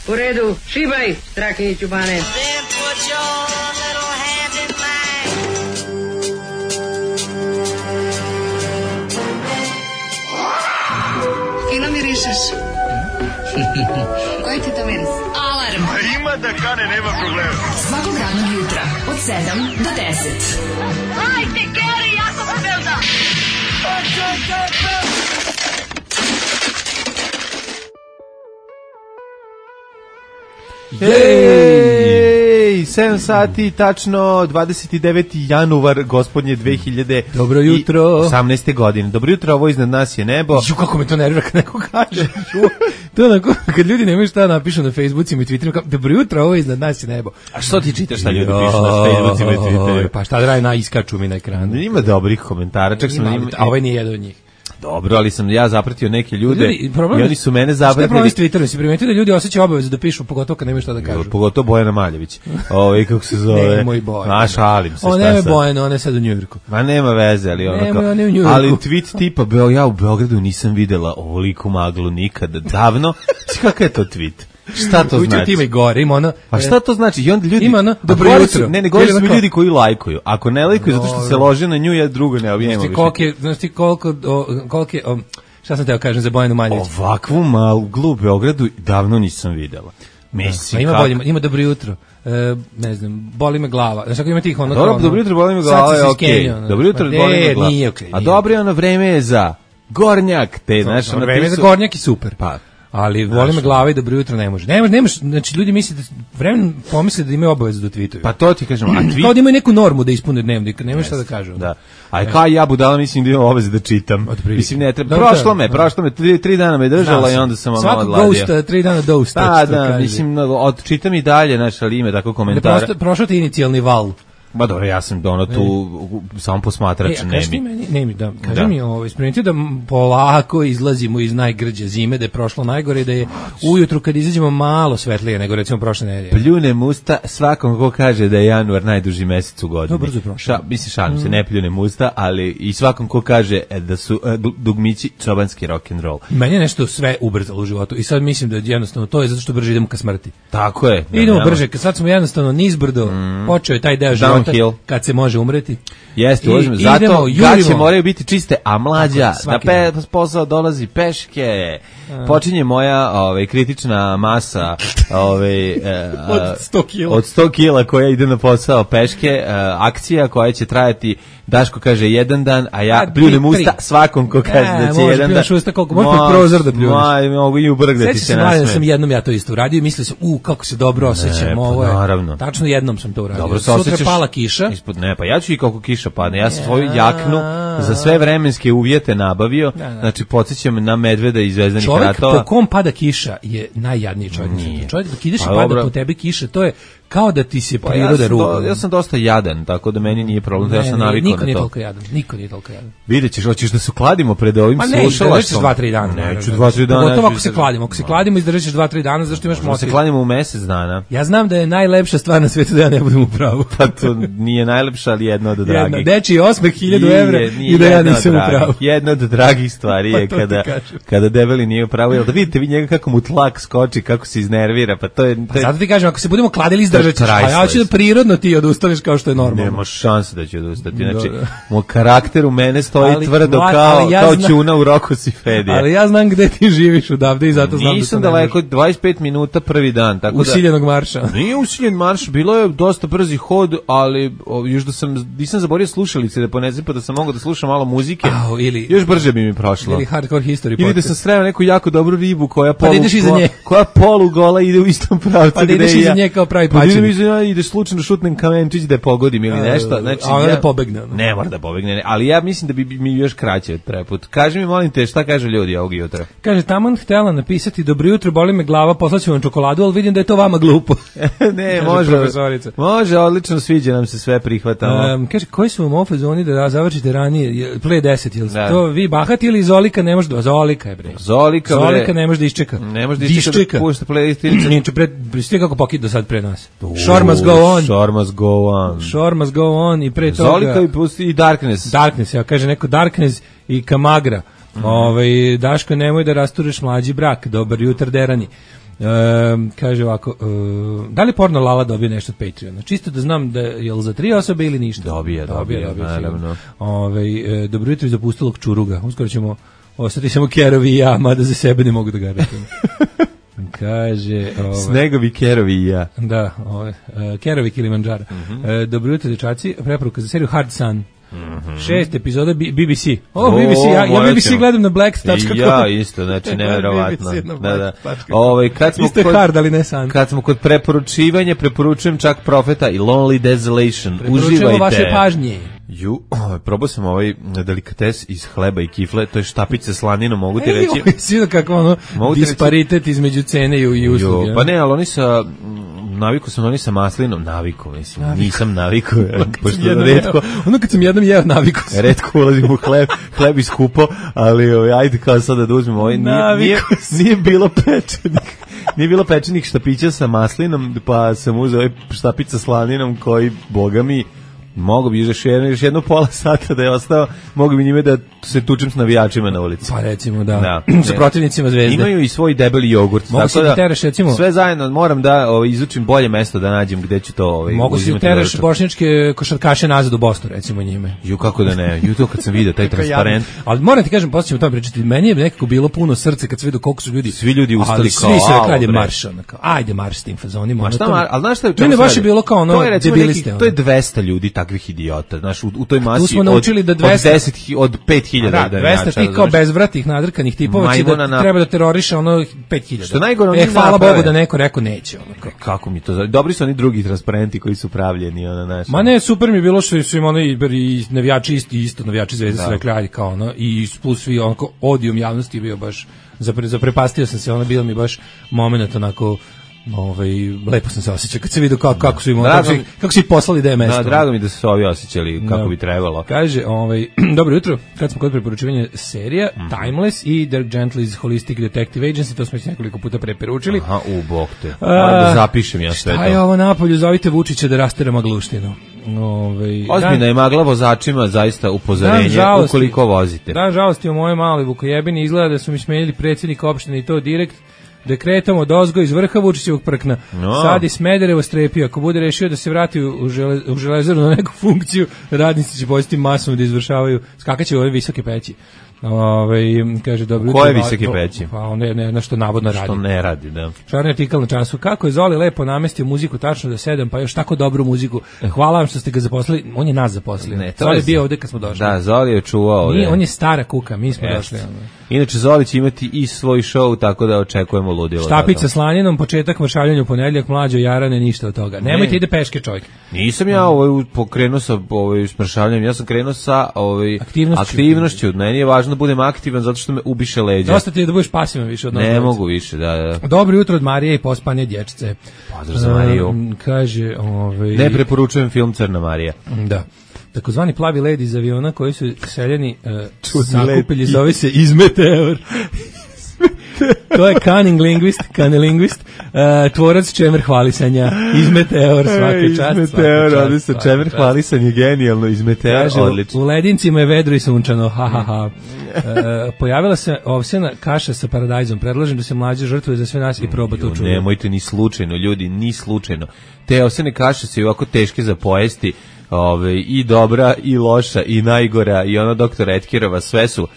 U redu, šibaj, Strahinjiću Bane. Fino mirišeš. Koji ti to miris? Alarm. Ima da kane, nema problema. Svakog radnog jutra, od 7 do 10. Hajde, Geri, jako se velda. Jej, 7 sati, tačno 29. januar, gospodnje 2018. Dobro jutro. godine. Dobro jutro, ovo iznad nas je nebo. Ju, kako me to nervira kad neko kaže. To je onako, kad ljudi nemaju šta napišu na Facebookima i Twitterima, dobro jutro, ovo iznad nas je nebo. A što ti čitaš šta ljudi pišu na Facebookima i Twitterima? Pa šta da radi, iskaču mi na ekranu. Ima dobrih komentara, čak sam... A ovaj nije jedan od njih. Dobro, ali sam ja zapratio neke ljude i oni su mene zapratili. Šta je problem s Twitterom? Si primetio da ljudi osjećaju obavezu da pišu, pogotovo kad nemaju šta da kažu? Pogotovo Bojana Maljević. Kako se zove? Nemoj Bojana. Šalim se. On nema Bojana, ona je sad u Njujorku. Ma nema veze, ali ali tweet tipa, ja u Beogradu nisam videla ovoliku maglu nikada, davno. Kakav je to tweet? Šta to znači? Ima i gore, ima ono... A šta to znači? I onda ljudi... Ima ono, dobro jutro. Ne govori su mi ljudi koji lajkuju. Ako ne lajkuju zato što se lože na nju, ja drugo ne objemo više. Znaš ti koliko šta sam teo kažem za Bojanu Maljević? Ovakvu maglu u Beogradu davno nisam videla. Mislim, ima dobro jutro. Ne znam, boli me glava. Znaš ako ima tih ono... Dobro jutro, boli me glava, je okej. Dobro jutro, boli me glava. Nije okej. A dobro, ono vreme je za gornjak. Vreme je za gornjak i super. Pa. Ali voli me glava i dobro jutro ne može. Nemaš, znači ljudi misle da vremenom pomisle da imaju obavezu da tweetuju. Pa to ti kažem, a tweet... Kao da imaju neku normu da ispune dnevnik, nema šta da kažu. Da. A kao ja budala mislim da imam obavezu da čitam. Mislim ne treba. Prošlo me 3 dana me držala i onda sam malo odladio. Svaki ghost 3 dana dosta. Da, mislim odčitam i dalje, znači ali ima tako komentara. Prošao ti inicijalni val. Ba dobro, ja sam tu samo posmatrač, Kaži mi, isprimetio da polako izlazimo iz najgrđe zime, da je prošlo najgore, da je ujutru kad izađemo malo svetlije nego recimo prošle nedelje. Pljunem usta svakom ko kaže da je januar najduži mesec u godini. To brzo prošlo. Mislim, šalim se, ne pljunem usta, ali i svakom ko kaže da su dugmići čobanski rock'n'roll. Meni je nešto sve ubrzalo u životu i sad mislim da jednostavno to je zato što brže idemo ka smrti. Tako je. Idemo brže, sad smo jednostavno nizbrdo, počeo je taj deo života kad se može umreti. Jeste, zato gaće moraju biti čiste, a mlađa na posao dolazi peške. Počinje moja kritična masa od 100 kila. Od 100 kila koja ide na posao peške, akcija koja će trajati, Daško kaže jedan dan, a ja pljunem usta svakom ko kaže da će jedan dan. Može koliko, može pod prozor da pljuneš. Mogu i ubrgdati se na sve. Sam jednom ja to isto uradio i mislio sam, kako se dobro osjećam, ovo je. Naravno. Tačno jednom sam to uradio. Dobro se osjećaš. Sutra pala kiša. Pa ja ću i kako kiša padne. Ja sam svoju jaknu za sve vremenske uvjete nabavio. Znači podsjećam na medveda iz Zvezdanih ratova. Čovjek po kom pada kiša je najjadniji čovjek. Čovjek dok ideš i pada po tebi kiša, to je kao da ti se priroda ruga. Ja sam dosta jadan, tako da meni nije problem, ja sam navikao na to. Niko nije toliko jadan. Vidjet ćeš, hoćeš da se kladimo pred ovim slušalaštvom? Pa nećeš 2-3 dana. Neću 2-3 dana. Pogotovo ako se kladimo. Ako se kladimo, izdržat ćeš 2-3 dana, zašto imaš motiv. Se kladimo u mesec dana. Ja znam da je najlepša stvar na svijetu da ja ne budem u pravu. Pa to nije najlepša, ali jedna od dragih. Dečiji osmeh 1000 evra i da ja nisam u pravu. Jedna od dragih stvari je kada debeli nije u pravu. Jel da vidite vi njega kako mu tlak skoči, kako se iznervira, pa to je... Zato ti kažem, ako se budemo kladili, izdržat ćeš. A ja ću da prirodno ti odustaneš kao što je normalno. Nema šanse da će odustati. Znači, moj karakter u mene stoji tvrdo kao ćuna u Roko Sifedija. Ali ja znam gde ti živiš odavde i zato znam Nisam daleko, 25 minuta prvi dan. Tako usiljenog marša. Nije usiljen marš, bilo je dosta brzi hod, ali još da nisam zaborio slušalice da ponezim, pa da sam mogao da slušam malo muzike. Još brže bi mi prošlo. Ili Hardcore History. Ili da sam sreo neku jako dobru ribu koja polugola ide u istom pravcu. Pa da ideš iza nje kao pravi pačin. Ideš slučajno šutnem kamenčić da je pogodim ili nešto. Znači, a ona da pobegne. Ne mora da pobegne, ali ja mislim da bi mi još kraće od preput. Kaži mi, molim te, šta kaže ljudi ovog jutra? Kaže, taman htjela napisati dobro jutro, boli me glava, poslaću vam čokoladu, ali vidim da je to vama glupo. Ne, može, odlično, sviđa nam se, sve prihvatamo. Kaže, koji su vam ofazoni da završite ranije, play 10, ili to vi bahati ili Zolika ne može da... Zolika je bre. Zolika ne može da iščeka. Ne može da iščeka. Pušta playlist. Nije kako pokid do sad pre nas. Shore must go on. Shore must go on i pre toga. Zolika i Darkness. Darkness, ja kaže neko Darkness i Kamagra. Daško, nemoj da rastureš mlađi brak. Dobar jutar, derani. Kaže ovako, da li porno Lala dobije nešto od Patreona? Čisto da znam da je li za 3 osobe ili ništa? Dobije, naravno. Dobro jutro iz opustilog Čuruga. Uskoro ćemo ostati samo Kerovi i ja, mada za sebe ne mogu da garantujem. Kaže... Snegovi, Kerovi i ja. Da, Kerovi Kilimanjara. Dobro jutro, dečaci. Preporuka za seriju Hard Sun. 6 epizoda BBC. BBC, ja BBC gledam na black.com. Ja isto, znači neverovatno. Da. Kad smo kod preporučivanja, preporučujem čak Profeta i Lonely Desolation. Uživajte. Vaše pažnje. Probao sam ovaj delikates iz hleba i kifle, to je štapice slaninom, mogu ti reći. Sviđa kako disparitet između cene i usluge. Pa ne, ali oni naviku sam oni sa maslinom, nisam naviku, pošto retko... Ono kad sam jednom jeo naviku sam. Retko ulazim u hleb iskupo, ali ajde kao sada da uzmem ovaj, nije bilo pečenih štapića sa maslinom, pa sam uzeo ovaj štapić sa slaninom koji, boga mi, mogu bi još jedno pola sata da je ostao, mogu bi njime da se tučem s navijačima na ulici. Pa recimo da. Sa protivnicima Zvezde. Imaju i svoj debeli jogurt. Mogu si da tereš recimo. Sve zajedno moram da izučim bolje mesto da nađem gde ću to uzimati. Mogu si da tereš bošnjačke košarkaše nazad u Bosnu recimo njime. Kako da ne. To kad sam vidio taj transparent. Ali moram ti kažem, posle ćemo to pričati. Meni je nekako bilo puno srce kad sam vidio koliko su ljudi. Svi ljudi ustali kao. Svi su rekli ajde marš, ajde marš s tim fazonima. Al znaš šta je? Meni baš je bilo kao ono debiliste. To je 200 ljudi takvih idiota. Znaš, u toj masi smo naučili da 200 od 5000 da 200 tih kao bezvratih nadrkanih tipova će da treba da teroriše ono 5000. Što najgore, hvala Bogu da neko rekao neće. Kako mi to? Dobri su oni drugi transparenti koji su pravljeni naš. Ma ne, super mi je bilo što su im oni i navijači isto navijači Zvezde su rekli ajde kao ono i plus svi onako odijum javnosti bio baš zaprepastio sam se, bilo mi baš momenat onako lepo sam se osjećao kad se vidio kako su im kako su ih poslali da je mesto. Drago mi da su se ovi osjećali kako bi trebalo. Kaže, dobro jutro, kad smo kod preporučivanja serija, Timeless i The Gentleman's Holistic Detective Agency, to smo već nekoliko puta preporučili. Aha, bog te. Da zapišem ja sve to. Šta je ovo napolju, zovite Vučića da rastera magluštinu. Ozbiljna je magla vozačima, zaista upozorenje ukoliko vozite. Da, žalosti u moje male Vukojebini, izgleda da su mi smenili predsjednika opštine i to direkt dekretom od ozgo iz vrha Vučićevog prkna. Sad i Smederevo strepio. Ako bude rešio da se vrati u Železaru na neku funkciju, radnici će početi masovno da izvršavaju, skakaće u ove visoke peći. Kaže, dobro jutro. Koje visoke peći? Pa ne, što navodno radi. Što ne radi, da. Šarni artikal na Času. Kako je Zoli lepo namestio muziku tačno do 7, pa još tako dobru muziku. Hvala vam što ste ga zaposlili. On je nas zaposlio. Zoli je bio ovde kad smo došli. Da, Zoli je čuvao ovde. On je stara kuka, mi smo došli. Inače, Zoli će imati i svoj show, tako da očekujemo ludilo. Štapić sa slaninom, početak maršaljanju u ponedjeljak, mlađo Jarane, ništa od toga. Nemojte ide peške, čovjek. Nisam ja pokrenuo sa smršavljanjem, ja sam krenuo sa aktivnošću. Meni je važno da budem aktivan zato što me ubiše leđa. Dosta ti je da budeš pasivan više od nas. Ne mogu više, da. Dobro jutro od Marije i pospane dječce. Pozdrav za Mariju. Kaže, ne preporučujem film Crna Marija. Da. Takozvani plavi led iz aviona koji su seljeni sakupili, zove se Izmeteor. To je kanelingvist, tvorac čemer hvalisanja, Izmeteor svake čast. Izmeteor, odlično, čemer hvalisanje, genijalno, Izmeteor, odlično. U ledincima je vedro i sunčano, ha. Pojavila se ovsjena kaša sa paradajzom, predlažem da se mlađe žrtvuje za sve nas i proba to čuje. Nemojte ni slučajno, ljudi, ni slučajno. Te ovsjene kaše su ovako teške za pojesti, i dobra, i loša, i najgora, i ono doktor Etkerova, sve su.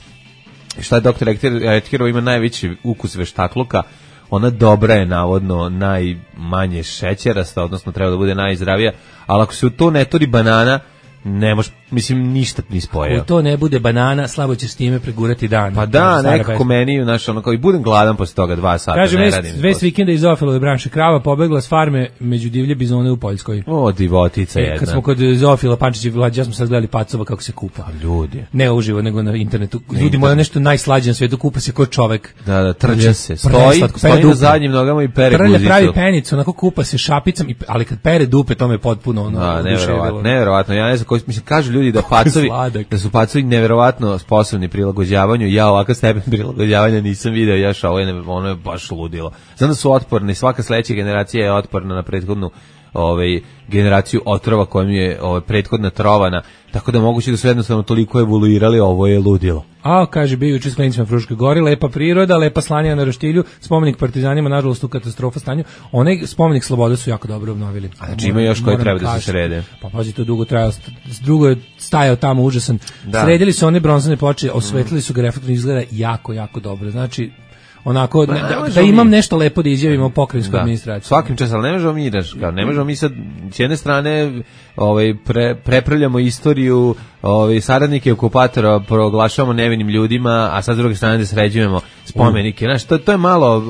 Šta je doktor Etkerova, ima najveći ukus veštakluka, ona dobra je navodno najmanje šećerasta, odnosno treba da bude najzdravija, ali ako se u to ne turi banana, ne može, mislim, ništa ni spojeo. Ako to ne bude banana, slabo će s time pregurati dan. Pa da, nekako meni, kao i budem gladan posle toga 2 sata. Kaže, vest vikenda iz Zoofilove branše, krava pobegla s farme među divlje bizone u Poljskoj. O, divotica jedna. Kad smo kod Zoofila, Pančić i Vlađa, smo sad gledali pacova kako se kupa. Ljudi. Ne uživo, nego na internetu. Ljudi moja nešto najslađe na svijetu, kupa se kod čovek. Da, trče se. Stoji na zadnjim nogama i pere guzicu. Pravi penicu, onako kupa se šapicom, ali kad pere dupe, to me potpuno ono. Neverovatno. Ja ne znam koji, mislim, kažu ljudi da su pacovi neverovatno sposobni prilagođavanju. Ja ovakav stepen prilagođavanja nisam video, ono je baš ludilo. Znam da su otporni, svaka sledeća generacija je otporna na prethodnu generaciju otrova kojom je prethodna trovana, tako da moguće da su jednostavno toliko evoluirali, ovo je ludilo. A, kaže, bio juče s klincima Fruške Gori, lepa priroda, lepa slanja na roštilju, spomenik partizanima, nažalost u katastrofa stanju. Onaj spomenik slobode su jako dobro obnovili. A znači ima još koji treba da se srede. Pa pazi, to dugo trajalo, drugo je stajao tamo užasan. Da. Sredili su one bronzane ploče, osvetlili su ga, reflektorno izgleda jako, jako dobro. Znači, onako, da imam nešto lepo da izjavim o pokrajinskoj administraciji. Svakim čas, ali ne možemo mi sad, s jedne strane, prepravljamo istoriju, saradnike okupatora proglašavamo nevinim ljudima, a sad s druge strane da sređujemo spomenike. Znaš, to je malo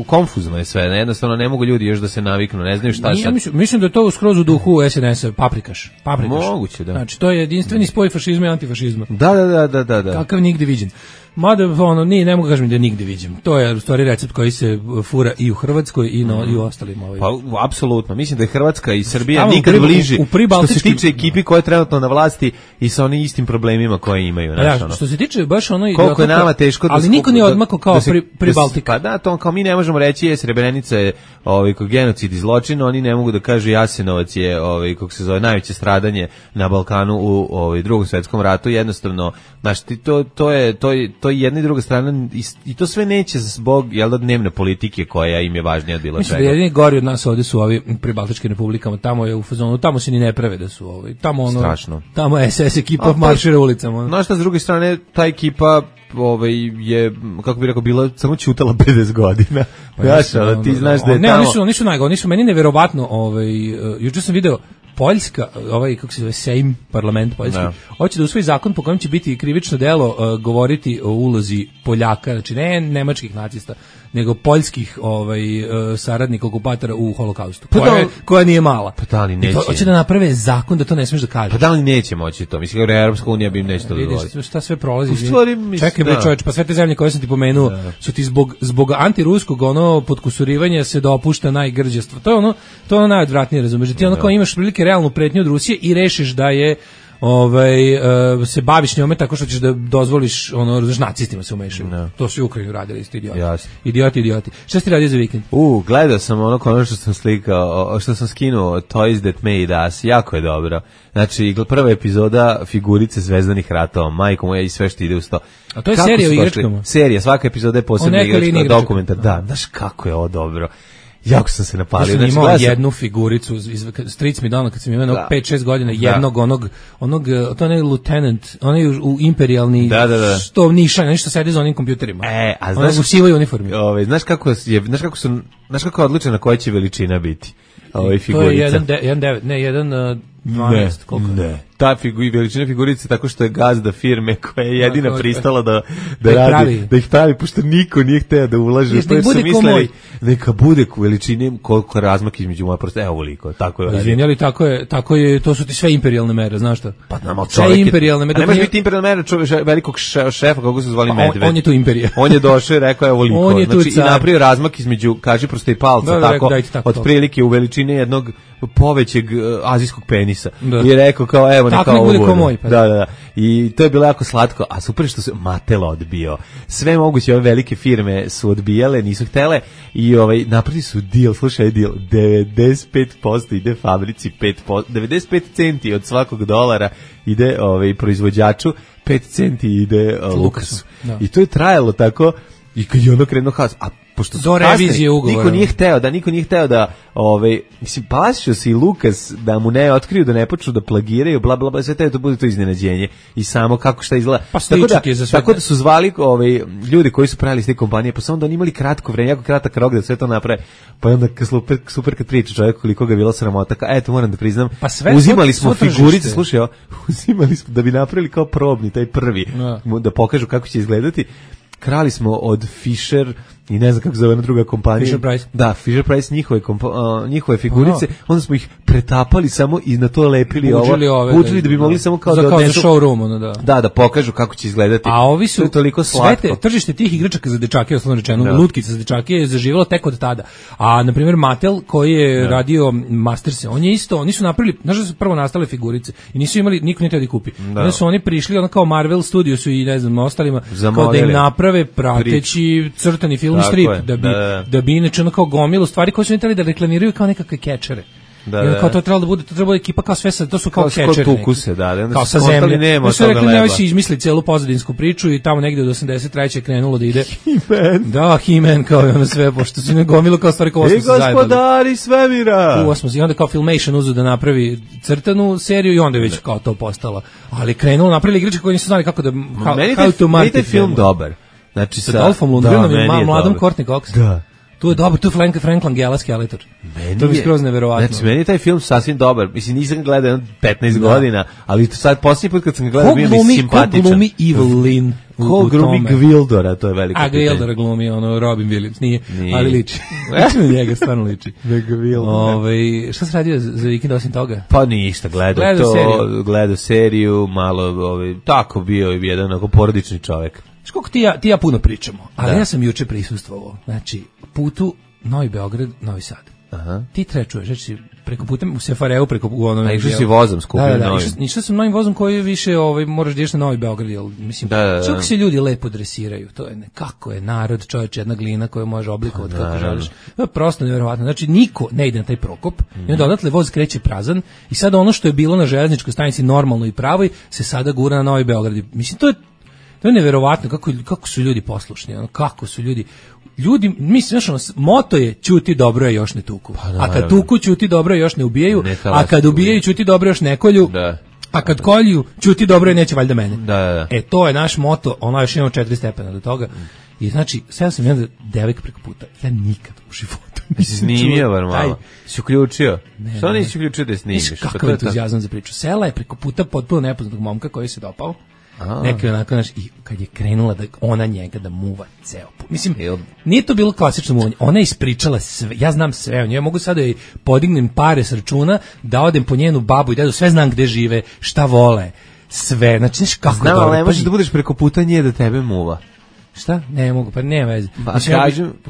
konfuzno je sve, jednostavno ne mogu ljudi još da se naviknu, ne znaju šta sad. Mislim da je to skroz u duhu SNS-a, paprikaš. Moguće, da. Znači, to je jedinstveni spoj fašizma i antifašizma. Da. Kakav nigde viđen. Mada, ne mogu kažem da je nigde viđem. To je u stvari recept koji se fura i u Hrvatskoj i u ostalim. Pa, apsolutno. Mislim da je Hrvatska i Srbija nikad bliži što se tiče ekipi koja je trenutno na vlasti i sa onim istim problemima koje imaju. Što se tiče baš ono... Koliko je nama teško ali niko nije odmakao kao pri Baltika. Pa da, to kao mi ne možemo reći je Srebrenica je genocid i zločin, oni ne mogu da kažu Jasenovac je kako se zove najveće stradanje na Balkanu u Drugom svetskom ratu. Jednostavno, znači to je jedna i druga strana i to sve neće zbog dnevne politike koja im je važnija od bilo čega. Mislim da jedini gori od nas ovdje su ovi pribaltičkim republikama, tamo je u fazonu, tamo se ni ne prave da su tamo strašno. Tamo je SS ekipa maršira ulicama. Znaš šta, s druge strane, ta ekipa je, kako bi rekao, bila samo ćutala 50 godina. Ti znaš da je tamo... Ne, oni su najgore, meni neverovatno, juče sam video Poljska, kako se zove, Sejm, parlament poljski, hoće da usvoji zakon po kojem će biti krivično delo govoriti o ulozi Poljaka, znači ne nemačkih nacista, nego poljskih saradnika okupatora u holokaustu, koja nije mala. Pa da li neće? Hoće da naprave zakon da to ne smiješ da kažeš. Pa da li neće moći to? Mislim da Europska unija bi im neće to dozvoliti. Vidiš šta sve prolazi. Čekaj bre čovječ, pa sve te zemlje koje sam ti pomenuo su ti zbog antiruskog podkusurivanja se dopušta najgrđestvo. To je ono najodvratnije, razumiješ? Ti kao imaš prilike realnu pretnju od Rusije i rešiš da je se baviš njome tako što ćeš da dozvoliš nacistima se umešaju. To su u Ukrajini radili isto idioti. Šta si radio za vikend? Gledao sam ono što sam slikao, što sam skinuo Toys That Made Us, jako je dobro. Znači, prva epizoda figurice Zvezdanih ratova, majko moja i sve što ide uz to. A to je serija o igračkama? Serija, svaka epizoda je posebna igračka, dokumentar. Da, znaš kako je ovo dobro. Jako sam se napalio. Ja sam imao jednu figuricu, stric mi dano kad sam imao 5-6 godina, jednog onog, to je lieutenant, onaj u imperijalni, što nišan, nešto sedi za onim kompjuterima. A znaš u sivoj uniformi. Znaš kako je odličena koja će veličina biti figurica? To je 1.12, koliko? Ne. Ta veličina figurice tako što je gazda firme koja je jedina pristala da radi, da ih pravi, pošto niko nije hteo da ulaže. Da su mislili, neka bude u veličini koliko je razmak između moja prosta. Evo veliko, tako je. Izvinjali, tako je, to su ti sve imperijalne mere, znaš šta? Pa nama čovjek. Imperijalne mere. Ne može biti imperijalna mera velikog šefa, kako se zvali Medved. On je tu imperija. On je došao i rekao evo veliko. Znači i napravio razmak između kaži prosta i palca, tako otprilike u veličini jednog povećeg azijskog penisa. I rekao kao evo neka ovo bude. Da. I to je bilo jako slatko, a super što se Mattel odbio. Sve moguće ove velike firme su odbijale, nisu htele i napravili su deal, slušaj deal, 95% ide fabrici, 95 centi od svakog dolara ide proizvođaču, 5 centi ide Lukasu. I to je trajalo tako i kad je ono krenuo haos, a pošto do revizije ugovora. Niko nije hteo da mislim, plašio se i Lukas da mu ne otkriju, da ne počnu da plagiraju, bla bla bla, sve to bude to iznenađenje i samo kako šta izgleda. Pa tako da su zvali ljudi koji su pravili s te kompanije, pa samo da oni imali kratko vreme, jako kratak rok da sve to naprave, pa onda super kad priča čovjek koliko ga je bila sramota, eto moram da priznam, uzimali smo figurice, slušaj, uzimali smo da bi napravili kao probni, taj prvi, da pokažu kako će izgledati. Krali smo od Fisher i ne znam kako zove jedna druga kompanija. Fisher Price. Da, Fisher Price, njihove figurice, onda smo ih pretapali samo i na to lepili budžili da bi mogli samo kao da odnesu. Za showroom, da povkažu kako će izgledati. A ovi su, toliko slatko. Sve tržište tih igračaka za dečake, osnovno rečeno, lutkice za dečake je zaživjelo tek od tada. A, na primjer, Mattel, koji je radio Masterse, oni su napravili, znaš da su prvo nastale figurice i nisu imali, niko nije teo da kupi. Onda su oni prišli, kao Marvel Studiosu i ne znam, ostalima, kao da im naprave prateći crtani film strip, da bi inače kao gomilu stvari koje su hteli da reklamiraju kao nekakve kečere. Da. Kao to trebalo da bude, to treba ekipa kao sve to su kao catcheri. Tuku se, da. Kao sa zemlje. Nema toga leba. Rekli, ne izmisli celu pozadinsku priču i tamo negde od 83. krenulo da ide. He-Man. Da, He-Man kao i ono sve, pošto su negomilo kao stvari kao osmo se zajebali. Gospodari svemira! I onda kao Filmation uzu da napravi crtanu seriju i onda je već kao to postalo. Ali krenulo, napravili igrače koji nisu znali kako da... Meni je film dobar. Znači sa Dolphom Lundgrenom i mladom Courtney Cox. Da. Tu je dobar, tu je Frank Langella Skeletor. To je skroz neverovatno. Znači, meni je taj film sasvim dobar. Mislim, nisam gledao 15 godina, ali sad posljednji put kad sam ga gledao bio mi simpatičan. Ko glumi Evelyn? Ko glumi Gwildora, to je veliko pitanje. A Gwildora glumi, Robin Williams, nije. Ali liči. Liči na njega, stvarno liči. Šta se radio za vikend osim toga? Pa ništa, gledao seriju, malo, tako bio jedan onako porodični čovek. Koliko ti ja puno pričamo, ali ja sam juče prisustvovao, znači putu Novi Beograd, Novi Sad. Aha. Ti čuješ, znači preko puta u Sefareu, preko u onom... A išao si vozom skupio novim. Išao sam novim vozom koji više moraš da ideš na Novi Beograd, jel, mislim, čak se ljudi lepo dresiraju, to je nekako je narod, čovječ, jedna glina koju može oblikovati kako želiš. To je prosto nevjerovatno, znači niko ne ide na taj Prokop, i onda odatle voz kreće prazan i sada ono što je bilo na železničkoj stanici normalno i pravoj se sada gura na Novi Beograd. Mislim, to je neverovatno kako su ljudi poslušni, kako su ljudi, mislim, moto je ćuti dobro je još ne tuku, a kad tuku ćuti dobro je još ne ubijaju, a kad ubijaju ćuti dobro još ne kolju, a kad kolju ćuti dobro je neće valjda mene. To je naš moto, još imamo 4 stepena do toga. I znači, sve sam jedan devojka preko puta, ja nikad u životu nisam snimio, bar malo. Si uključio? Što nisi uključio da snimiš? Kakav entuzijazam za priču. Sela je preko puta potpuno nepoznatog momka koji se dopao. Neki onako, i kad je krenula da ona njega da muva ceo put. Mislim, nije to bilo klasično muvanje. Ona je ispričala sve, ja znam sve o njoj. Ja mogu sada da podignem pare s računa, da odem po njenu babu i dedu, sve znam gde žive, šta vole, sve. Znači, znaš kako znam, dobro. Znam, ali ne možeš da budeš preko puta nje da tebe muva. Šta? Ne mogu, pa nema veze.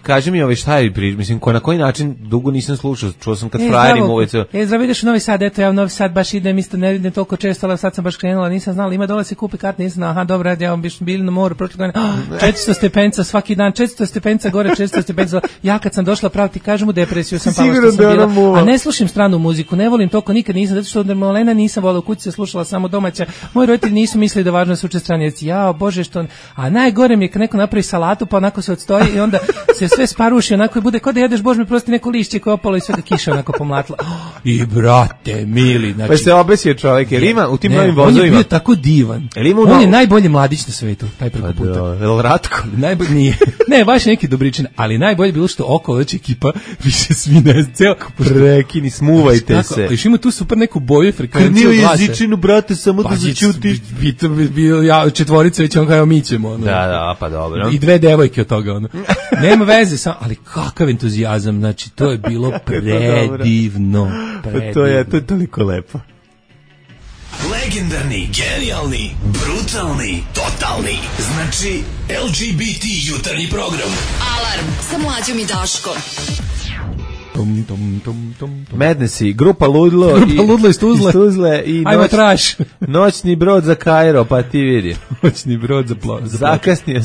Kaži mi šta je priča, mislim, na koji način dugo nisam slušao, čuo sam kad frajeri muvice. Zdravo, ideš u Novi Sad, eto ja u Novi Sad baš idem, isto ne vidim toliko često, ali sad sam baš krenula, nisam znala, ima dole se kupi kart, nisam znala, aha, dobro, ja vam bili na moru, prošle godine, 400 stepenca svaki dan, 400 stepenca gore, 400 stepenca, ja kad sam došla pravo ti kažem u depresiju sam pala što sam bila, a ne slušam stranu muziku, ne volim toliko nikad nisam, zato što od malena nisam volila, u kući se slušala samo domaća, moji roditelji nisu mislili da važno da se uče strane jezici, jao bože što, a najgore mi je kad neko napravi salatu pa onako se odstoji i onda se sve sparuši, onako i bude kao da jedeš, bož mi prosti neko lišće koje opalo i sve da kiša onako pomlatla. I brate, mili, znači... Pa se obesio čovjek, jer ima u tim novim vozovima... On je bio tako divan. On je najbolji mladić na svetu, taj preko puta. El Ratko? Najbolji nije. Ne, baš neki dobričin, ali najbolje bilo što okolo već ekipa više svi ne ceo... Prekini, smuvajte se. Još ima tu super neku boju frekvenciju glasa. Krnio jezičinu, brate, samo da začutiš. Bio četvorica, već on kao mi ćemo. Da, pa dobro. I 2 devojke od toga, nema veze, ali kakav entuzijazam, znači to je bilo predivno. To je toliko lepo. Legendarni, genijalni, brutalni, totalni, znači LGBT jutarnji program. Alarm sa Mlađom i Daškom. Madnessi, grupa Ludlo iz Tuzle i noćni brod za Kairo, pa ti vidi. Noćni brod za zakasnije.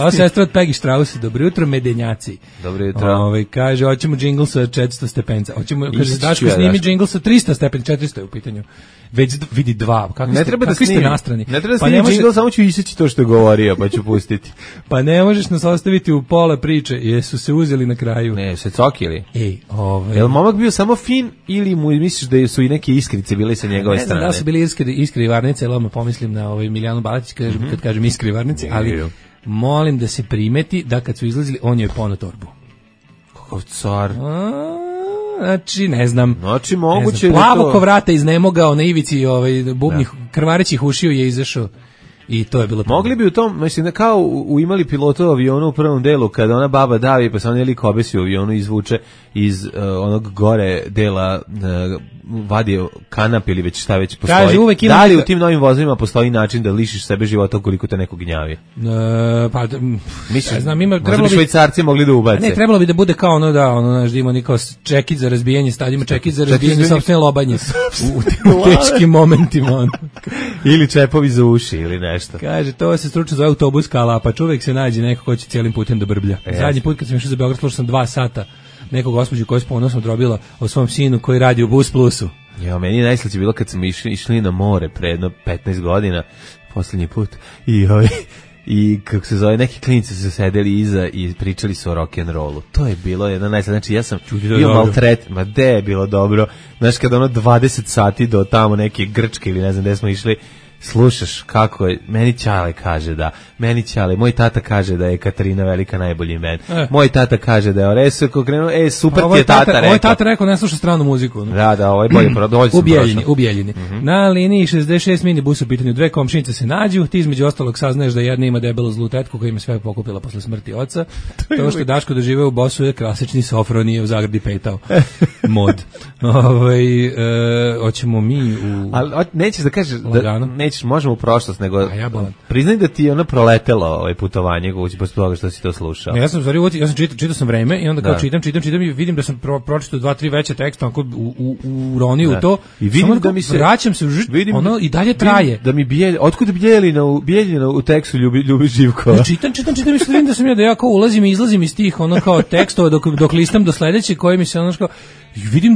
Ovo sestra od Peggy Strauss, dobro jutro medenjaci. Dobro jutro. Kaže, hoćemo džingl sa 400 stepenca. Kaže, Daško snimi džingl sa 300 stepenca, 400 je u pitanju. Već vidi 2. Kakvi ste nastrani? Ne treba da snimi džingl, samo ću iseći to što je govorio, pa ću pustiti. Pa ne možeš nas ostaviti u pola priče, jesu se uzeli na kraju. Ne, se cokili. Jel momak bio samo fin ili mu misliš da su i neke iskrice bile sa njegove strane? Ne znam da su bili iskri varnice, ali odmah pomislim na Milijanu Balatić kad kažem iskri varnice, ali molim da se primeti da kad su izlazili, on je poneo torbu. Kakav car. Znači, ne znam. Znači, moguće plavo ko vrata iznemogao na ivici bubnih krvarećih ušiju je izašao. I to je bilo mogli bi u tom, mislim, kao imali pilota u avionu u prvom delu, kada ona baba davi, pa se on jelik obesi u avionu izvuče iz onog gore dela, vadi kanap ili već šta već postoji. Kaže, uvek ima da li u tim novim vozovima postoji način da lišiš sebe života ukoliko te neko gnjavi? Misliš, znam, ima, možda bi Švajcarci mogli da ubace. Ne, trebalo bi da bude kao znaš, da ima neko čekit za razbijanje stadima, čekit za razbijanje sopstvene lobanje u teškim momentima. Ili čepovi za uši ili nešto. Kaže, to se stručno zove autobuska lapa, čovjek se nađe neko ko će cijelim putem da brblja. Zadnji put kad sam išao za Beograd, slušao sam 2 sata neku gospođu koja je s ponosom drobila o svom sinu koji radi u Bus Plusu. Ja, meni je najslađe bilo kad smo išli na more pre jedno 15 godina, poslednji put, i kako se zove, neki klinici su sedeli iza i pričali su o rock'n'rollu. To je bilo jedno najslađe. Znači, ja sam bio maltret, ma de je bilo dobro. Znaš, kada 20 sati do tamo neke Grčke ili ne znam gde smo išli, slušaš kako je, meni Ćale kaže da, moj tata kaže da je Katarina Velika najbolji bend. Moj tata kaže da je Oresoko krenuo, super ti je tata rekao. Ovaj tata rekao ne sluša stranu muziku. No? Da, ovo je bolje, u Bijeljini. Na liniji 66 minibus u pitanju, dve komšinice se nađu, ti između ostalog saznaješ da jedna ima debelu zlu tetku koja ima sve pokupila posle smrti oca. To što Daško doživeo u Bosu je klasični Sofronije u Zagradi petao. Mod. Hoćemo mi u... Ali nećeš da kažeš da nećeš, možemo u prošlost, nego priznaj da ti je ono proletelo putovanje posle toga što si to slušao. Ne, ja sam čitao sam Vreme i onda kao čitam i vidim da sam pročitao 2-3 veće teksta onako uronio u to. I vidim da mi se vraćam se ono i dalje traje. Da mi otkud Bijeljina u tekstu ljubi Živkova. Čitam i vidim da sam da ja kao ulazim i izlazim iz tih ono kao tekstova dok listam do sledeće koji mi se ono kao vidim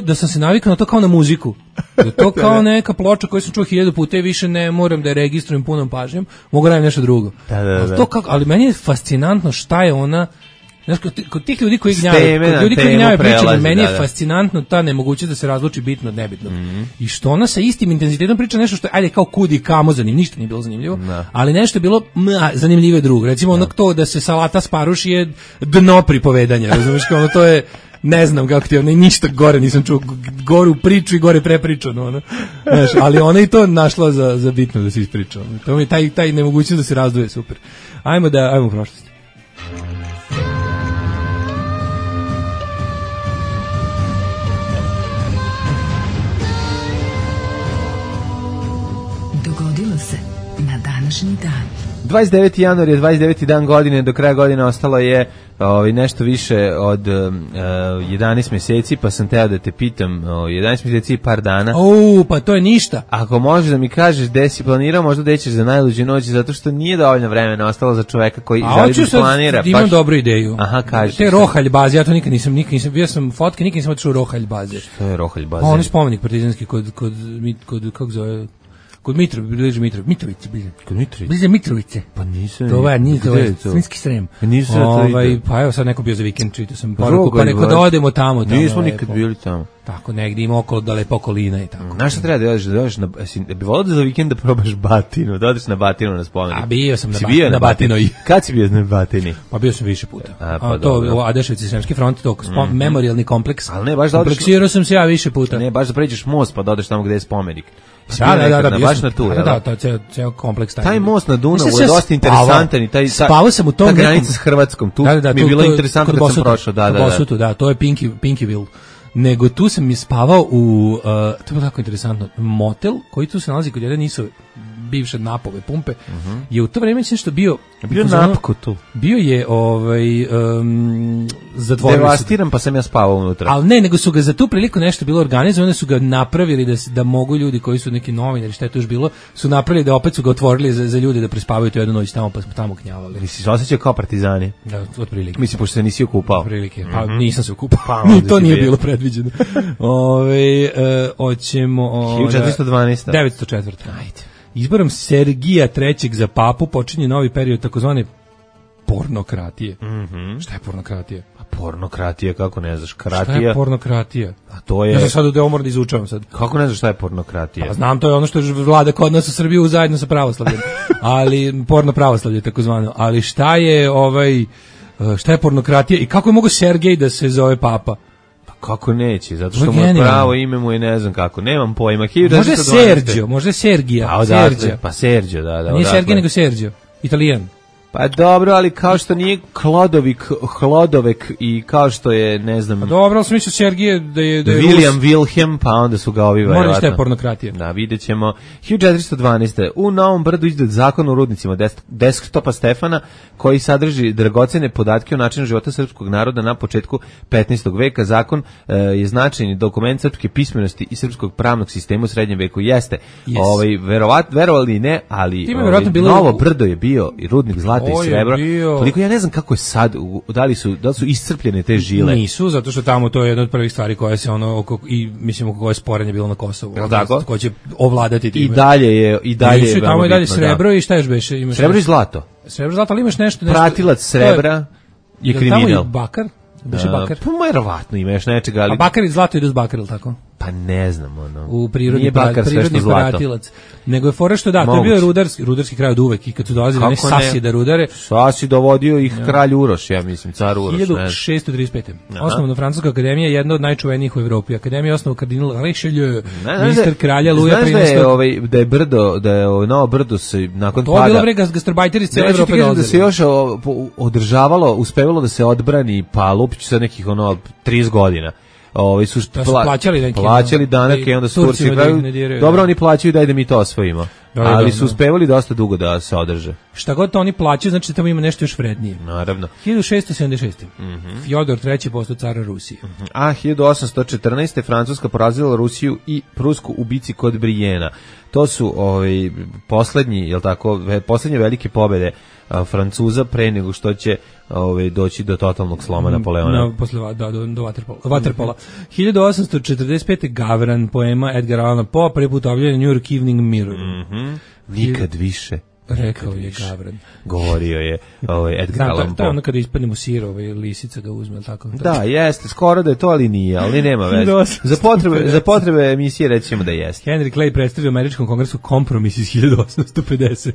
da sam se navikao na to kao na muziku. Da to kao neka ploča koju sam čuo 1000 puta i više ne moram da je registrujem punom pažnjom, mogu raditi nešto drugo. Da. Ali meni je fascinantno šta je ona, znaš, kod tih ljudi koji gnjavaju pričanje, meni je fascinantno ta nemogućnost da se razluči bitno od nebitnog. I što ona sa istim intenzitetom priča nešto što je, ajde, kao kud i kamo zanimljivo, ništa nije bilo zanimljivo, ali nešto je bilo zanimljivo drugo. Recimo ono to da se salata sparuši je dno pripovedanja, razumiješ, kao ono to je, ne znam kako ti, ništa gore nisam čuo, goru priču i gore prepričano, ono. Znaš, ali ona i to našla za bitno da se ispriča. To mi je taj nemogućnost da se razdvoje, super. Ajmo u prošlosti. Dogodilo se na današnji dan. 29. januar je 29. dan godine, do kraja godine ostalo je nešto više od 11 mjeseci, pa sam teo da te pitam, 11 mjeseci i par dana. Pa to je ništa. Ako možeš da mi kažeš gde si planirao, možda gde ćeš za najluđu noć, zato što nije dovoljno vremena ostalo za čoveka koji želi da planira. Imam dobru ideju. Aha, kaži. Te rohalj baze, ja to nikad nisam, bio sam fotke, nikad nisam otišao u rohalj baze. Što je rohalj baze? On je spomenik partizanski kod kako zove... Kod Mitrovice. Bliže Mitrovice. Pa nisam. To je Svinjski Srem. Pa evo sad neko bio za vikend, čitao sam poruku, pa neko da odemo tamo. Nismo nikad bili tamo. Tako, negdje ima okolo da lepo okolina i tako. Znaš šta treba da odeš bi volao da za vikend da probaš Batinu, da odeš na Batinu na spomenik. A bio sam na Batinoj. Kad si bio na Batini? Pa bio sam više puta. To Adeševci, Sremski front, to memorialni kompleks. Ali ne, baš da odeš. Kompleksirao sam se ja više puta. Ne, baš da pređeš most pa da odeš tamo gde je spomenik. Da, baš na tu, ceo kompleks taj. Taj most na Dunavu je dosta interesantan i taj spavao sam u tom ta granica s Hrvatskom, tu mi je bilo interesantno kad sam prošao, da, to je Pinkyville. Nego tu sam mi spavao u, to je bilo tako interesantno, motel koji tu se nalazi kod jedne nisu bivše napove pumpe, je u to vreme nešto bio napko tu. Bio je zatvorili devastiran, pa sam ja spavao unutra. Ali ne, nego su ga za tu priliku nešto bilo organizovano, su ga napravili da mogu ljudi koji su neki novinari, šta je to još bilo, su napravili da opet su ga otvorili za ljude da prespavaju tu jednu noć tamo, pa smo tamo knjavali. Nisi se osjećao kao partizani? Da, otprilike. Mislim, pošto se nisi okupao. Otprilike, pa nisam se okupao. To nije bilo predviđeno. Hoćemo... 1412. 904. Ajde. Izborom Sergija III za papu počinje novi period takozvane pornokratije. Šta je pornokratija? A pornokratija, kako ne znaš? Kratija. Šta je pornokratija? A to je... Ja sam sad u moram da izučavam sad. Kako ne znaš šta je pornokratija? Pa znam, to je ono što vlada kod nas u Srbiju zajedno sa pravoslavljem. Ali porno pravoslavlje takozvano. Ali šta je šta je pornokratija i kako je mogo Sergej da se zove papa? Kako neće, zato što mu je pravo ime mu je ne znam kako, nemam pojma. Može Sergio, može Sergija. Pa Sergio, da. Nije Sergij nego Sergio, Italijan. Pa dobro, ali kao što nije Hlodovek i kao što je, ne znam... Pa dobro, ali sam mislio Sergije da je William Wilhelm, pa onda su ga ovi... Moram šta je pornokratija. Da, vidjet ćemo. 1412. U Novom Brdu izdat zakon o rudnicima desktopa Stefana, koji sadrži dragocene podatke o načinu života srpskog naroda na početku 15. veka. Zakon je značajni dokument srpske pismenosti i srpskog pravnog sistema u srednjem veku. Jeste. Verovali ne, ali Novo Brdo je bio i rudnik zlata zlata i srebra. Toliko ja ne znam kako je sad, da li su iscrpljene te žile. Nisu, zato što tamo to je jedna od prvih stvari koja se oko koje sporenje bilo na Kosovu. Ko će ovladati time. I dalje je tamo i dalje srebro i šta još beše? Imaš srebro i zlato. Srebro i zlato, ali imaš nešto. Pratilac srebra je kriminal. Tamo je bakar? Beše bakar? Pa verovatno ima još nečega, ali... A bakar i zlato idu s bakar, ili tako? Pa ne znam, ono. U prirodni pratilac. Nego je fora što to je bio rudarski kraj od uvek i kad su dolazili ne Sasi da rudare. Sasi dovodio ih kralj Uroš, ja mislim, car Uroš. 1635. Osnovna Francuska akademija, jedna od najčuvenijih u Evropi. Akademija je osnovao kardinal Richelieu, ministar kralja Luja XIII. Znaš da je novo brdo se nakon pada... To je bilo bre gastarbajteri iz cijele Evrope dolazili. Da se još održavalo, uspevalo da se odbrani Lupić sa nekih 30 godina. Su plaćali danake i onda su Turci dobro, oni plaćaju, daj da mi to osvojimo. Ali su uspevali dosta dugo da se održe. Šta god to oni plaćaju, znači da tamo ima nešto još vrednije. Naravno. 1676. Fjodor III. Postao car Rusije. A 1814. Francuska porazila Rusiju i Prusku u bici kod Brijena. To su poslednje velike pobede Francuza pre nego što će doći do totalnog sloma Napoleona. Do Waterpola. 1845. Gavran, poema Edgar Allana Poe, prvi put objavljen New York Evening Mirror. Nikad više. Rekao je Gavran. Govorio je Edgar Allan Poe. To je ono kada ispadnemo sir, lisica ga uzme, tako? Da, jeste, skoro da je to, ali nije, ali nema veze. Za potrebe emisije rećemo da jeste. Henry Clay predstavio u Američkom kongresu kompromis iz 1850.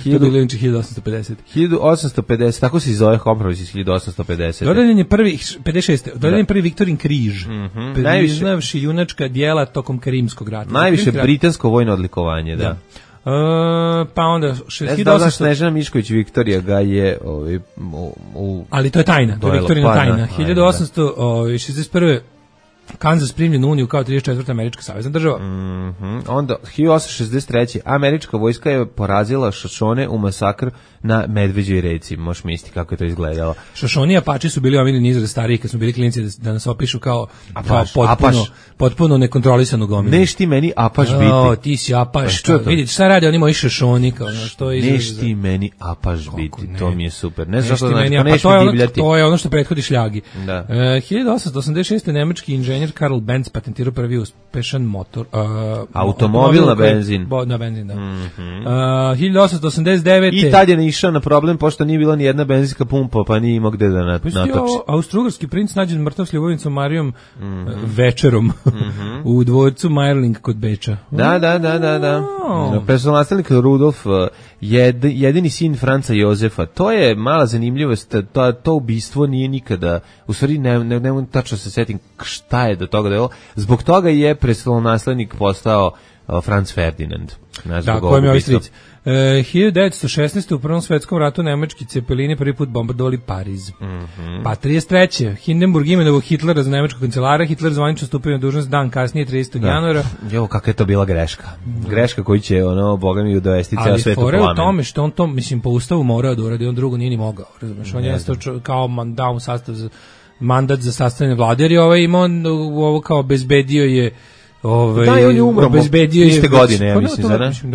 To je bilo 1850. 1850, tako se zove kompromis iz 1850. Dodeljen je prvi, 56. Dodeljen je prvi Viktorin križ. Priznavši junačka dijela tokom Karimskog rata. Najviše britansko vojno odlikovanje, da. Pa onda 1800... Snežana Mišković Viktorija ga je ali to je tajna, to je Viktorina tajna. 1861. Kansas primljen u Uniju kao 34. američka savezna država. Onda 1863. američka vojska je porazila Šošone u masakr na Medveđoj reci. Možeš misliti kako je to izgledalo. Šošoni i Apači su bili omiljeni izraz stariji kad smo bili klinci da nas opišu kao potpuno nekontrolisanu gomilu. Neš ti meni Apaš biti. Ti si Apaš. Vidite šta rade oni moji Šošoni kao što je izraz. Neš ti meni Apaš biti. To mi je super. Ne znam što divljati. To je ono što prethodi šljagi. 1886. nemački inženjer Karl Benz patentirao prvi uspešan motor. Automobil na benzin. Na benzin, da. 1889. I tad je išao na problem, pošto nije bila ni jedna benzinska pumpa, pa nije imao gde da natoči. Austrougarski princ nađen mrtav s ljubavnicom Marijom večerom u dvorcu Meierling kod Beča. Da. Prestolonaslednik Rudolf, jedini sin Franca Jozefa. To je mala zanimljivost, to ubistvo nije nikada, u stvari ne mogu tačno se setim šta je do toga da je ovo. Zbog toga je prestolonaslednik postao Franz Ferdinand. Da, ko je mi ovaj stric. 1916. u Prvom svetskom ratu nemački cepelini prvi put bombardovali Pariz. Pa 33. Hindenburg imenovao Hitlera za nemačkog kancelara. Hitler zvanično stupio na dužnost dan kasnije, 30. januara. Jo, kakva je to bila greška. Greška koju će, boga mi dovesti ceo svet u plamen. Ali fore u tome što on to, mislim, po ustavu morao da uradi, on drugo nije ni mogao. Razumeš, on je kao dao sastav za mandat za sastavljanje vlade, jer je imao ovo kao bezbedio je da, i on je umro iste godine, ja mislim,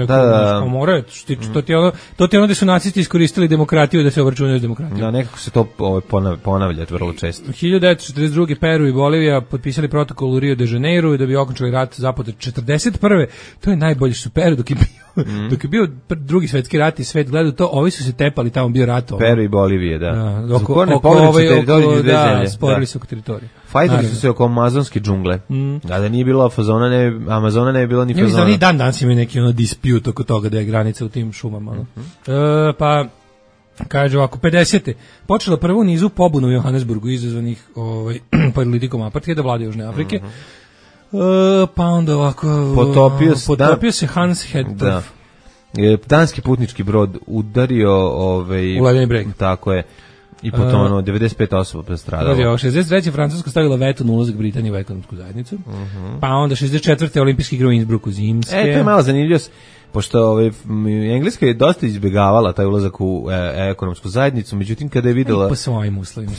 da. Mora, to ti ono da su nacisti iskoristili demokratiju da se obračunaju s demokratijom. Da, nekako se to ponavlja vrlo često. 1942. Peru i Bolivija potpisali protokol u Rio de Janeiro da bi okončali rat započet 41. To je najbolje što Peru dok je bio drugi svetski rat i svet gledao to, ovi su se tepali, tamo bio rat. Peru i Bolivije, da. Sporili se oko teritorije. Fajtali su se oko amazonske džungle. Da nije bilo Amazona ne bi bilo ni fazona. Ja mislim da danas imaju neki disput oko toga da je granica u tim šumama. Pa kaže ovako, 50. počela prvu nizu pobunu u Johannesburgu izazvanih politikom apartheida vlade Južne Afrike. Pa onda ovako potopio se Hans Hedtorf. Danski putnički brod udario u ledeni breg. Tako je. I potonuo 95 osoba postradalo. 63. Francuska stavila veto na ulazak Britanije u ekonomsku zajednicu. Pa onda 64. olimpijski igre u Innsbrucku zimske. To je malo zanimljivost. pošto Engleska je dosta izbjegavala taj ulazak u ekonomsku zajednicu, međutim kada je videla po svojim uslovima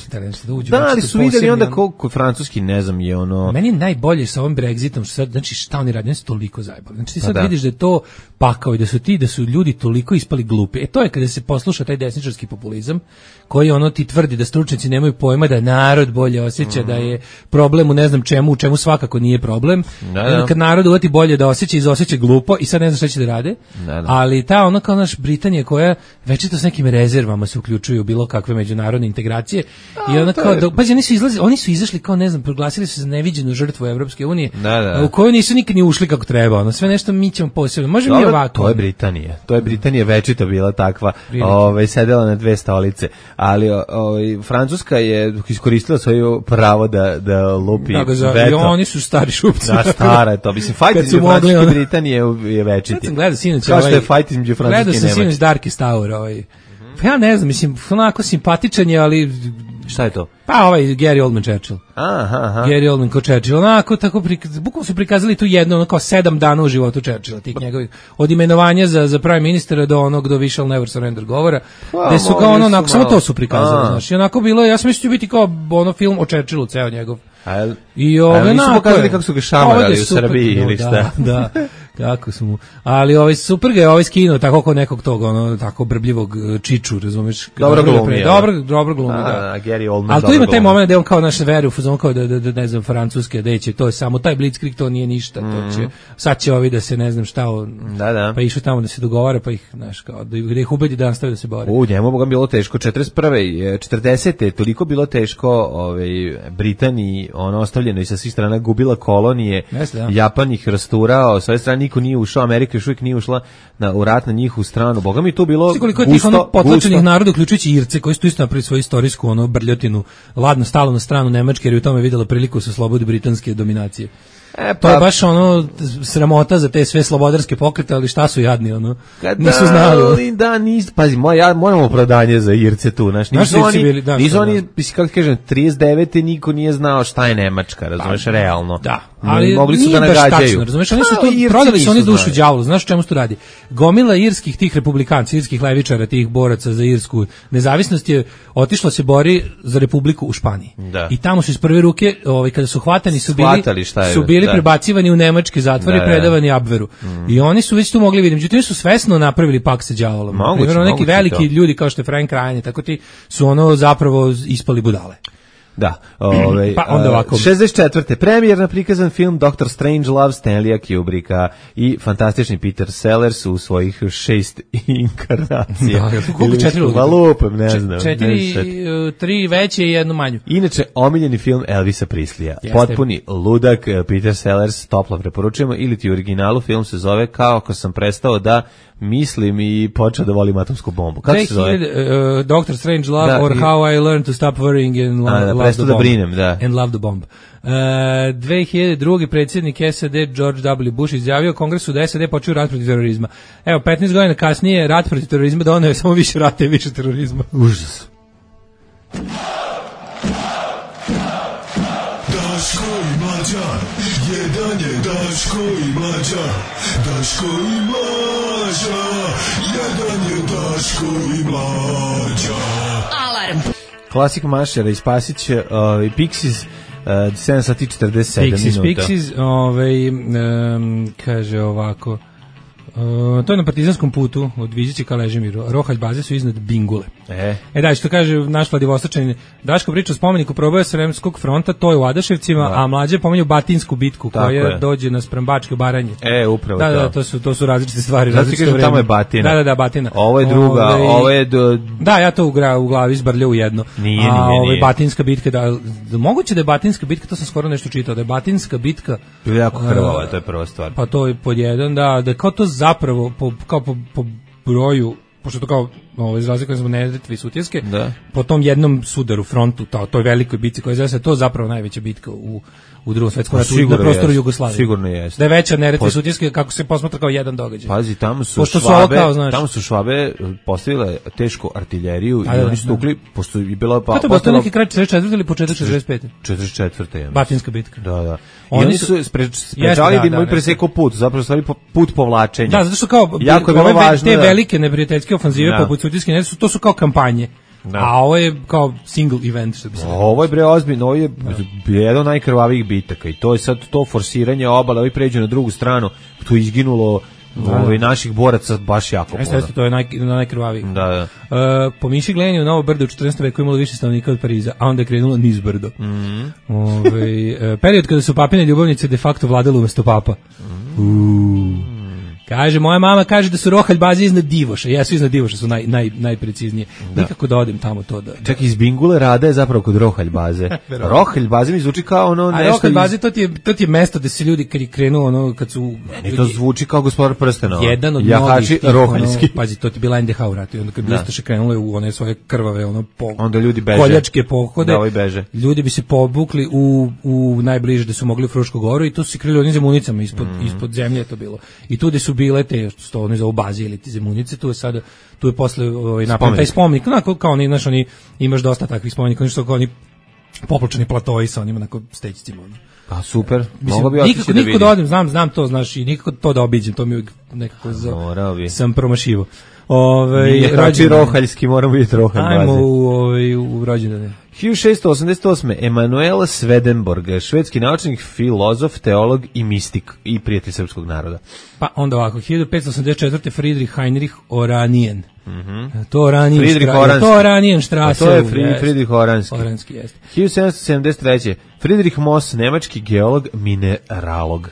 da uđu. Da, ali su videli onda koliko francuski, ne znam, je ono. Meni je najbolje sa ovim Brexitom što sad, znači šta oni rade, oni su toliko zajebali. Znači ti sad vidiš da je to pakao i da su ljudi toliko ispali glupi. To je kada se posluša taj desničarski populizam koji ono ti tvrdi da stručnjaci nemaju pojma da narod bolje osjeća, da je problem u ne znam čemu, u čemu svakako nije problem. Kad narod uvati bolje da osjeća, izosjeća glupo i sad ne zna šta će da rade. Ali ta ono kao naš Britanija koja večito s nekim rezervama se uključuju u bilo kakve međunarodne integracije i ona kao oni su izašli kao ne znam, proglasili su se za neviđenu žrtvu Evropske unije u koju nisu nikad ni ušli kako treba. Ono sve nešto mi ćemo posebno. Možemo mi ovako. To je Britanija večito bila takva. Sedela na dve stolice. Ali Francuska je iskoristila svoje pravo da lupi veto. I oni su stari šupci. Da, stara je to. Mislim, fajt između Francuske i Britanije je večiti. Gledao sinoć kao što je fajt između Francuske i Nemačke. Gledao sam sinoć Darkest Tower. Pa ja ne znam, mislim, onako simpatičan je, ali... Šta je to? Pa ovaj Gary Oldman Churchill. Aha. Gary Oldman ko Churchill. Onako, tako, bukvalno su prikazali tu jedno, ono kao 7 dana u životu Churchilla, tih njegovih, od imenovanja za prime ministera do onog do We shall never surrender govora, gde su kao ono, onako, samo to su prikazali, znaš, i onako bilo, ja sam mislio biti kao ono film o Churchillu, ceo njegov. I ove nisu pokazali kako su ga šamarali u Srbiji ili šta. Da, kako su mu. Ali super ga je skinuo tako kao nekog tog ono tako brbljivog čiču, razumeš? Dobro glumi. Dobro glumi, da. Gary Oldman. Ali tu ima taj moment da on kao naš veru u fazon kao da ne znam francuske da će to je samo taj blitzkrieg, to nije ništa, to će sad će ovi da se ne znam šta pa išao tamo da se dogovara pa ih znaš kao da ih ubedi da nastave da se bore. Njemu Bogom bilo teško 41. 40. toliko bilo teško Britaniji, ono ostavljeno i sa svih strana gubila kolonije. Japan ih rasturao, sa sve strane niko nije ušao, Amerika još uvijek nije ušla u rat na njihovu stranu. Boga mi tu bilo koliko je tih potlačenih naroda, uključujući Irce, koji su isto napravili svoju istorijsku brljotinu, ladno stalo na stranu Nemačke, jer je u tome videla priliku sa slobodi britanske dominacije. To je baš sramota za te sve slobodarske pokrete, ali šta su jadni, nisu znali. Pazi, moramo opravdanje za Irce tu, nisu oni, kako kažem, 39. niko nije znao šta je Nemačka, razumeš, realno. Da, ali mogli su da nagađaju. Razumeš, oni su to prodali su oni dušu đavolu, znaš o čemu se tu radi? Gomila irskih tih republikanci, irskih levičara, tih boraca za irsku nezavisnost je otišla se bori za republiku u Španiji. I tamo su iz prve ruke, kada su hvatani su bili prebacivani u nemačke zatvore i predavani Abveru. I oni su već tu mogli vidjeti. Međutim, su svesno napravili pakt sa đavolom. Primjerno neki veliki ljudi kao što je Frank Ryan, tako ti su zapravo ispali budale. Da, pa onda ovako. 64. premijerno prikazan film Dr. Strangelove Stanleya Kubricka i fantastični Peter Sellers u svojih 6 inkarnacija. Koliko 4 valupem, ne znam. 3 veće i jednu manju. Inače, omiljeni film Elvisa Prisleya. Potpuni ludak, Peter Sellers, toplo preporučujemo, ili ti u originalu film se zove Kao ako sam prestao da mislim i počeo da volim atomsku bombu. Kako se zove? Dr. Strangelove or How I Learned to Stop Worrying and Love the Bomb. And Love the Bomb. 2002. predsjednik SAD George W. Bush izjavio Kongresu da SAD počeo rat protiv terorizma. Evo, 15 godina kasnije rat protiv terorizma doneo je samo više rata i više terorizma. Užas. Daško i Mlađa, jedan je Daško i Mlađa, Daško i Mlađa, jedan je Daško i Mlađa. Alarm. Klasik Mašera i Spasić i Pixies, 7 sati 47 minuta. Pixies, kaže ovako, to je na partizanskom putu od Viđića ka Ležimiru. Rohalj baze su iznad Bingule. Da, što kaže naš Vladivostočanin, Daško priča o spomeniku proboja Sremskog fronta, to je u Adaševcima, a mlađe pominju Batinsku bitku koja dođe na Sprembačke Baranje. Upravo to su različite stvari. Zato ti kažem, tamo je Batina. Da, Batina. Ovo je druga, ovo je... Da, ja to u glavi zbrljao u jedno. Nije. Batinska bitka, moguće da je Batinska bitka, to sam skoro nešto čitao, da je Batinska bitka... Bilo jako krvava, to je prva stvar. Pa to je pod jedan, da kao to zapravo po broju, pošto to kao za razliku od Neretve i Sutjeske, po tom jednom sudaru, frontu, toj velikoj bitci koja je zove to zapravo najveća bitka u Drugom svetskom ratu na prostoru Jugoslavije. Sigurno jeste. Da je veća Neretve i Sutjeske kako se posmatra kao jedan događaj. Pazi, tamo su Švabe postavile tešku artiljeriju i oni su tukli, pošto je bila... Pa to je bilo neki kraj 44. ili početak 45. 44. Batinska bitka. Da. I oni su sprečali da im presekao put, zapravo stvari put povlačenja. Da, zato što kao jako je bilo važno te velike neprijateljske ofanzive poput Sutjeske, to su kao kampanje. A ovo je kao single event, što bi se rekao. Ovo je bre ozbiljno, ovo je jedan od najkrvavijih bitaka i to je sad to forsiranje obale, ovi pređu na drugu stranu, tu je izginulo naših boraca baš jako puno. Jeste, to je najkrvaviji. Da. Po miši gledanje u Novo brdo u 14. veku imalo više stanovnika od Pariza, a onda je krenulo niz brdo. Period kada su papine ljubavnice de facto vladale umesto papa. Kaže, moja mama kaže da su rohalj baze iznad Divoša. Jesu iznad Divoša, su najpreciznije. Nikako da odem tamo to da... Čak iz Bingule Rada je zapravo kod rohalj baze. Rohalj baze mi zvuči kao ono nešto... A rohalj baze, to ti je mesto gde se ljudi kad je krenuo, ono, kad su... Meni to zvuči kao Gospodar prstenova. Jedan od mnogih tih, pazi, to ti je bila NDH u ratu. I onda kad bi Ustaše krenule u one svoje krvave, onda ljudi beže. Koljačke pohode. Da, beže. Ljudi bi se pobukli u najbliže da su mogli u Frušku goru i tu su se krili onim zemunicama ispod zemlje je to bilo. I tu gde su bile te što oni zovu baze ili ti zemunice, tu je posle napravljen taj spomenik, kao oni, znaš, oni imaš dosta takvih spomenika, oni što kao oni popločeni platoji sa onima onako stećicima. Pa super, mogu bi otići da vidim. Nikako da odem, znam to, znaš, i nikako to da obiđem, to mi uvijek nekako sam promašivo. Rađi rohaljski, moramo vidjeti rohalj baze. Ajmo u rođendane. 1688. Emanuel Swedenborg, švedski naučnik, filozof, teolog i mistik i prijatelj srpskog naroda. Pa onda ovako, 1584. Friedrich Heinrich Oranien. To Oranien Strasse. To je Friedrich Oranski. Oranski jeste. 1773. Friedrich Moss, nemački geolog, mineralog.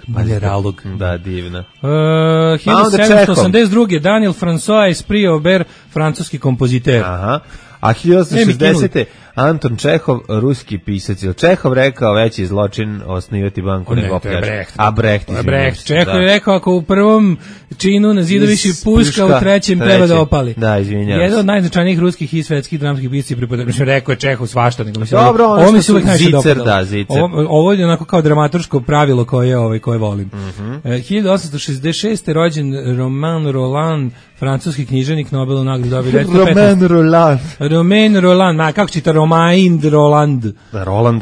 Da, divno. 1782. Daniel François Esprit Aubert, francuski kompoziter. Aha. A 1860. Anton Čehov, ruski pisac. Čehov rekao veći zločin osnivati banku nego opljačka. A Brecht. Čehov je rekao ako u prvom činu na zidu više puška, u trećem treba da opali. Da, izvinjavam se. Jedan od najznačajnijih ruskih i svetskih dramskih pisaca pripada. Rekao je Čehov svašta. Dobro, ovo mi se uvek najviše dopadalo. Da, Zicer. Ovo je onako kao dramaturško pravilo koje volim. 1866. rođen Romain Rolland, francuski književnik, Nobelov nagradu dobio. Romain Rolland, kako čita Romain Rolland.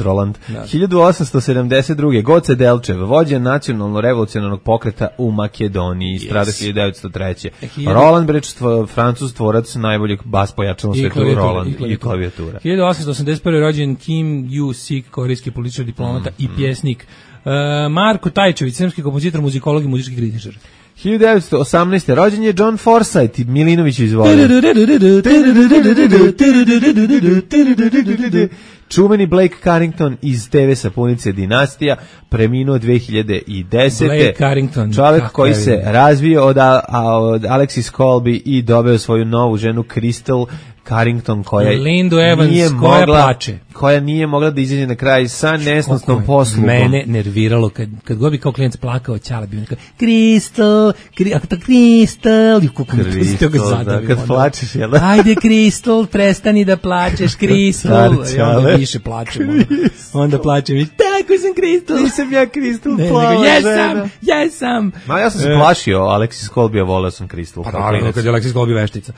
Roland. 1872. Goce Delčev, vođa nacionalno-revolucionarnog pokreta u Makedoniji, strada 1903. Roland Breč, francuz tvorac najboljeg bas pojača na svetu, Roland i klavijatura. 1881. rođen Kim Yu-sik, korejski političar, diplomata i pjesnik. Marko Tajčević, srpski kompozitor, muzikolog i muzički kritičar. 1918. rođen je John Forsythe, Milinović izvoli. Čuveni Blake Carrington iz TV sapunice Dinastija, preminuo 2010. Blake Carrington. Čovjek koji se razvio od Alexis Colby i dobio svoju novu ženu Crystal Carrington koja nije mogla da izađe na kraj sa nesnosnom poslugom. Mene nerviralo kad god bi kao klijent plakao, ćala bi nekako Crystal, kad plačeš, jel da? Ajde Crystal, prestani da plačeš, Crystal. I onda više plačemo. Onda plačem, tako sam Crystal. Nisam ja Crystal, plava žena. Jesam. Ja sam se plašio, Alexis Colby, volao sam Crystal. Pa naravno, kad je Alexis Colby veštica.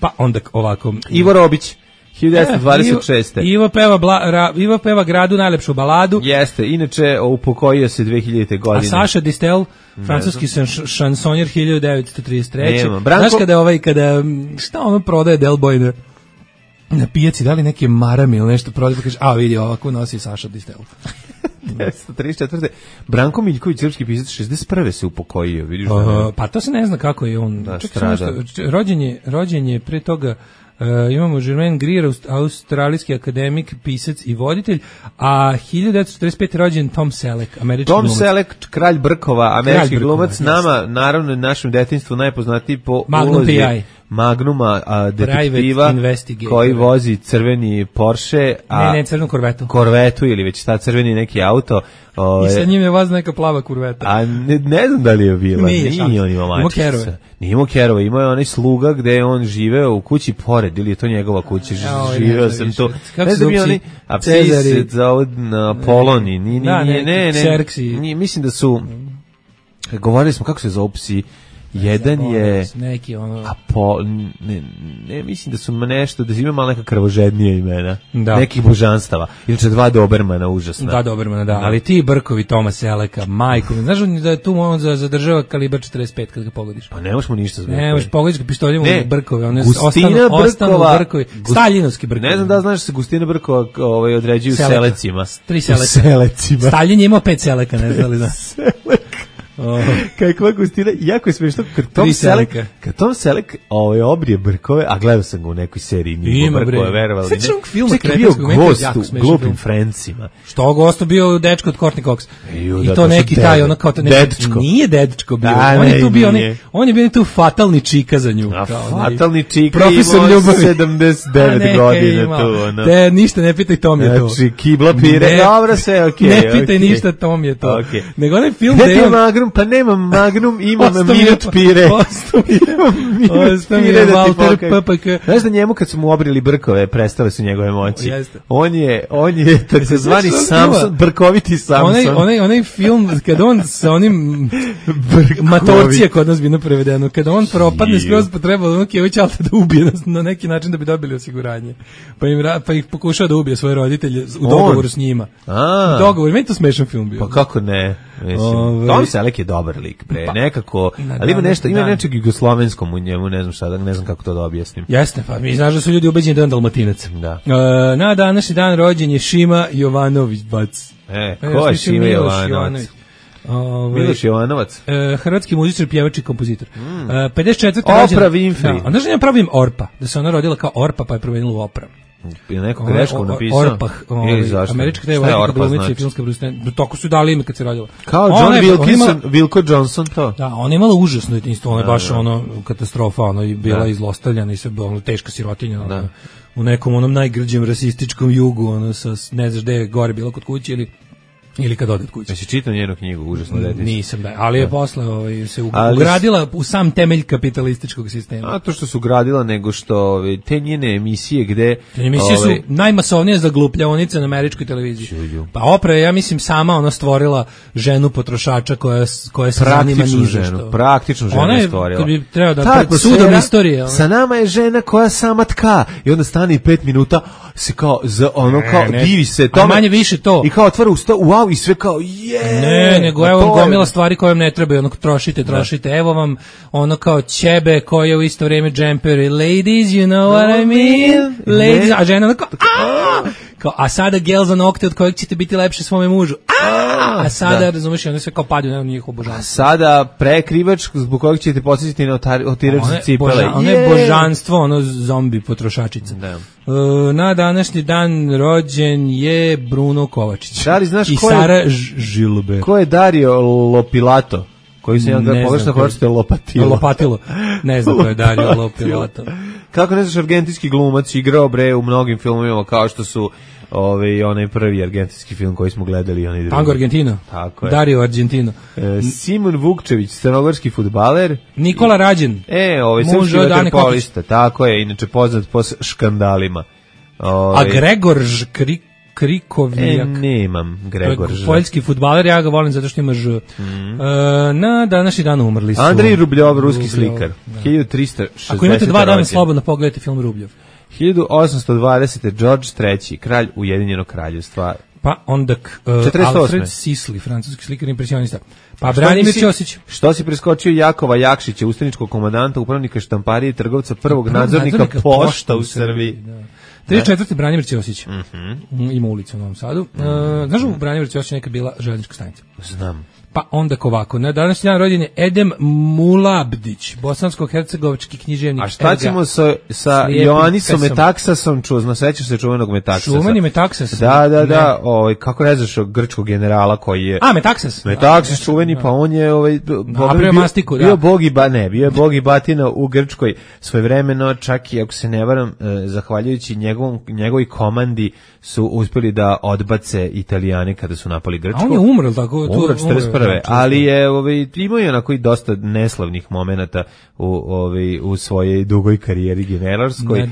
Pa onda ovako. Ivo Robić, 1926. Ivo peva Gradu najlepšu baladu. Jeste, inače upokojio se 2000. godine. A Saša Distel, francuski šansonjer, 1933. Znaš kada šta ono prodaje Del Boy na pijaci, da li neke marame ili nešto prodaje, pa kaže, vidi, ovako nosi Saša Distel. 1934. Branko Miljković, srpski pisac, 61. se upokojio, vidiš pa to se ne zna kako je on. Rođen je pre toga. Imamo Germain Greer, australijski akademik, pisac i voditelj, a 1945. rođen Tom Selleck, američki glumac. Tom Selleck, kralj Brkova, američki glumac, nama, naravno, našem detinjstvu najpoznatiji po Magnuma detektiva koji vozi crveni Porsche, ne, crvenu Korvetu ili već šta, crveni neki auto. I sa njim je voz neka plava kurveta. A ne znam da li je bila. Nije on imao mačica. Nije imao kerove, imao je onaj sluga gde je on živeo u kući pored, ili je to njegova kuća, živeo sam to. Ne znam mi oni, a psi se zove Poloni, ne, mislim da su, govorili smo kako se zove psi, jedan je neki ono ne mislim da su nešto da ima malo neka krvožednija imena nekih božanstava, inače 2 Dobermana užasna. 2 Dobermana, da, ali ti brkovi Toma Seleka, majko, znaš da je tu on zadržava kalibar 45 kad ga pogodiš. Pa ne možemo ništa zbog. Ne možeš pogodiš pištoljem u brkove, one ostanu brkovi, Staljinovski brkovi. Ne znam da znaš da se Gustina Brkova određuju selecima. 3 selecima. Staljin je imao 5 seleka, ne znali da. Kakva Gustina, jako je smiješno kad Tom Selek obrije brkove, a gledao sam ga u nekoj seriji Nimo brkove, verovali ne. Sveći ovog filma bio gost u Glupim Francima. Što gosto bio dečko od Courtney Cox. I to neki taj, ono kao dečko. Nije dečko bio, on je tu bio, on je bio tu fatalni čika za nju. Fatalni čika imao 79 godina tu. Te ništa ne pitaj, Tom je to. Znači, kibla pire, dobro sve, okej. Ne pitaj ništa, Tom je to. Nego onaj film gde je pa nemam Magnum, imam minut pire. Ostavi Walter PPK. Znaš da njemu kad su mu obrili brkove, prestale su njegove moći. On je takozvani Samson, brkoviti Samson. Onaj film, kad on sa onim Matorcije kod nas bino prevedeno, kada on propadne skroz, pa treba ono Kevićalta da ubije na neki način da bi dobili osiguranje. Pa ih pokušao da ubije svoje roditelje u dogovoru s njima. U dogovoru, meni to smešan film bio. Pa kako ne? Tom Selek je dobar lik, nekako, ali ima nešto, ima nečeg jugoslovenskom u njemu, ne znam šta, ne znam kako to da objasnim. Jeste, pa mi znaš da su ljudi ubeđeni da je Dalmatinac. Da. Na današnji dan rođen je Šima Jovanović, bac. Ko je Šima Jovanović? Miloš Jovanovac. Hrvatski muzičar, pjevač i kompozitor. 54. Oprah Winfrey. Onda što ja pravim Orpa, da se ona rodila kao Orpa pa je promenila u Oprah. Je neko grešku napisao? Orpah, američka glumica i filmska producent. Toko su dali ime kad se rodila. Kao John Wilkinson, Wilko Johnson to. Da, ona je imala užasno detinjstvo, ona je baš katastrofa, ona je bila izlostavljana i sve teška sirotinja. U nekom onom najgrđem rasističkom jugu, sa ne znaš gde je gore bilo kod kuće ili kad ode od kuće. Jesi čitao njenu knjigu, užasno detinjstvo? Nisam, ali je posle se ugradila u sam temelj kapitalističkog sistema. A to što su ugradila, nego što te njene emisije gde... Emisije su najmasovnije zaglupljavonice na američkoj televiziji. Pa Oprah je, ja mislim, sama stvorila ženu potrošača koja se zanima niže što. Praktičnu ženu je stvorila. Ona je, treba da pred sudom istorije. Sa nama je žena koja sama tka i onda stane i 5 minuta se kao divi se tome. A manje više to. I kao otvara usta, wow, i sve kao Ne, nego evo vam gomila stvari koje vam ne trebaju, trošite, evo vam ono kao ćebe koje u isto vrijeme džemperi, ladies, you know what I mean, ladies, a žena kao, a sada gel za nokte od kojeg ćete biti lepše svome mužu, a sada, razumiješ, onda sve kao padaju na njih obožanstvo. A sada prekrivač zbog kojeg ćete posjetiti na otiračne cipele. Ono je božanstvo, ono zombi potrošačica. Na današnji dan rođen je Bruno Kovačić. Da li znaš i Sara Žilbe. Ko je Dario Lopilato? Koji se jedan pogrešno koriste Lopatilo. Ne znam ko je Dario Lopilato. Kako ne znaš, argentinski glumac, igrao u mnogim filmovima kao što su onaj prvi argentinski film koji smo gledali i onaj drugi. Tango Argentino. Tako je. Dario Argentino. Simon Vukčević, crnogorski fudbaler. Nikola Rađen. Srpski vaterpolista. Tako je, inače poznat po škandalima. A Gregor Krikovljak. Nemam Gregor Ž. Poljski fudbaler, ja ga volim zato što ima Ž. Na današnji dan umrli su. Andrej Rubljov, ruski slikar. 1360. Ako imate 2 dana slobodno, pogledajte film Rubljov. 1820. George III, kralj Ujedinjenog kraljevstva. Pa onda Alfred Sisley, francuski slikar impresionista. Pa Branimir Ćosić. Što si preskočio Jakova Jakšića, ustaničkog komandanta, upravnika štamparije i trgovca, prvog nadzornika pošta u Srbiji. 34. Branimir Ćosić. Ima ulicu u Novom Sadu. Znaš u Branimir Ćosić neka bila željeznička stanica? Znam. Pa onda ovako, na današnji dan rođen je Edem Mulabdić, bosansko-hercegovački književnik. A šta ćemo sa Joanisom Metaksasom, sećaš se čuvenog Metaksasa? Čuveni Metaksas? Da, kako ne znaš grčkog generala koji je... Metaksas? Metaksas čuveni, pa on je bio je bog i batina u Grčkoj svojevremeno, čak i ako se ne varam, zahvaljujući njegovoj komandi su uspjeli da odbace Italijane kada su napali Grčku. A on je umro, tako? Umro 41. Ali je imao je onako i dosta neslavnih momenata u svojoj dugoj karijeri generalskoj.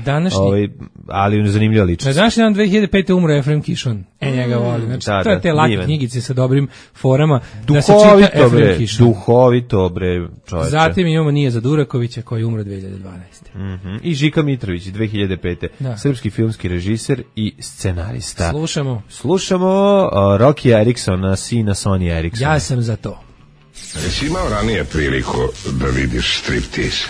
Ali zanimljiva ličnost. Na današnji dan 2005. umro Efrem Kišon. Njega volim. Znači, to je te lake knjigice sa dobrim forama. Da se čita Efrem Kišon. Duhovito, bre, čoveče. Zatim imamo Nijeza Durakovića koji je umro 2012. I Žika Mitrović 2005. Srpski filmski režiser i scenarista. Slušamo Rocky Eriksona, sina Sony Eriksona. Ja sam za to. Jesi imao ranije priliku da vidiš striptease?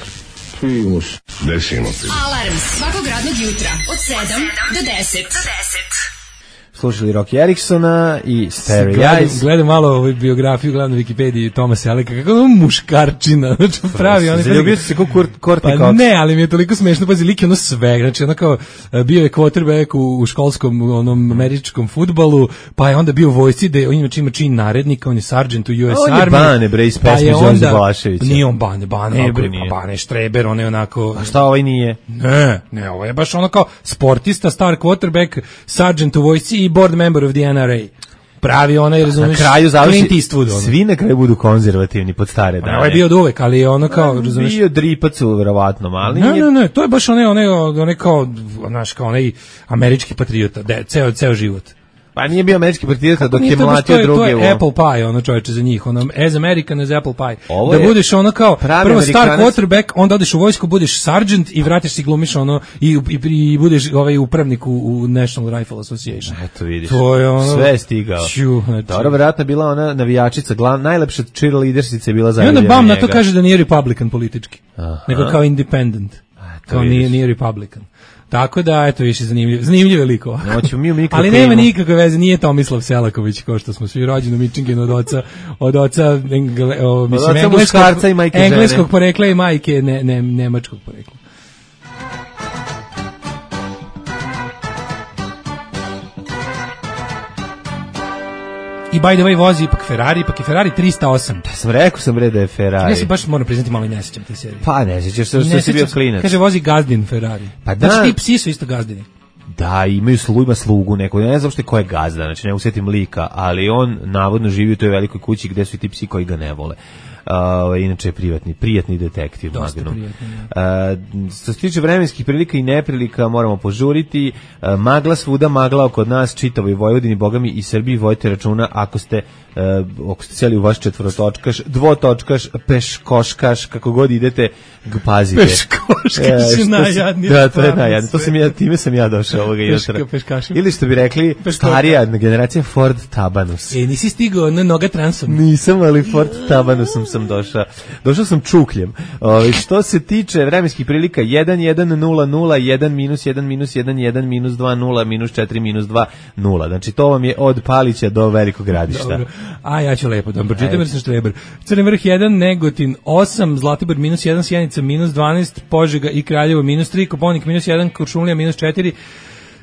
Primus. Desimo primus. Alarm svakog radnog jutra od 7 do 10. Slušali Rocky Eriksona i Starry Eyes. Gledam malo biografiju, gledam na Wikipediji Toma Sellecka, kako on muškarčina, znači pravi. Zaljubio se kao Courtney Cox. Pa ne, ali mi je toliko smešno, pazi, lik je ono sveg, znači ono kao bio je quarterback u školskom onom američkom fudbalu, pa je onda bio u vojsci, da on ima čin narednika, on je sergeant u US Army. On je Bane, bre, iz pesme Đorđe Balaševića. Nije on Bane Štreber, on je onako... A šta ovaj nije? Ne, ovo je baš ono kao sportista, star quarterback, sergeant u vojsci i board member of the NRA. Pravi onaj, razumiješ, Clint Eastwood. Svi na kraju budu konzervativni pod stare dane. Ovo je bio od uvek, ali je ono kao, razumiješ... Bio dripac verovatno, ali... Ne, to je baš onaj kao, znaš, kao onaj američki patriota, ceo život. Pa nije bio američki patriota dok je mlatio druge. To je Apple Pie, ono čoveče za njih, ono as American as Apple Pie. Da budeš ono kao prvo star quarterback, onda odeš u vojsku, budeš sergeant i vratiš se glumiš ono i budeš upravnik u National Rifle Association. Eto vidiš. To je ono, sve je stigao. Dobro, verovatno bila ona navijačica, najlepša cheerleadersica je bila za. I onda bam na to kaže da nije Republican politički, nego kao independent. Kao nije Republican. Tako da, eto, više zanimljive likova. Ali nema nikakve veze, nije Tomislav Selaković, kao što smo svi rođeni u Michiganu od oca engleskog porekla i majke nemačkog porekla. I by the way vozi ipak Ferrari 308. Rekao sam bre da je Ferrari. Ja se baš moram priznati malo i ne sjećam te serije. Pa ne sjećaš se što si bio klinac. Kaže vozi gazdin Ferrari. Pa da. Znači ti psi su isto gazdini. Da, ima slugu neko. Ja ne znam što je ko je gazda, znači ne usjetim lika, ali on navodno živi u toj velikoj kući gde su i ti psi koji ga ne vole. Inače je prijatni detektiv. Dosta prijatni. Što se tiče vremenskih prilika i neprilika, moramo požuriti. Magla svuda, magla oko nas, čitavoj Vojvodini, bogami i Srbiji, vojte računa ako ste cijeli u vaš četvorotočkaš, dvotočkaš, peškoškaš, kako god idete, pazite. Peškoškaš je najjadnije. Da, to je najjadnije. Time sam ja došao ovoga jutra. Ili što bi rekli, starija generacija Ford Tabanus. Nisi stigao na noga transom? Nisam, ali Ford Tabanusom sam došao. Došao sam čukljem. Što se tiče vremenskih prilika, 1-1-0-0, 1-1-1-1-1, -2-0, -4, -2-0. Znači, to vam je od Palića do Velikog Gradišta. Dobro. A ja ću lepo da pročitam jer sam štreber. Crni vrh 1, Negotin 8, Zlatibor -1, Sjenica -12, Požega i Kraljevo -3, Koponik -1, Kuršumlija -4,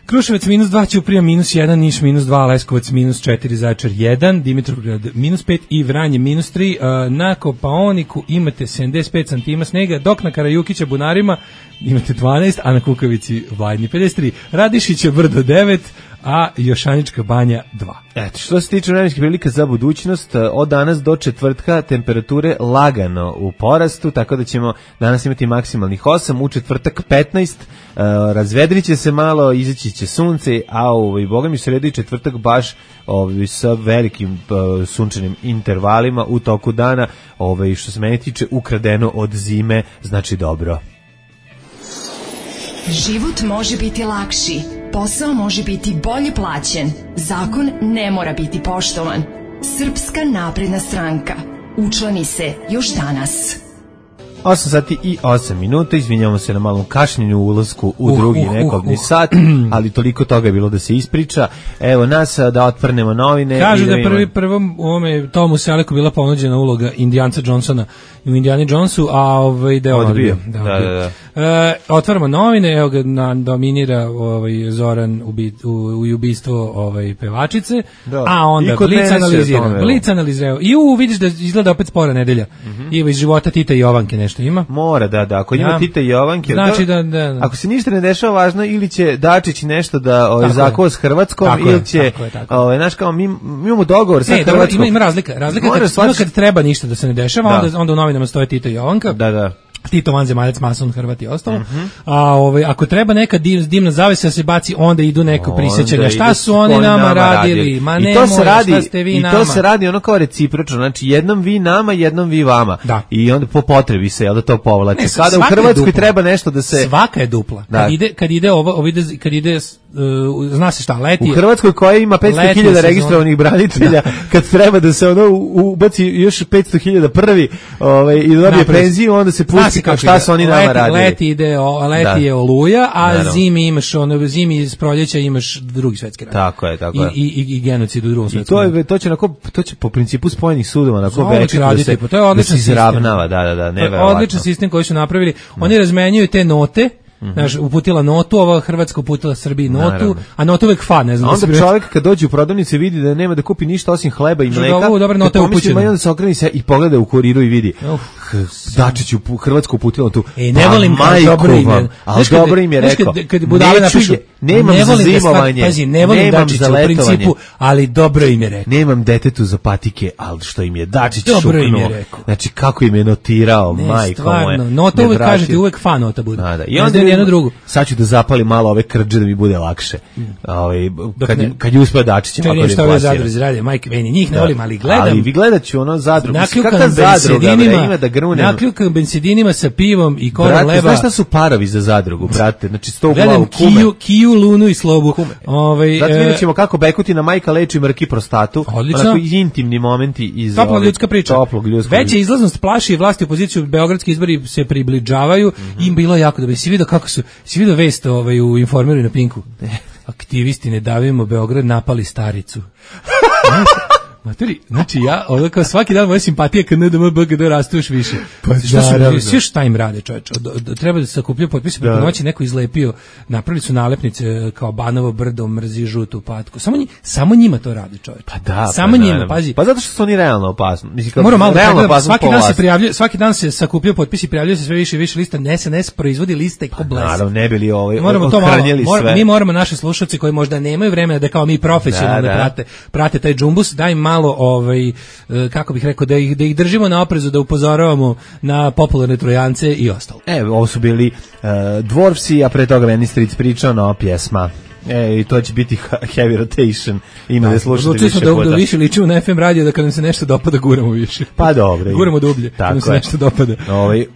Kruševac -2, Ćuprija -1, Niš -2, Leskovac -4, Zaječar 1, Dimitrovgrad -5 i Vranje -3. Na Kopaoniku imate 75 cm snega, dok na Karajukića Bunarima imate 12, a na Kukavici Vlajni 53. Radišića Brdo 9, a Jošanička Banja 2. Eto, što se tiče vremenskih prilika za budućnost, od danas do četvrtka temperature lagano u porastu, tako da ćemo danas imati maksimalnih 8, u četvrtak 15, razvedrit će se malo, izaći će sunce, a boga mi sredu i četvrtak baš sa velikim sunčanim intervalima u toku dana, što se meni tiče ukradeno od zime, znači dobro. Život može biti lakši, posao može biti bolje plaćen, zakon ne mora biti poštovan. Srpska napredna stranka. Učlani se još danas. 8 sati i 8 minuta, izvinjamo se na malom kašnjenju u ulasku u drugi nekobni sat, ali toliko toga je bilo da se ispriča. Evo nas da otvrnemo novine. Kažu da je prvom u ovome Tomu Seleku bila ponuđena uloga Indijanca Johnsona u Indiana Jonesu, a da je on odbio. Da. Otvaramo novine, evo ga dominira Zoran u ubistvo pevačice, a onda Blic analizirao. I vidiš da izgleda opet spora nedelja. I iz života Tita i Jovanke nešto ima. Mora, da. Ako ima Tita i Jovanke, znači da. Ako se ništa ne dešava važno, ili će Dačić nešto da zakova s Hrvatskom, ili će, znaš kao, mi imamo dogovor sa Hrvatskom. Ima razlika kad treba ništa da se ne dešava, onda u novinama stoje Tita i Jovanka. Da. Tito vanzemaljac, mason, Hrvat i ostalo. A ako treba neka dimna zavesa se baci, onda idu neko prisjećanja. Šta su oni nama radili? Ma ne moja, šta ste vi nama? I to se radi ono kao recipročno. Znači, jednom vi nama, jednom vi vama. Da. I onda po potrebi se, jel da to povlači. Kada u Hrvatskoj treba nešto da se... Svaka je dupla. Kad ide zna se šta, leti u Hrvatskoj koja ima 500.000 registrovanih branitelja, kad treba da se ono ubaci još 500.000 prvi i dobije penziju, onda se pusti kao šta su oni nama radili. Leti je Oluja, a zimi imaš zimi iz proljeća imaš Drugi svjetski rat. Tako je. I genocid u Drugom svjetskom ratu. To će po principu spojenih sudova onako veći da se izravnava, neverovatno. Odličan sistem koji su napravili. Oni razmenjuju te note. Znaš, uputila notu, ova Hrvatska uputila Srbiji notu, a notu uvek fa, ne znam. A onda čovjek kad dođe u prodavnicu vidi da nema da kupi ništa osim hleba i mleka, dobra nota je upućena. I onda se okreni se i pogleda u kuriru i vidi Dačić u Hrvatsku uputila tu. Ne volim dobro ime. Ali dobro im je rekao. Kad budale napišu, nemam za zimovanje, pazi, ne volim Dačića u principu, ali dobro im je rekao. Nemam detetu za patike, ali što im je Dačić šuknuo. Znači, kako im je notirao, majko moje. Nota uvek kažete, uvek fa nota bude. I onda jedno drugo. Sad ću da zapalim malo ove krđe da mi bude lakše. Kad je uspeo Dačićem, ako što ove zadruge izrade, majke, meni njih ne volim, ali gledam. Ali vi gledat ću ono zadrugu. Kakva zadruga, ima da grunem. Nakljukan bensedinima sa pivom i korom leba. Znaš šta su parovi za zadrugu, brate? Znači, 100 u glavu kume. Gledam Kiju, Lunu i Slobu. Zato vidjet ćemo kako Bekutina majka leči mrki prostatu. Odlično. Onako intimni momenti iz toplog ljudska priča. Veća izlaznost plaši i vlasti opoziciju, beogradski izbori se približavaju i bilo jako dobro. Si vidio kako su, si vidio vest u Informeru na Pinku? Aktivisti Ne davimo Beograd napali staricu. Materi, znači ja, kao svaki dan moja simpatija kad NDM BGD rastu još više. Sve šta im rade, čoveče? Treba da se sakupljaju potpise, preko noći neko izlepio, napravili su nalepnice kao Banovo brdo, mrzi žutu patku. Samo njima to rade, čoveče. Pa da, samo njima, pazi. Pa zato što su oni realno opasni. Moram malo svaki dan se sakupljaju potpisi, prijavljaju se sve više i više lista, SNS proizvodi liste ko bles. Naravno, ne bili ohranjeli sve. Mi moramo naše slušalci koji možda nemaju vremena da kao mi profesionalno prate taj džumbus, da im malo kako bih rekao da ih držimo na oprezu, da upozoravamo na popularne Trojance i ostalo. Ovo su bili Dvorfsi, a pre toga Ministric pričao nova pjesma. I to će biti heavy rotation. Ima da slušate više puta. Da više ličimo na FM radio, da kad nam se nešto dopada guramo više. Pa dobro. Guramo dublje, kad nam se nešto dopada.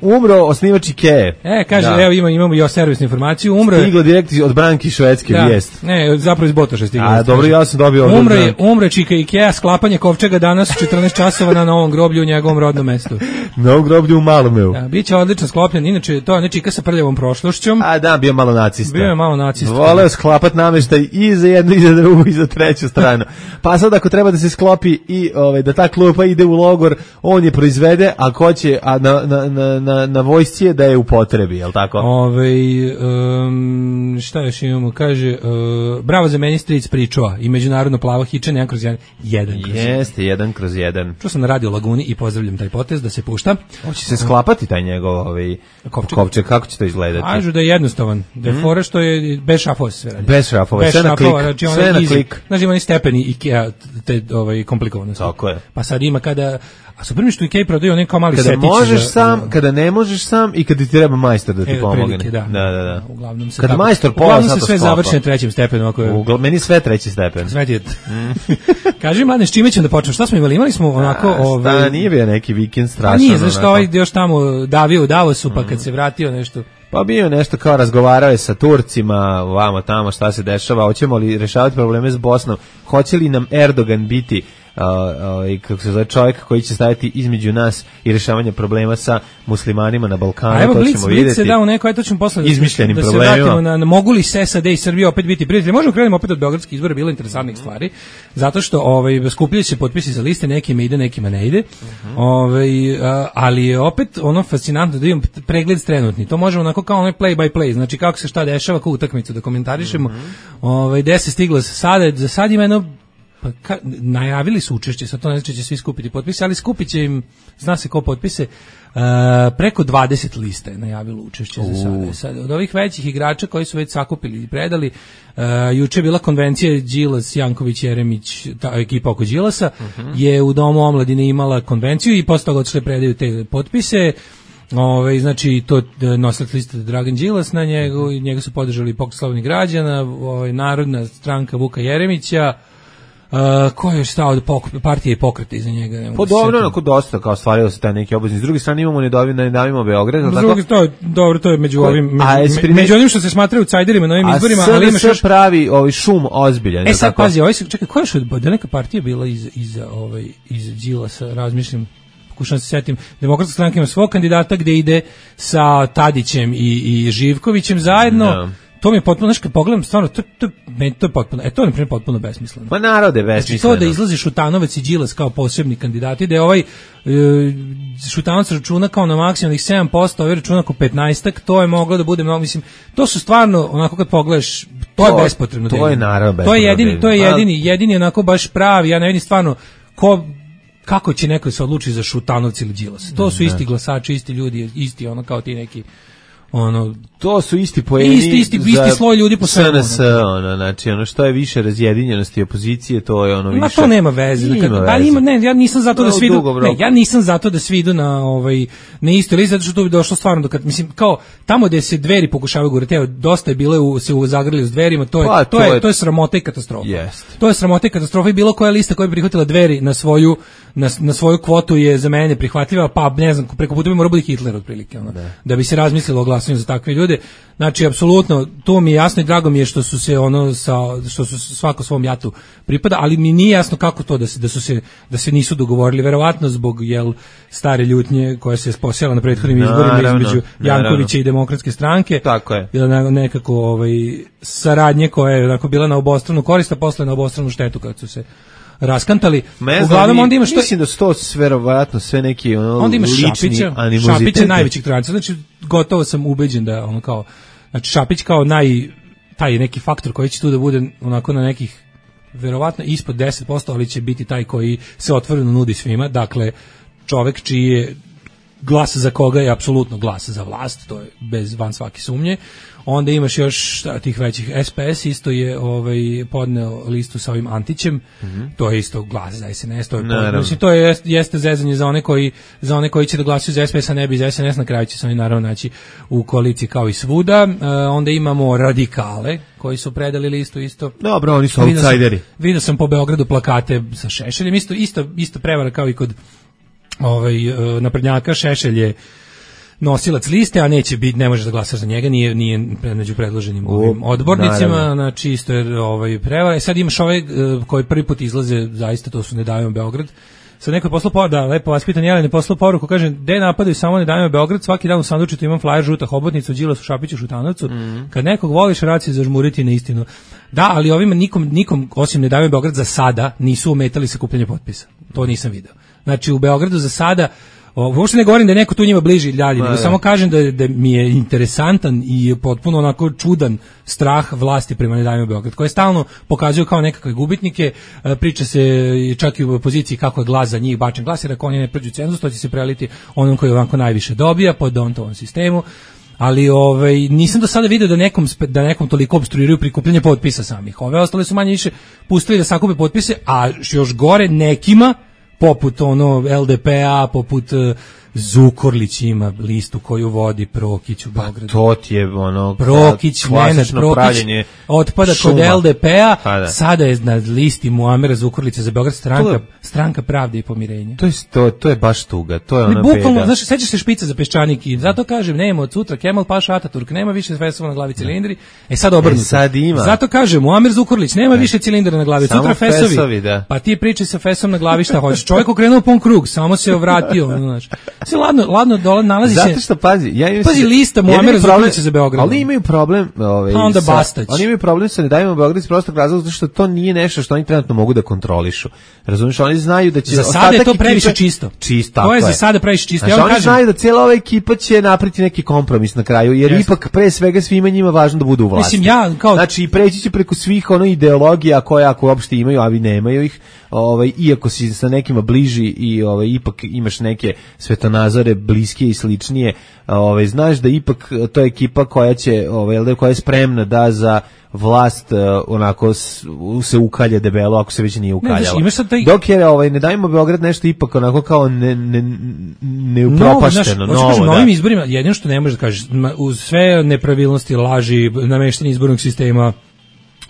Umro osnivač Ikea. Kaže, evo imamo i servisnu informaciju. Stiglo direkt od Branki Švedske vijest. Ne, zapravo iz Botoša stiglo. A dobro, ja sam dobio Umre čika Ikea, sklapanje kovčega danas u 14 časova na novom groblju u njegovom rodnom mestu. Novom groblju u Malomeu. Biće odlično sklopljen, inače to ne čika sa prljavom prošlošćom. A da, bio malo nacista. Bio je malo nacista. Voleo sklapati nameštaj i za jednu i za drugu i za treću stranu. Pa sad ako treba da se sklopi i da ta klupa ide u logor, on je proizvede, a ko će na vojsci je da je u potrebi, je li tako? Šta još imamo? Kaže, bravo za Ministric pričova i međunarodno plavo hičanje 1/1. Jeste, 1/1. Čuo sam na Radio Laguni i pozdravljam taj potez da se pušta. Hoće se sklapati taj njegov kovčeg, kako će to izgledati? Kažu da je jednostavan, da je fora što je bez šrafova se sve radi. Bez šrafova, sve na klik. Znači, sve na klik. Znači, oni stepeni IKEA te komplikovanosti. Tako je. Pa sad ima kada... A super mi što IKEA prodaju onaj kao mali setić. Kada ne možeš sam i kada ti treba majstor da ti pomogne. Da. Uglavnom se kada majstor pola se sve završi na trećem stepenu. Meni sve treći stepen. Sve ti je. Kaži mladine, s čime ćemo da počnemo? Šta smo imali? Imali smo onako... Nije bio neki vikend strašan. Nije, znaš što još tamo davio u Davosu, pa kad se vratio nešto... Pa bio nešto kao razgovarao je sa Turcima, vamo tamo šta se dešava, hoćemo li rešavati probleme s Bosnom, hoće li nam Erdogan biti kako se zove, čovjek koji će staviti između nas i rješavanja problema sa muslimanima na Balkanu. A evo, to ćemo vidjeti. se da u neko, to ćemo posle izmišljenim da se problemima. vratimo na mogu li SAD i Srbija opet biti prijatelji. Možemo krenemo opet od beogradskih izbora, bilo interesantnih stvari, zato što skupljaju se potpisi za liste, nekima ide, nekima ne ide. Ali je opet ono fascinantno da imam pregled trenutni. To možemo onako kao onaj play by play, znači kako se šta dešava, kako utakmicu da komentarišemo. Gde se stiglo sada, za sad ima jedno najavili su učešće, sad to ne znači će svi skupiti potpise, ali skupit će im, zna se ko potpise, preko 20 lista je najavilo učešće za sada. Sad, od ovih većih igrača koji su već sakupili i predali, juče je bila konvencija Đilas, Janković, Jeremić, ta ekipa oko Đilasa, je u Domu omladine imala konvenciju i posle toga odšle predaju te potpise. Znači to nosilac liste Dragan Đilas, na njega su podržali Pokret slobodnih građana, Narodna stranka Vuka Jeremića, ko je stao od partije i pokreta iza njega. Dobro, onako dosta kao stvarilo se taj neki obavezni. S druge strane imamo ne davimo Beograd. Dobro, to je među onim što se smatraju outsiderima na ovim izborima, ali imaš još pravi šum ozbiljan. Sad pazi, čekaj, koja je da neka partija bila iz Đilasa, razmišljam. Pokušam se setim, Demokratska stranka ima svog kandidata gde ide sa Tadićem i Živkovićem zajedno. No. To mi je potpuno, znaš, kad pogledam, stvarno, to je potpuno, to je, na primjer, potpuno besmisleno. Pa narode besmisleno. Znači, to da izlazi Šutanovac i Đilas kao posebni kandidati, da je Šutanovac računa kao na maksimalnih 7%, ovaj računa kao 15%, to je moglo da bude mnogo, mislim, to su stvarno, onako kad pogledaš, to je bespotrebno. To je naravno bespotrebno. To je jedini onako baš pravi, ja ne vidim stvarno, kako će neko se odluči za Šutanovca ili Đilasa? To su isti glasači, isti ljudi, isti ono kao ti neki to su isti poeni, isti sloj ljudi po svemu. SNS, znači što je više razjedinjenosti opozicije, to je više. Ma to nema veze. Ja nisam zato da svi idu. Ja nisam zato da svi idu na isto listu, zato što to bi došlo stvarno do kad mislim kao tamo gde se Dveri pokušavaju gurati, evo dosta je bilo se zagrlili s Dverima, to je sramota i katastrofa. To je sramota i katastrofa i bilo koja lista koja bi prihvatila Dveri na svoju kvotu je za mene neprihvatljiva, pa ne znam, preko puta bi morao biti Hitler otprilike, da bi se razmislilo o glasanju za takve ljude. Znači, apsolutno, to mi je jasno i drago mi je što su se što su svako svom jatu pripada, ali mi nije jasno kako to da se nisu dogovorili, verovatno zbog stare ljutnje koja se posjela na prethodnim izborima između Jankovića i Demokratske stranke. Tako je. Nekako saradnje koja je onako bila na obostranu korist, a posle na obostranu štetu kad su se raskantali. Uglavnom onda imaš mislim da su to verovatno sve neki onda imaš lični animoziteti. Šapić je najvećih tolerancija. Znači gotovo sam ubeđen da znači Šapić kao taj neki faktor koji će tu da bude onako na nekih verovatno ispod 10%, ali će biti taj koji se otvoreno nudi svima. Dakle, čovek čiji je glas za koga je apsolutno glas za vlast, to je van svake sumnje. Onda imaš još tih većih, SPS isto je podneo listu sa ovim Antićem, to je isto glas za SNS, to jeste zezanje za one koji će da glasuju za SPS, a ne bi za SNS, na kraju će se oni naravno naći u koaliciji kao i svuda. Onda imamo radikale koji su predali listu isto. Dobro, oni su outsideri. Vidio sam po Beogradu plakate sa Šešeljem, isto prevara kao i kod naprednjaka. Šešelj je nosilac liste, a ne možeš da glasaš za njega, nije među predloženim odbornicima, znači isto je prevara. Sad imaš koji prvi put izlaze, zaista to su Ne davimo Beograd. Sad neko je poslao poruku, da, lepo vas pitan, Jelena je poslao poruku, kaže, gde napadaju samo Ne davimo Beograd, svaki dan u sandučitu imam flajer žuta hobotnica u Đilasu, Šapiću, Šutanovcu, kad nekog voliš, rad se zažmuriti na istinu. Da, ali ovima nikom osim Ne davimo Beograd za sada nisu ometali sakupljanje potpisa. To nisam video. Znači u Beogradu za sada, uopšte ne govorim da je neko tu njima bliži dalje, nego samo kažem da mi je interesantan i potpuno onako čudan strah vlasti prema Ne davimo Beograd, koje stalno pokazuju kao nekakve gubitnike. Priča se čak i u opoziciji kako je glas za njih bačen glas, jer ako oni ne prođu cenzus, to će se preliti onom koji ovako najviše dobija po Dontovom sistemu. Ali nisam do sada vidio da nekom toliko opstruiraju prikupljanje potpisa samih. Ove ostale su manje više pustili da sakupe potpise, a još gore nekima poput LDP-a, poput Zukorlić ima listu koju vodi Prokić u Beogradu. To ti je ono Prokić, Nenad Prokić otpada kod LDP-a, sada je na listi Muamera Zukorlića za Beograd stranka pravde i pomirenja. To je baš tuga, to je ona bukvalno, znaš, sećaš se špica za peščanik i zato kažem, nema od sutra Kemal Paša Ataturk, nema više fesova na glavi cilindri, sad obrnuto. Sad ima. Zato kažem, Muamer Zukorlić, nema više cilindara na glavi, sutra fesovi. Pa ti pričaj sa fesom na glavi šta hoćeš. Čovjek okrenuo pun krug, samo se vratio, znaš. Sve ladno dole nalazi se. Zato što pazi lista Muamera Zukorlića za Beograd. Ali imaju problem, onda Bastać. Oni imaju problem sa Ne dajemo Beograd iz prostog razloga zato što to nije nešto što oni trenutno mogu da kontrolišu. Razumiješ, oni znaju da će za sada je to previše čisto. To je za sada previše čisto. Ja vam kažem, znaju da cijela ova ekipa će napraviti neki kompromis na kraju, jer ipak pre svega svima njima važno da budu u vlasti. Mislim znači preći će preko svih ideologija koje ako uopšte imaju, a vi nemaju ih. Iako si sa nekima bliži i ipak imaš neke svetonazore bliskije i sličnije, znaš da ipak to je ekipa koja će koja je spremna da za vlast onako se ukalje debelo ako se već nije ukaljala. Dok je Ne dajmo Beograd nešto ipak onako kao neupropašteno, novo. Na ovim izborima jedino što ne možeš da kažeš, uz sve nepravilnosti, laži, nameštanje izbornog sistema,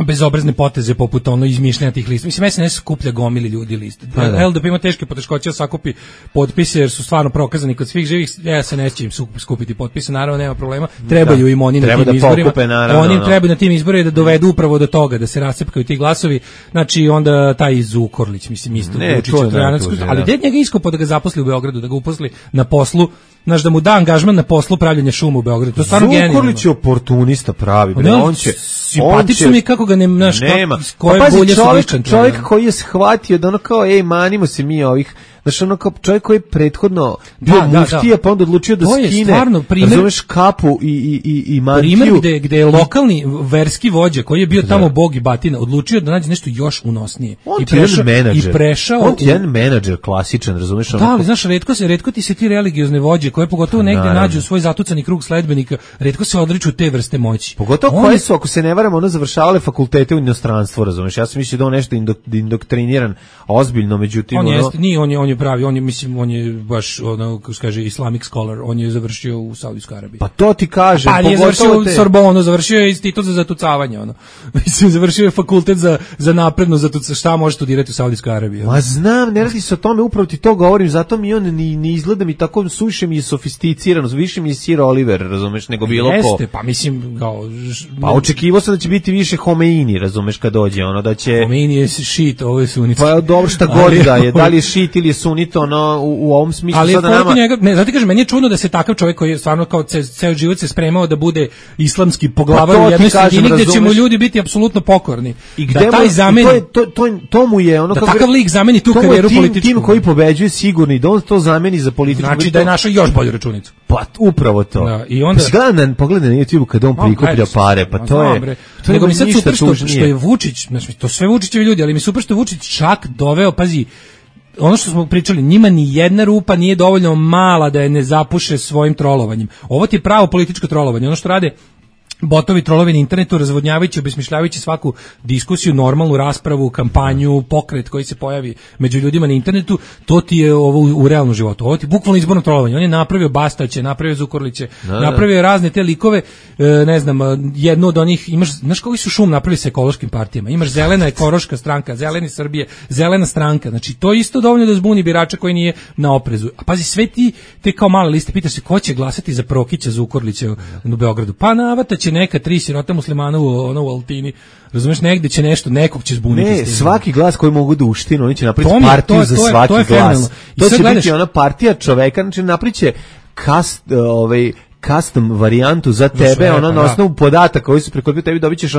bezobrazne poteze poput izmišljanja tih lista. Mislim, SNS skuplja gomili ljudi liste. LDP ima teške poteškoće da sakupi potpise jer su stvarno prokazani kod svih živih. SNS će im skupiti potpise, naravno nema problema. Trebaju im oni na tim izborima. Oni im trebaju na tim izborima da dovedu upravo do toga, da se rascepkaju ti glasovi. Znači onda taj Zukorlić, mislim, isto Vučić, ali gde njega iskopo da ga zaposli u Beogradu, da ga uposli na poslu, znaš, da mu da angažman na poslu pravljenja šuma u Beogradu. To je stvarno genijalno. Zukorlić je oportunista pravi. Simpatično mi kako ga nema. Čovjek koji je shvatio da kao, manimo se mi ovih, znaš, kao čovjek koji je prethodno bio muftija, pa onda odlučio da skine, razumeš, kapu i mantiju. Primer gde je lokalni verski vođa, koji je bio tamo bog i batina, odlučio da nađe nešto još unosnije. On je jedan menadžer klasičan, razumeš? Da, ali znaš, retko ti se ti religiozne vođe, koje pogotovo negdje nađu svoj zatucani krug sledbenika, retko se odriču te vrste moći. Pogotovo koje su, ako se ne varam, završavale fakultete u inostranstvu, razumeš? Ja sam mislio da on nešto indoktriniran ozbiljno, međutim... On je pravi, on je baš, kako se kaže, Islamic scholar, on je završio u Saudijskoj Arabiji. Pa to ti kažem. Pa nije završio u Sorbonu, završio je institut za zatucavanje, Mislim, završio je fakultet za napredno zatucavanje, šta može studirati u Saudijskoj Arabiji? Ma znam, ne radi se o tome, upravo ti to govorim, zato mi on ne izgleda mi tako, suviše mi je sofisticirano, više mi je Sir Oliver, razumeš, nego bilo ko. Jeste, pa mislim, pa očekivao sam da će biti više Homeini, razumeš, kad dođe, da će... Homeini je šit, ovo je sunit. Pa dobro, šta god da je, da li je šit ili je sunit, u ovom smislu. Ali sada nama... zato kažem, meni je čudno da se takav čovjek koji je stvarno kao ceo život se spremao da bude islamski poglavar u jednoj sredini gdje će mu ljudi biti apsolutno pokorni. I gde taj zameni, to mu je da takav lik zameni tu karijeru političku. Tim koji pobeđuje sigurno i da on to zameni za političku. Znači da je našao još bolju računicu. Pa upravo to. Da, i onda pogledaj na YouTube kada on prikuplja pare, pa to je. Nego mi sad super što je Vučić, znači to sve Vučićevi ljudi, ali mi super što je Vučić čak doveo, pazi, ono što smo pričali, njima ni jedna rupa nije dovoljno mala da je ne zapuše svojim trolovanjem. Ovo ti je pravo političko trolovanje. Ono što rade botovi trolovi na internetu, razvodnjavajući, obesmišljavajući svaku diskusiju, normalnu raspravu, kampanju, pokret koji se pojavi među ljudima na internetu, to ti je ovo u realnom životu. Ovo ti je bukvalno izborno trolovanje. On je napravio Bastaće, napravio Zukorliće, napravio razne te likove, ne znam, jednu od onih, znaš koji su šum napravili sa ekološkim partijama. Imaš Zelena ekološka stranka, Zeleni Srbije, Zelena stranka. Znači, to je isto dovoljno da zbuni birača koji nije na oprezu. A pazi, sve te kao male liste, pitaš se ko će glasati za Prokića, Zukorlića u Beogradu. Pa navata će neka 3 sirota muslimana u Altini, razumeš, negde će nešto, nekog će zbuniti. Ne, svaki glas koji mogu da uštinu, oni će napraviti partiju za svaki glas. To će biti ona partija čoveka, znači napriče custom varijantu za tebe, na osnovu podataka koji su prikupili tebi, dobit ćeš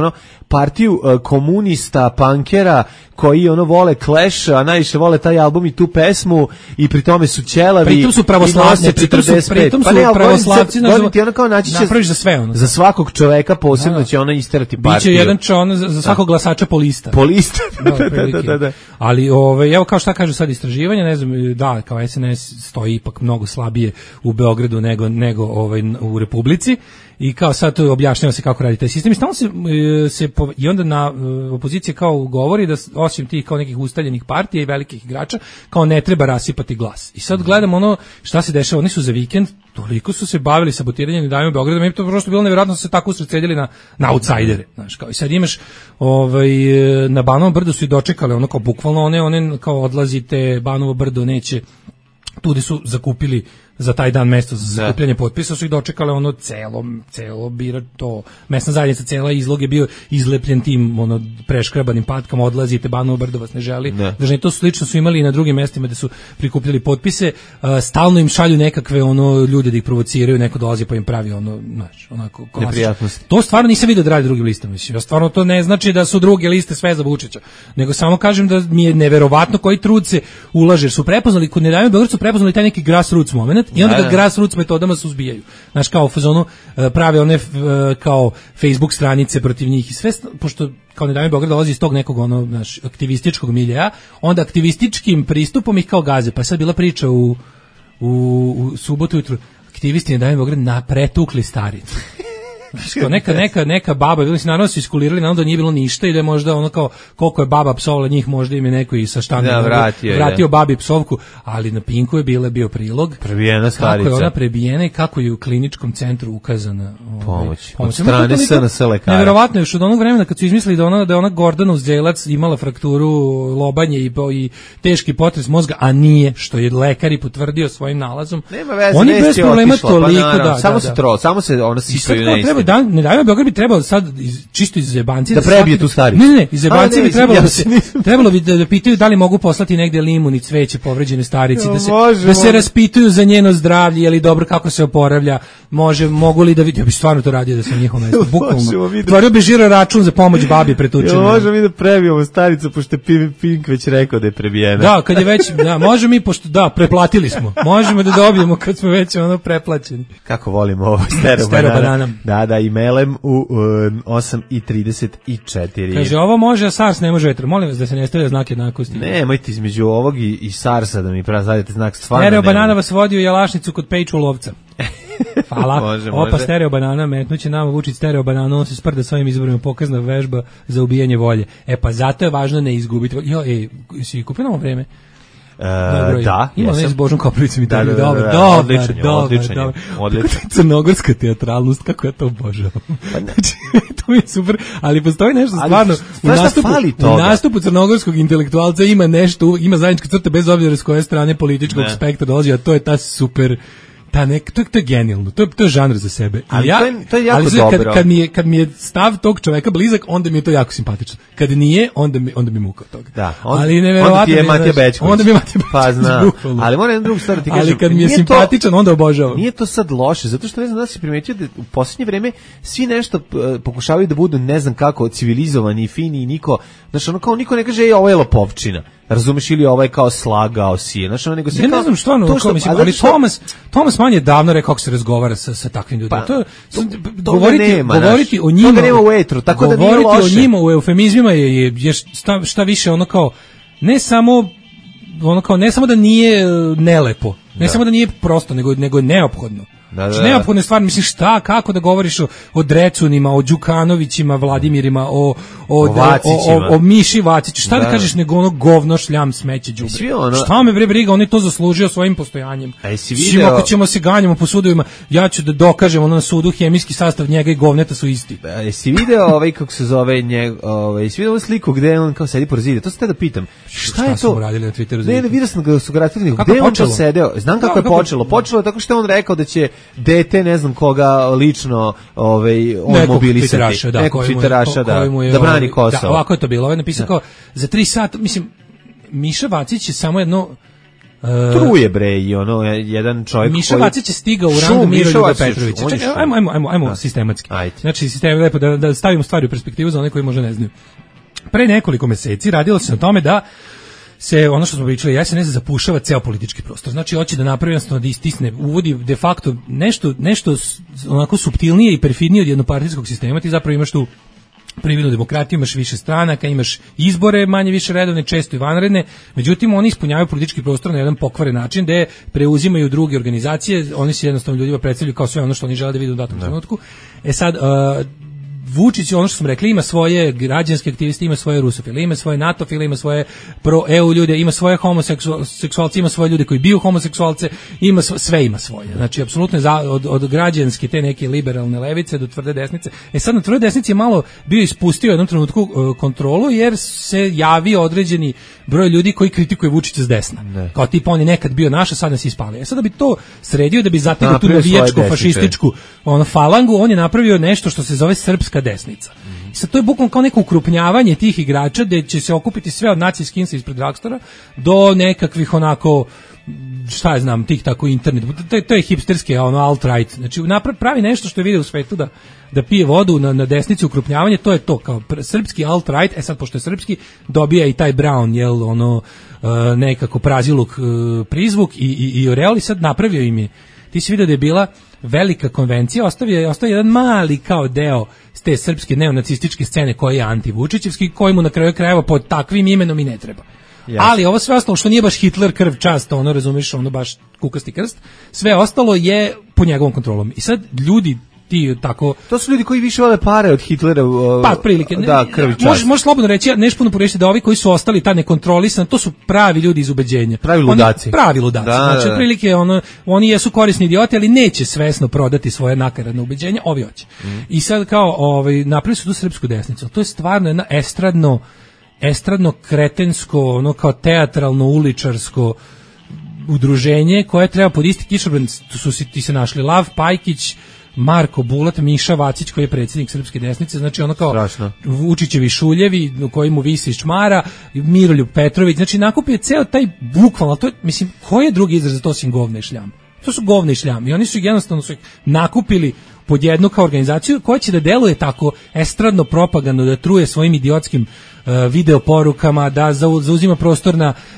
partiju komunista, punkera, koji vole Clash, a najviše vole taj album i tu pesmu, i pri tome su ćelavi. Pritom su pravoslavci, pritom su pravoslavci, napraviš za sve. Za svakog čoveka posebno će ona isterati partiju. Biće jedan za svakog glasača po lista. Po lista, da. Ali, evo kao šta kažu sad istraživanja, ne znam, da, kao SNS stoji ipak mnogo slabije u Beogradu nego u Republici i kao sad to objašnjava se kako radi taj sistem i stalno i onda na opozicija kao govori da osim tih kao nekih ustaljenih partija i velikih igrača kao ne treba rasipati glas. I sad gledamo ono šta se dešava, oni su za vikend toliko su se bavili sabotiranjem i davanjem Beograda, meni to prosto bilo neverovatno da se tako usredsredili na outsidere, znaš, kao i sad imaš na Banovom brdu su i dočekali ono kao bukvalno one kao odlazite, Banovo brdo neće, tu su zakupili za taj dan mesto za zakupljanje potpisa, su ih dočekale ono celo bira to, mesna zajednica cela izlog je bio izlepljen tim ono preškrabanim patkama, odlazite, Banovo brdo vas ne želi, znači to slično su imali i na drugim mestima gde su prikupljali potpise, stalno im šalju nekakve ono ljude da ih provociraju, neko dolazi pa im pravi ono, znači, onako neprijatnosti. To stvarno nisam vidio da radi drugim listama, mislim, ja stvarno to ne znači da su druge liste sve za Vučića, nego samo kažem da mi je neverovatno koji trud se ulaže, su prepoznali, kod Ne davimo Beograd su prepoznali taj neki grassroots moment i onda ga grassroots metodama suzbijaju. Znaš, kao u fazonu prave one kao Facebook stranice protiv njih i sve, pošto kao Ne davimo Beograd dolazi iz tog nekog ono, znaš, aktivističkog miljeja, onda aktivističkim pristupom ih kao gaze. Pa je sad bila priča u subotu jutru, aktivisti Ne davimo Beograd pretukli staricu. Neka baba, bili se naravno su iskulirali, naravno da nije bilo ništa i da je možda ono kao koliko je baba psovala njih, možda im je neko i sa štanda vratio babi psovku, ali na Pinku je bio prilog. Prebijena starica. Kako je ona prebijena i kako je u kliničkom centru ukazana pomoć. Od strane SNS lekara. Neverovatno je još od onog vremena kad su izmislili da je ona Gordana Uzdjelac imala frakturu lobanje i teški potres mozga, a nije, što je lekar i potvrdio svojim nalazom. Nema veze, oni bez problema toliko samo se ona sipaju neistinu. Ne davimo Beograd bi trebalo sad čisto iz zebancije da prebije tu staricu. Ne, iz zebancije bi trebalo bi da pitaju da li mogu poslati negde limun i cveće povređene starici, da se raspituju za njeno zdravlje, je li dobro, kako se oporavlja, mogu li da vidi, ja bi stvarno to radio da sam njihovo mesto, bukvalno. Otvorio bi žiro račun za pomoć babi pretučenoj. Možemo mi da prebijemo staricu, pošto je Pink već rekao da je prebijena. Da, kad je već, možemo mi, pošto preplatili smo, možemo da dobijemo kad smo već preplaćeni. Kako volimo ovo stereo banana. Da, i melem u 8:34. Kaže, ovo može, a SARS ne može vetro. Molim vas da se ne stavlja znak jednakosti. Nemojte između ovog i SARS-a da mi stavite znak, stvarno. Stereo banana vas vodi u Jalašnicu kod Pejču lovca. Hvala. Može. Opa, stereo banana, metnuće nama Vučić stereo banana, on se sprda s ovim izborima, pokazna vežba za ubijanje volje. Pa zato je važno ne izgubiti. Si kupio novo vreme? Da, ima ne s Božom Koprivicom i tako. Odlično. Crnogorska teatralnost, kako ja to obožavam. Znači, to je super, ali postoji nešto stvarno u nastupu crnogorskog intelektualca ima nešto, ima zajednička crta bez obzira s koje strane političkog spektra dolazi, a to je ta super to je genijalno, to je žanr za sebe. Ali to je jako dobro. Kad mi je stav tog čoveka blizak, onda mi je to jako simpatično. Kad nije, onda mi muka od toga. Da, onda ti je Matija Bećković. Onda mi je Matija Bećković. Pa znam, ali moram jednu drugu stvar ti kažem. Ali kad mi je simpatičan, onda obožavam. Nije to sad loše, zato što ne znam da si primetio da u posljednje vreme svi nešto pokušavaju da budu ne znam kako civilizovani i fini i niko, znači ono kao niko ne kaže ovo je lopovčina. Razumeš, ili ovaj kao slagao si je, znači nego se ja ne znam što ono, ali Thomas Mann je davno rekao kako se razgovara sa takvim ljudima. Govoriti o njima, toga nema u etru, tako da nije loše. Govoriti o njima u eufemizmima je šta više ono kao ne samo da nije nelepo, ne samo da nije prosto, nego je neophodno. Znači, neophodne stvari, mislim, kako da govoriš o Drecunima, o Đukanovićima, Vladimirima, o Miši Vaciću, šta da kažeš nego ono govno, šljam, smeće, đubre. Šta me bre briga, on je to zaslužio svojim postojanjem. Svim ako ćemo se ganjamo po sudovima, ja ću da dokažem na sudu hemijski sastav njega i govneta su isti. Jesi video kako se zove jesi video ovu sliku gde on kao sedi pored zida, to se te da pitam. Šta je to? Smo radili na Twitteru za Ne, vidio sam ga su ga radili, gde on to sedeo? Znam kako je počelo. Počelo je tako što je on rekao da će dete, ne znam koga lično on mobilisati. Nekog tviteraša, da brani Kosovo. Da, ovako je to bilo. Ovo je napisao kao, za 3 sata, mislim, Miša Vacić je samo jedno... Truje bre i ono, jedan čovjek Miša Vacić je stigao u rang Miroljuba Petrovića. Čekaj, ajmo sistematski. Znači, lepo da stavimo stvari u perspektivu za one koji možda ne znaju. Pre nekoliko meseci radilo se na tome da se, ono što smo pričali, SNS zapušava ceo politički prostor. Znači, hoće da napravi jednostavno da istisne, uvodi de facto nešto onako suptilnije i perfidnije od jednopartijskog sistema. Ti zapravo imaš tu prividnu demokratiju, imaš više stranaka, imaš izbore manje više redovne, često i vanredne, međutim oni ispunjavaju politički prostor na jedan pokvaren način gde preuzimaju druge organizacije, oni se jednostavno ljudima predstavljaju kao sve ono što oni žele da vide u datom trenutku. Sad, Vučić, ono što smo rekli, ima svoje građanske aktiviste, ima svoje rusofile, ima svoje natofile, ima svoje pro-EU ljude, ima svoje homoseksualce, ima svoje ljude koji biju homoseksualce, sve ima svoje. Znači, apsolutno od građanske te neke liberalne levice do tvrde desnice. Sad na tvrde desnici je malo bio ispustio u jednom trenutku kontrolu, jer se javio određeni broj ljudi koji kritikuje Vučića s desna. Kao tipa on je nekad bio naš, a sad nas ispali. Sad da bi to sredio, da bi zategao tu navijačku, fašističku falangu, on je napravio nešto što se zove srpska desnica. I sad to je bukvalno kao neko ukrupnjavanje tih igrača gde će se okupiti sve od naci skinsa ispred Dragstora do nekakvih onako, šta ja znam, tih tako internet. To je hipsterski alt-right. Znači pravi nešto što je vidio u svetu da pije vodu na desnici, ukrupnjavanje, to je to kao srpski alt-right. Sad pošto je srpski, dobija i taj Brown, jel, nekako praziluk prizvuk i Oreoli sad napravio im je. Ti si vidio da je bila velika konvencija, ostavio jedan mali kao deo s te srpske neonacističke scene koja je antivučićevski, koji mu na kraju krajeva pod takvim imenom i ne treba. Yes. Ali ovo sve ostalo što nije baš Hitler krv čast, razumiješ, baš kukasti krst, sve ostalo je po njegovom kontrolom. I sad ljudi ti tako... To su ljudi koji više vole pare od Hitlera. Pa, prilike. Da, krv i čast. Možeš slobodno reći, nešto puno pogrešiti da ovi koji su ostali ta nekontrolisani, to su pravi ljudi iz ubeđenja. Pravi ludaci. Pravi ludaci. Znači, prilike, oni jesu korisni idioti, ali neće svesno prodati svoje nakaradne ubeđenja, ovi hoće. I sad kao, napravili su tu srpsku desnicu. To je stvarno jedna estradno kretensko, kao teatralno uličarsko udruženje koje treba pod isti kišobran, ti se našli Lav Pajkić, Marko Bulat, Miša Vacić koji je predsjednik srpske desnice, znači ono kao strašno. Vučićevi šuljevi koji mu visi iz čmara, Miroljub Petrović, znači nakupio ceo taj bukvalno, to je, mislim, koji je drugi izraz za to osim govna i šljam? To su govna i šljam i oni su jednostavno nakupili pod jednu kao organizaciju koja će da deluje tako estradno propagandno, da truje svojim idiotskim video porukama, da zauzima prostor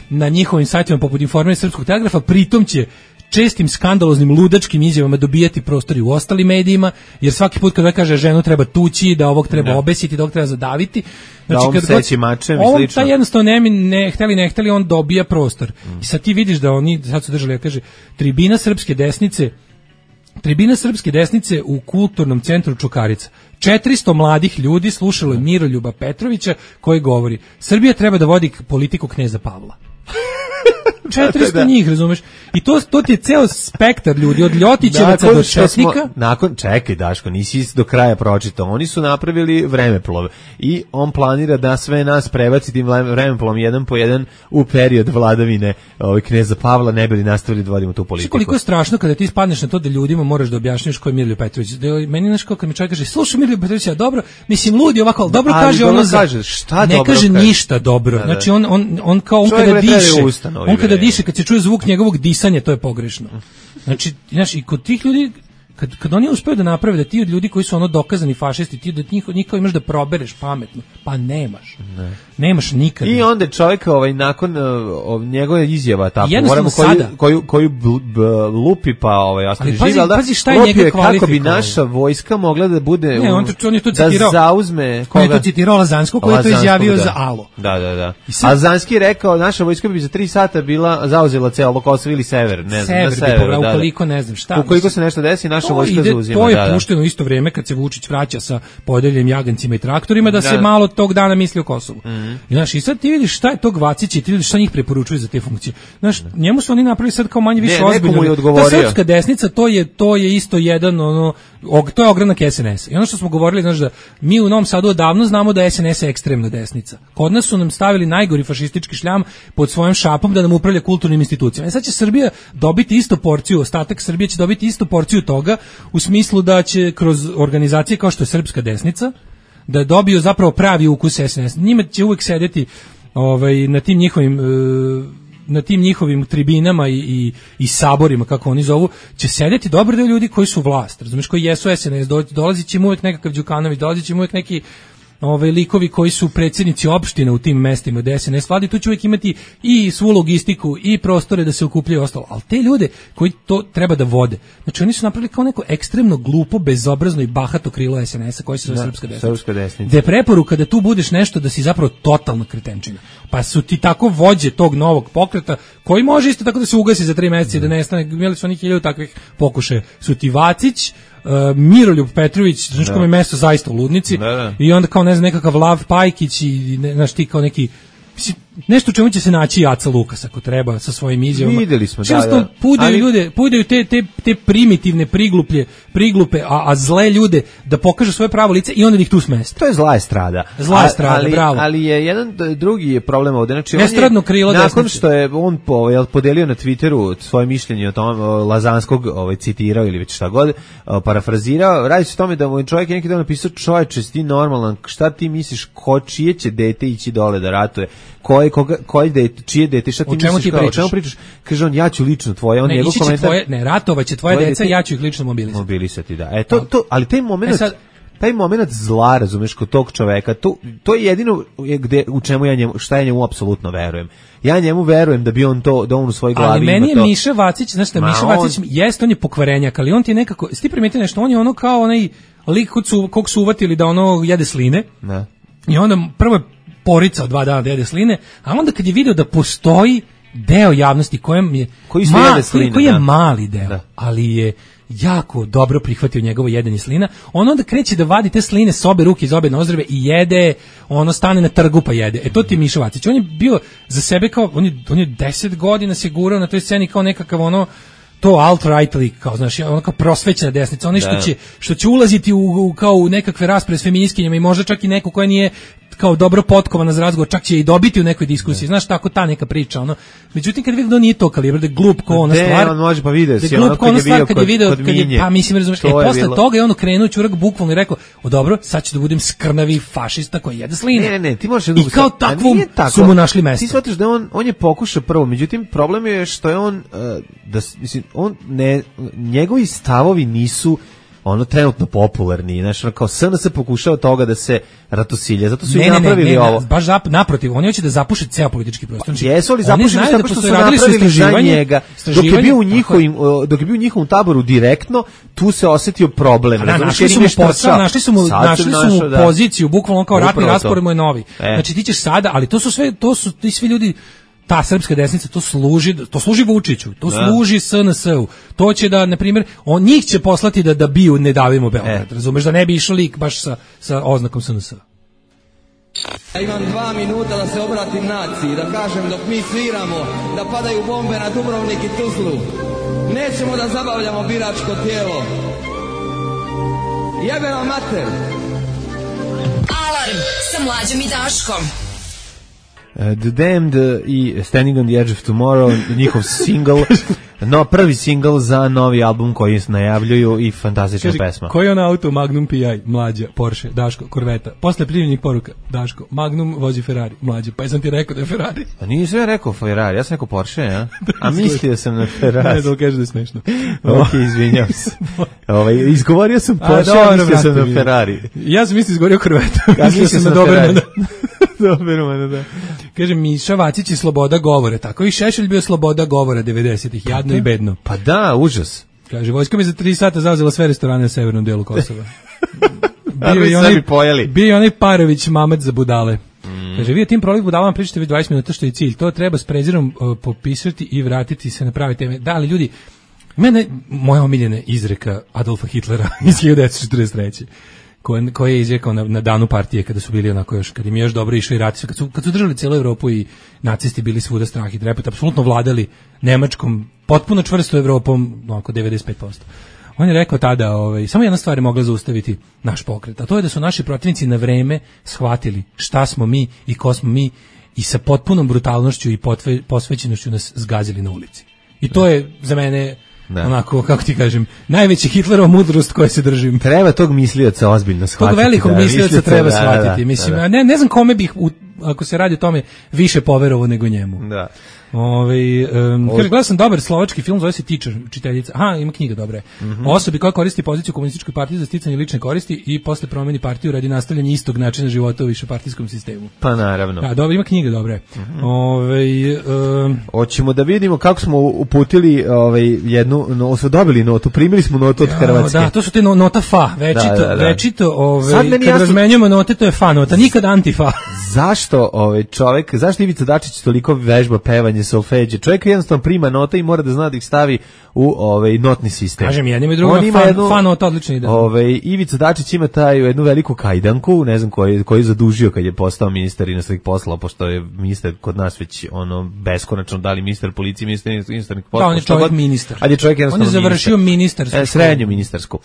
na njihovim sajtovima poput Informera i Srpskog telegrafa, pritom će čestim skandaloznim ludačkim izjavama dobijati prostor i u ostalim medijima, jer svaki put kada kaže ženu treba tući, da ovog treba obesiti, da ovog treba zadaviti, znači da kad seći mačem i slično. Taj jednostavno ne hteli, on dobija prostor. I sad ti vidiš da oni sad su držali, kaže, tribina srpske desnice u kulturnom centru Čukarica. 400 mladih ljudi slušalo je Miroljuba Petrovića koji govori: Srbija treba da vodi politiku kneza Pavla. 400 njih, razumeš? I to ti je ceo spektar ljudi, od Ljotićevaca do Četnika. Čekaj, Daško, nisi do kraja pročitao. Oni su napravili vremeplov i on planira da sve nas prebaci tim vremeplovom jedan po jedan u period vladavine kneza Pavla, ne bi li nastavili da vodimo tu politiku. Koliko je strašno kada ti spadneš na to da ljudima moraš da objašnjaš ko je Miroljub Petrović. Meni nešto kad mi čovjek kaže, slušaj Miroljub Petrović, dobro, mislim ludi ovako, ali dobro kaže ono ne kaže ništa dobro. Znači on kao on kada diše, kad se čuje zvuk njegovog disanja, to je pogrešno. Znači, i kod tih ljudi, kad oni uspeju da naprave da ti od ljudi koji su dokazani fašisti, ti da njih kao imaš da probereš pametno, pa nemaš. Nemaš nikad. I onda čovjek nakon njegove izjava tako, koju lupi pa ostane živ, ali lupi je kako bi naša vojska mogla da bude on je to citirao, da zauzme koga? On je to citirao Lazanskog koji je to izjavio za Alo. Da. A Lazanski je rekao, naša vojska bi za 3 sata bila zauzela celo Kosovo ili sever, ne znam, na severu. Ukoliko ne znam šta. Ukoliko se nešto desi, naša vojska zauzima. To je pušteno isto vrijeme kad se Vučić vraća sa podeljenim jagancima i traktorima da se malo tog dana misli o Kosovu. I sad ti vidiš šta je tog Vacića i ti vidiš šta njih preporučuje za te funkcije. Znaš, njemu su oni napravili sad kao manje više ozbiljno. Ta srpska desnica, to je isto jedan, to je ogranak SNS-a. I ono što smo govorili, znaš, da mi u Novom Sadu odavno znamo da SNS je ekstremna desnica. Kod nas su nam stavili najgori fašistički šljam pod svojom šapom da nam upravlja kulturnim institucijama. I sad će Srbija dobiti isto porciju, ostatak Srbije će dobiti isto porciju toga, u smislu da će kroz organizacije kao što je srpska desnica da dobiju zapravo pravi ukus SNS. Njima će uvijek sedeti na tim njihovim tribinama i saborima, kako oni zovu, će sedeti dobar deo ljudi koji su vlast, razumiješ, koji jesu SNS, dolazit će im uvijek nekakav Đukanović, dolazit će im uvijek neki likovi koji su predsjednici opština u tim mestima gde SNS vladi, tu će uvijek imati i svu logistiku i prostore da se okupljaju ostalo, ali te ljude koji to treba da vode, znači oni su napravili kao neko ekstremno glupo, bezobrazno i bahato krilo SNS-a koji se zove Srpska desnica. Gde je preporuka da tu budeš nešto da si zapravo totalna kretenčina. Pa su ti tako vođe tog novog pokreta, koji može isto tako da se ugasi za 3 meseca i da nestane, imali su oni 1000 takvih pokušaja. Su ti Vacić, Miroljub Petrović, znači kom je mesto zaista u ludnici, i onda kao ne znam nekakav Lav Pajkić i znaš ti kao neki nešto u čemu će se naći Aca Lukas ako treba sa svojim izjavama. Videli smo, pudaju ljude, pudaju te primitivne priglupe, a zle ljude da pokažu svoje pravo lice i onda ih tu smeste. To je zla estrada. Bravo. Ali je jedan drugi je problem ovde. Znači, estradno krilo desnice. Nakon što je on podelio na Twitteru svoje mišljenje o tom Lazanskog citirao ili već šta god, parafrazirao, radi se o tome da mu je čovjek neki dan napisao: čovječe, si ti normalan, šta ti misliš, čije će dete ići dole da ratuje? Koje dete, čije dete, šta ti misliš, o čemu pričaš? Kaže on, ja ću lično tvoje, on njegov komentar. Ratovaće tvoje deca, ja ću ih lično mobilisati, da. Ali taj moment zla, razumeš, kod tog čoveka, to je jedino u čemu šta ja njemu apsolutno verujem. Ja njemu verujem da bi on to, da on u svojoj glavi ima to. Ali meni je Miša Vacić, znaš šta, Miša Vacić jest, on je pokvarenjak, ali on ti je nekako, ti primetio nešto, on je ono kao onaj lik kog su uvatili da ono jede sline. Ne. I onda prvo je poricao 2 dana da jede sline, a onda kad je video da postoji deo javnosti koji je mali deo, ali je jako dobro prihvatio njegovo jedenje slina, on onda kreće da vadi te sline s obe ruke iz obe nozdrve i jede, ono stane na trgu pa jede. To ti je Miša Vacić. On je bio za sebe kao, on je 10 godina se gurao na toj sceni kao nekakav ono, to alt-right lik, kao, znaš, ono kao prosvećena desnica, ono što će ulaziti kao u nekakve rasprave s feministkinjama i možda čak i neko koja nije kao dobro potkovana za razgovor, čak će i dobiti u nekoj diskusiji, znaš, tako ta neka priča, ono. Međutim, kad vidim da nije to kalibar, da je glup ko ona stvar, on može pa video si, ono kad je video kod Minje, pa mislim, razumiješ, posle toga je ono krenuo čurak bukvalno i rekao, dobro, sad ću da budem skrnavi fašista koji jede sline. Ne, ti možeš i kao takvom su mu našli mesto. Ti shvatiš da on je pokušao prvo, međutim, problem je što je on, njegovi stavovi nisu ono trenutno popularni, znači kao SNS pokušao toga da se ratosilje, zato su i napravili ovo. Baš naprotiv, oni hoće da zapuše ceo politički prostor. Jesu li zapušeni tako što su napravili za njega, dok je bio u njihovom taboru direktno, tu se osetio problem. Našli su mu poziciju, bukvalno kao ratni raspored mu je novi. Znači ti ćeš sada, ali to su ti svi ljudi. Ta srpska desnica to služi Vučiću, to služi SNS-u. To će da, na primjer, njih će poslati da biju Ne davimo Beograd, razumeš, da ne bi išao lik baš sa oznakom SNS-a. Ja imam 2 minuta da se obratim naciji, da kažem dok mi sviramo, da padaju bombe na Dubrovnik i Tuzlu. Nećemo da zabavljamo biračko tijelo. Jebe vam mater! Alarm sa Mlađom i Daškom. The Damned i Standing on the Edge of Tomorrow, njihov single, prvi single za novi album koji najavljuju i fantastična pesma. Koji je on auto? Magnum PI, Mlađa, Porsche, Daško, Corvetta. Posle primljenih poruka, Daško, Magnum vozi Ferrari, Mlađa, pa sam ti rekao da je Ferrari. Pa nisam ja rekao Ferrari, ja sam rekao Porsche, ja? A mislio sam na Ferrari. Ne, da kaže da je smešno. Ok, izvinjam se. Izgovorio sam Porsche, a mislio sam na Ferrari. Ja sam izgovorio Corvetta. Ja mislio sam na Ferrari. Dobermana, da. Kaže, Miša Vacić je sloboda govora, tako i Šešelj bio sloboda govora 90-ih, jadno i bedno. Pa da, užas. Kaže, vojska mi za 3 sata zauzela sve restorane na severnom delu Kosova. Bio je onaj Parović Mamet za budale. Kaže, vi o tim prolih budalama pričate već 20 minuta, što je cilj. To treba s prezirom popisati i vratiti se na prave teme. Da, ali ljudi, moja omiljena izreka Adolfa Hitlera iz 1943. Koje je izrekao na danu partije kada su bili onako još, kad im je još dobro išao i rati, kad su držali cijelu Evropu i nacisti bili svuda strah i trepet, apsolutno vladali Nemačkom, potpuno čvrsto Evropom, oko 95%. On je rekao tada, samo jedna stvar je mogla zaustaviti naš pokret, a to je da su naši protivnici na vreme shvatili šta smo mi i ko smo mi i sa potpunom brutalnošću i posvećenošću nas zgazili na ulici. I to je za mene onako, kako ti kažem, najveći Hitlerova mudrost koje se držim. Treba tog mislioca ozbiljno shvatiti. Tog velikog mislioca treba shvatiti. Mislim, ne znam kome bih, ako se radi o tome, više poverovao nego njemu. Da. Gledao sam dobar slovački film, zove se Teacher, učiteljica. Aha, ima knjiga dobra. Osobi koja koristi poziciju komunističkoj partiji za sticanje lične koristi i posle promeni partiju radi nastavljanja istog načina života u višepartijskom sistemu. Pa naravno. Da, dobro, ima knjiga dobra. Hoćemo da vidimo kako smo uputili smo dobili notu, primili smo notu od Hrvatske. Da, to su te nota fa, večito, kad razmenjujemo note, to je fa nota, nikad antifa. Zašto zašto Ivica Dačić toliko vežba pevanje solfeđe? Čovjek jednostavno prima note i mora da zna da ih stavi u notni sistem. Kažem, jednim i drugim fa nota odlična ide. Ivica Dačić ima jednu veliku kajdanku, ne znam koji je zadužio kad je postao ministar inostranih poslova, pošto je ministar kod nas već beskonačno, da li ministar policije, ministar inostranih poslova. Da, on je čovjek ministar. Ali je čovjek jednostavno on je završio ministarsku srednju ministarsku.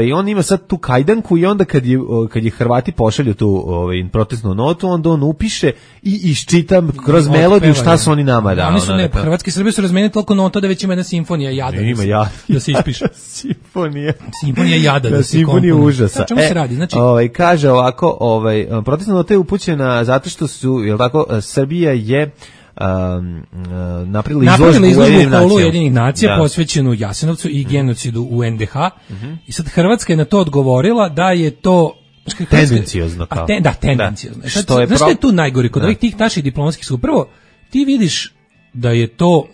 I on ima sad tu kajdanku i onda kad je Hrvati pošalju tu protestnu notu, onda on upiše i iščitam kroz melodiju šta su oni nama dali. Oni su Hrvatski Srbi su razmenili toliko nota da već ima jedna simfonija jada. Ima jada. Da se ispiše. Simfonija jada da se simfonija užasa. Čemu se radi? Znači kaže ovako, protestna nota je upućena zato što su, jel tako, Srbija je napravila izložbu u Ujedinjenih nacija posvećenu Jasenovcu i genocidu u NDH. I sad Hrvatska je na to odgovorila da je to tendenciozno kao. Tendenciozno. Znaš što je tu najgore kod ovih tih naših diplomatskih su? Prvo, ti vidiš da je to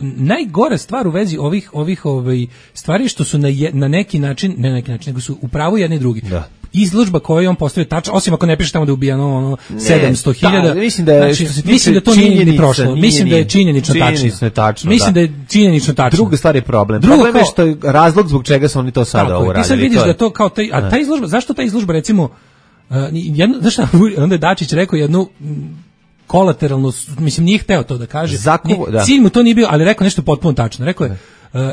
najgora stvar u vezi ovih stvari što su na neki način, ne na neki način, nego su u pravu jedni i drugi. Da. Izložba koju on postavio tačno, osim ako ne piše tamo da je ubijano 700.000. Mislim da to nije ni prošlo. Mislim da je činjenično tačno. Mislim da je činjenično tačno. Druga stvar je problem. Problem je što je razlog zbog čega su oni to sada uradili. Ti sad vidiš da to kao ta izložba, zašto ta izložba recimo znaš šta, onda je Dačić rekao jednu kolateralno, mislim nije hteo to da kaže. Cilj mu to nije bio, ali rekao nešto potpuno tačno. Rekao je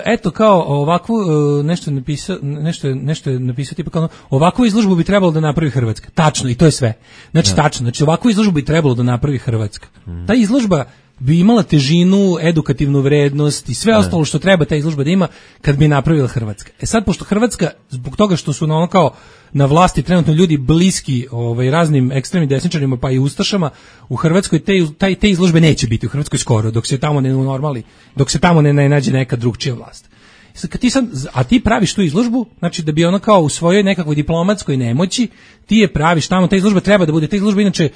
eto kao ovakvu nešto je napisao tipa kao ovakvu izložbu bi trebalo da napravi Hrvatska. Tačno, i to je sve. Znači tačno, znači ovakvu izložbu bi trebalo da napravi Hrvatska. Ta izložba bi imala težinu, edukativnu vrednost i sve ostalo što treba ta izložba da ima kad bi napravila Hrvatska. Sad, pošto Hrvatska, zbog toga što su na vlasti trenutno ljudi bliski raznim ekstremnim desničarima pa i ustašama, u Hrvatskoj te izložbe neće biti u Hrvatskoj skoro, dok se tamo ne unormali, dok se tamo ne nađe neka drugčija vlast. A ti praviš tu izložbu, znači da bi ona kao u svojoj nekakvoj diplomatskoj nemoći, ti je praviš tamo, ta izložba treba da bude, ta izložba inače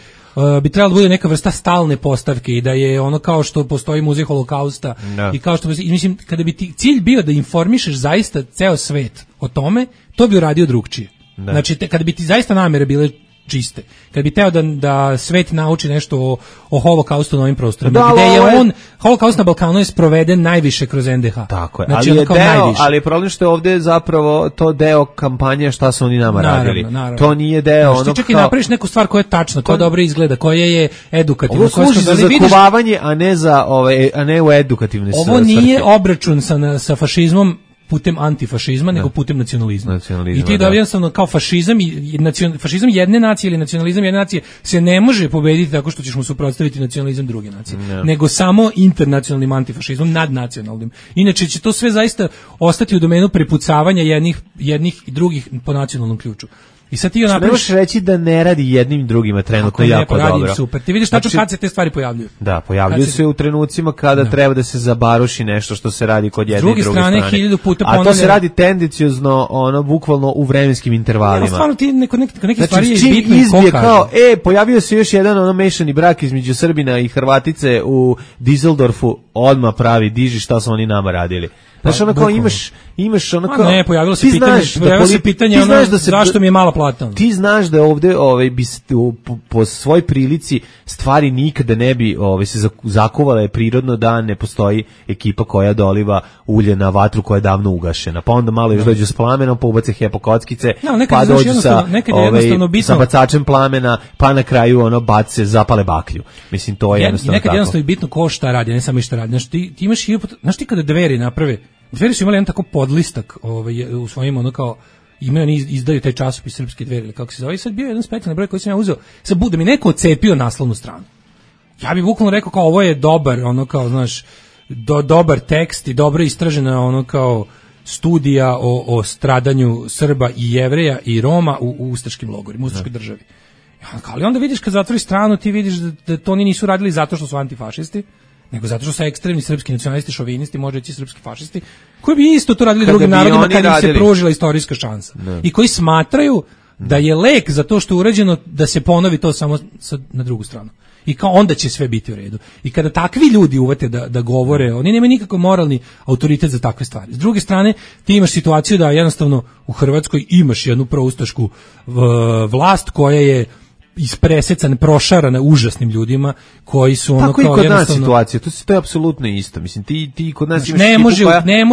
bi trebalo da bude neka vrsta stalne postavke i da je ono kao što postoji muzej holokausta i kao što, mislim, kada bi ti cilj bio da informišeš zaista ceo svet o tome, to bi uradio drugčije. Znači, kada bi ti zaista namere bile čiste. Kad bi teo da svet nauči nešto o holokaustu na ovim prostorima, gde je holokaust na Balkanu je sproveden najviše kroz NDH. Tako je, znači, ali je problem što je ovdje zapravo to deo kampanje šta su oni nama radili. Naravno. To nije deo ono kao... Čak i napraviš neku stvar koja je tačna, koja dobro izgleda, koja je edukativna. Ovo služi za zakuvavanje, a ne u edukativne svrhe. Ovo nije obračun sa fašizmom putem antifašizma, nego putem nacionalizma. I ti da jednostavno kao fašizam jedne nacije ili nacionalizam jedne nacije se ne može pobediti tako što ćeš mu suprotstaviti nacionalizam druge nacije, nego samo internacionalnim antifašizmom, nadnacionalnim. Inače će to sve zaista ostati u domenu prepucavanja jednih i drugih po nacionalnom ključu. I sad ti ne možeš reći da ne radi jednim drugima trenutno jako dobro. Super. Ti vidiš tačno kad se te stvari pojavljuju. Da, pojavljuju se u trenucima kada treba da se zabaruši nešto što se radi kod jedne i druge strane. 1000 puta a to se radi tendenciozno, bukvalno u vremenskim intervalima. Ja, stvarno ti neke stvari je bitno izbije kao, pojavio se još jedan mešani brak između Srbina i Hrvatice u Dizeldorfu, odmah pravi, diži šta su oni nama radili. Znaš, ono kao imaš ono kao... Ne, pojavilo se pitanje zašto mi je mala plata. Ti znaš da ovde po svoj prilici stvari nikada ne bi se zakuvala, je prirodno da ne postoji ekipa koja doliva ulje na vatru koja je davno ugašena. Pa onda malo još dođu s plamenom, pa ubace hepokockice, pa dođu sa bacačem plamena, pa na kraju bace, zapale baklju. Mislim, to je jednostavno tako. Nekad jednostavno je bitno ko šta radi, ne samo i šta radi. Znaš ti kada Dveri naprave, Dveri su imali jedan tako podlistak u svojim imaju, izdaju taj časopis Srpske Dveri ili kako se zove, i sad bio jedan specijalni broj koji sam ja uzeo, sad da mi neko ocepio naslovnu stranu. Ja bih bukvalno rekao kao ovo je dobar, dobar tekst i dobro istražena kao studija o stradanju Srba i Jevreja i Roma u ustaškim logorima, u ustaškoj državi. Ali onda vidiš kad zatvori stranu, ti vidiš da to oni nisu radili zato što su antifašisti, nego zato što su ekstremni srpski nacionalisti, šovinisti, može reći srpski fašisti, koji bi isto to radili drugim narodima kad im se pružila istorijska šansa. I koji smatraju da je lek za to što je urađeno da se ponovi to samo na drugu stranu. I kao onda će sve biti u redu. I kada takvi ljudi uvete da govore, oni nemaju nikakav moralni autoritet za takve stvari. S druge strane, ti imaš situaciju da jednostavno u Hrvatskoj imaš jednu proustašku vlast koja je ispresecana, prošarana užasnim ljudima koji su ono kao jednostavno... Tako i kod nas situacija, to je apsolutno isto. Mislim, ti kod nas imaš ne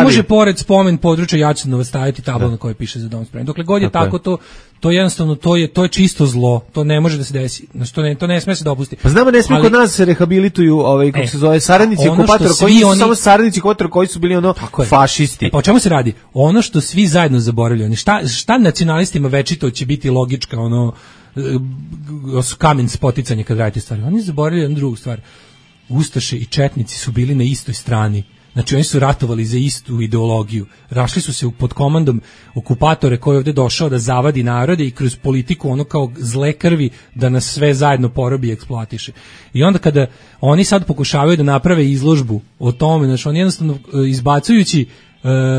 može pored spomen područja Jačanova staviti tabla na kojoj piše za dom spremni. Dokle god je tako, to jednostavno, to je čisto zlo, to ne može da se desi, to ne sme se dopustiti. Pa znamo, ne sme kod nas se rehabilituju, kako se zove, saradnici okupatora, samo saradnici okupatora koji su bili fašisti. Pa o čemu se radi? Ono što svi zajedno zaboravljaju, šta nacionalistima večito će biti logička, kamen spoticanje kad radite stvari. Oni zaboravljaju jednu drugu stvar. Ustaše i četnici su bili na istoj strani. Znači oni su ratovali za istu ideologiju. Rašli su se pod komandom okupatore koji je ovde došao da zavadi narode i kroz politiku ono kao zle krvi da nas sve zajedno porobi i eksploatiše. I onda kada oni sad pokušavaju da naprave izložbu o tome, znači oni jednostavno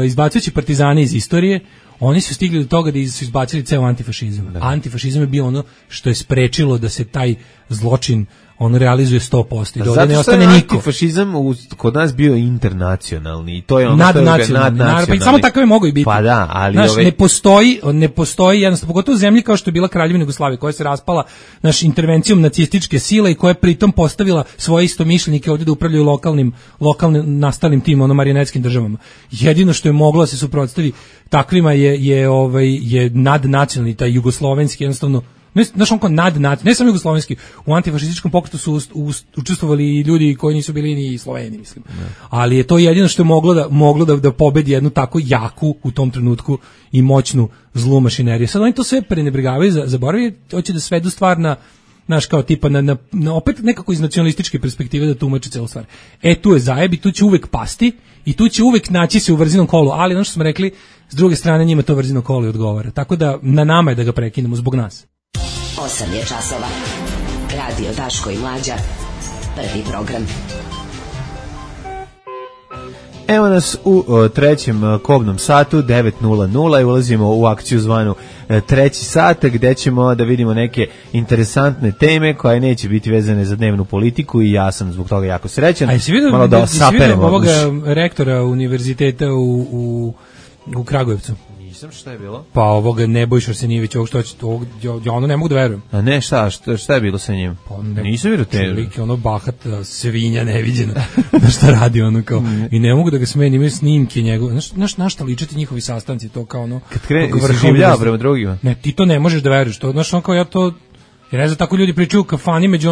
izbacujući partizane iz istorije, oni su stigli do toga da su izbacili ceo antifašizam. Antifašizam je bio ono što je sprečilo da se taj zločin realizuje 100% i da ovdje ne ostane niko. Zato antifašizam kod nas bio internacionalni i to je ono nadnacionalni. Pa samo takve mogu i biti. Pa da, ali ne postoji jednostavno, pogotovo u zemlji kao što je bila Kraljevina Jugoslavija, koja se raspala intervencijom nacističke sile i koja je pritom postavila svoje istomišljenike ovdje da upravljaju lokalnim nastalim tim marionetskim državama. Jedino što je moglo da se suprotstavi takvima je nadnacionalni, taj jugoslovenski jednostavno. Znaš, on kao ne samo jugoslovenski, u antifašističkom pokretu su učestvovali i ljudi koji nisu bili ni Sloveni, mislim. Ali je to jedino što je moglo da pobedi jednu tako jaku u tom trenutku i moćnu zlu mašineriju. Sad oni to sve prenebregavaju, zaboravljaju, hoće da svedu stvar na, znaš, kao tipa na opet nekako iz nacionalističke perspektive da tumači celu stvar. Tu je zajeb i tu će uvek pasti i tu će uvek naći se u vrzinom kolu, ali ono što smo rekli, s druge strane njima to vrzino kolo i odgovara. Tako da na nama je da ga prekinemo zbog nas. 8 je časova. Radio Daško i Mlađa. Prvi program. Evo nas u trećem kobnom satu, 9:00, i ulazimo u akciju zvanu treći sat, gde ćemo da vidimo neke interesantne teme koje neće biti vezane za dnevnu politiku i ja sam zbog toga jako srećan. A jesi vidio ovoga rektora univerziteta u Kragujevcu? Nisam, šta je bilo? Pa ovoga Nebojša Arsenijević, ja ono ne mogu da verujem. A ne, šta je bilo sa njim? Pa nisam vidio te. Čelike, bahat svinja neviđena. Da šta radi ono kao. I ne mogu da ga smeni, imaju snimke njegove. Znaš šta ličete njihovi sastanci, to kao ono. Kad krene, se življava prema drugima. Ne, ti to ne možeš da veruješ. Znaš, ono kao ja to... Jer ne znam, tako ljudi pričaju u kafani među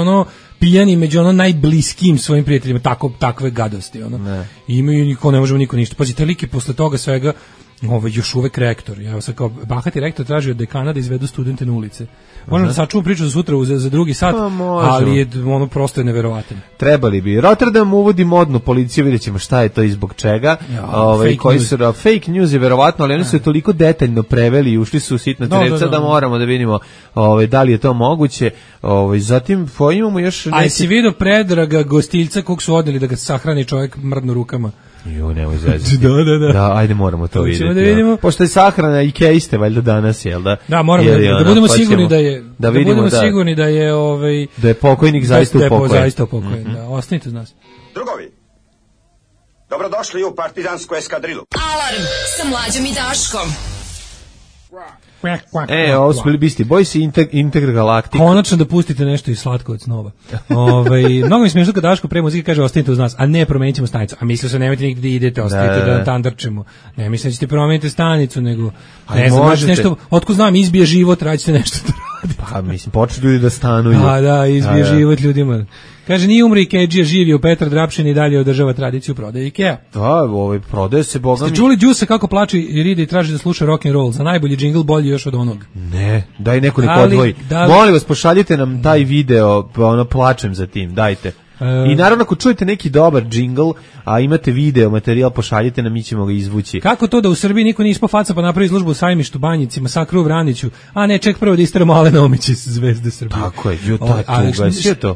pijani, među najbliskijim svojim prijateljima, takve gadosti. I imaju ne možemo niko ništa. Pazite, liki posle toga svega, još uvek rektor. Ja sad kao bahati rektor traži od dekana da izvedu studente na ulice. Možemo da sačuvamo priču za sutra za drugi sat, ali je prosto neverovatno. Trebali bi. Rotterdam uvodi modnu policiju, vidjet ćemo šta je to i zbog čega. Fake news je verovatno, ali oni su je toliko detaljno preveli i ušli su u sitna crevca da moramo da vidimo da li je to moguće. Zatim imamo još neki... A si vidio Predraga Gostiljca kog su odneli da ga sahrani čovjek mrdno rukama? Nemoj zezati. Da, ajde moramo to vidjeti. Pošto je sahrana i kejste valjda danas, jel da? Da, moramo da budemo sigurni da je da je pokojnik zaista upokojen. Da, ostanite uz nas. Drugovi, dobrodošli u partizansku eskadrilu. Alarm sa Mlađom i Daškom. Ovo su bili Beastie Boys i Intergalactic. Konačno da pustite nešto iz Slatko od snova. Mnogo mi smiješno kad Daško pre muzike kaže ostanite uz nas, a ne promenit ćemo stanicu. A mislio se nemojte nigde da idete, ostanite da tandrčemo. Ne mislim da ćete promeniti stanicu, nego ne znam, nešto, otko znam, izbije život, radite nešto da radite. Pa mislim, počnu ljudi da stanuju. Da, izbije život ljudima. Kaže, nije umri Ikeđija, živio Petar Drapšin i dalje održava tradiciju prodaje Ikea. Da, prodaje se, boga mi. Ste čuli Đusa kako plače i ride i traži da sluša rock and roll? Za najbolji džingl bolji još od onog. Ne, daj nekoliko odvoji. Molim vas, pošaljite nam taj video, plačem za tim, dajte. I naravno ako čujete neki dobar džingl, a imate video materijal, pošaljite nam, mi ćemo ga izvući. Kako to da u Srbiji niko nije ispao faca pa napravi izložbu u Sajmištu, Banjici, masakru u Vraniću, a ne, ček prvo da isteramo Alena Omića iz Zvezde Srbije. Tako je, sve to.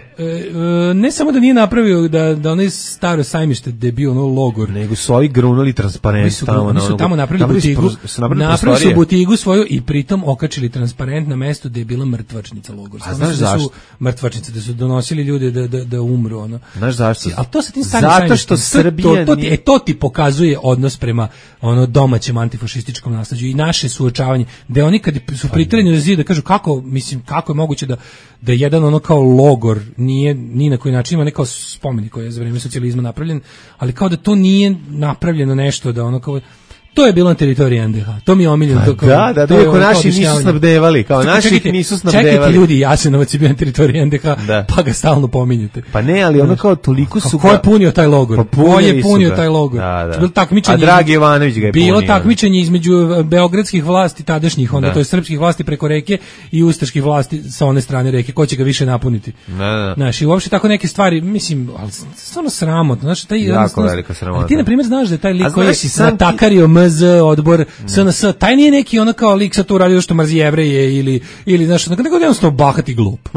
Ne samo da nije napravio da onaj staro Sajmište da je bio ono logor, nego su ovi grunuli transparent tamo. Oni su tamo napravili butigu, napravili su butigu svoju i pritom okačili transparent na mestu gde je bila mrtvačnica logor. A znaš zašto? Mrtvačnice, da su donosili ljude da umru. Ono. Znaš zašto? Ali to sa tim starim zato što Srbija to ti pokazuje odnos prema ono domaćem antifašističkom nasleđu i naše suočavanje, da oni kad su priterani do zida da kažu kako je moguće da jedan ono kao logor nije ni na koji način ima nekao spomenik koji je za vreme socijalizma napravljen, ali kao da to nije napravljeno nešto da ono kao to je bilo na teritoriji NDH. To mi je omiljeno. Da, iako naši nisu snabdevali. Kao naših nisu snabdevali. Čekajte ljudi, Jasenovac je bio na teritoriji NDH, pa ga stalno pominjete. Pa ne, ali ono kao toliko su... Ko je punio taj logor? Ko je punio taj logor? A Dragi Jovanović ga je punio. Bilo takmičenje između beogradskih vlasti tadašnjih, onda to je srpskih vlasti preko reke i ustaških vlasti sa one strane reke. Ko će ga više napuniti? Znaš, i uopšte tako neke stvari, mislim, ali stvarno sramotno. Znaš, jako velika sramota. Ti, na primjer, znaš da je taj lik koji je natakario MZ odbor SNS, taj nije neki ono kao lik sa to uradio što mrzi Jevreje ili znaš, nego jednostavno bahat i glup.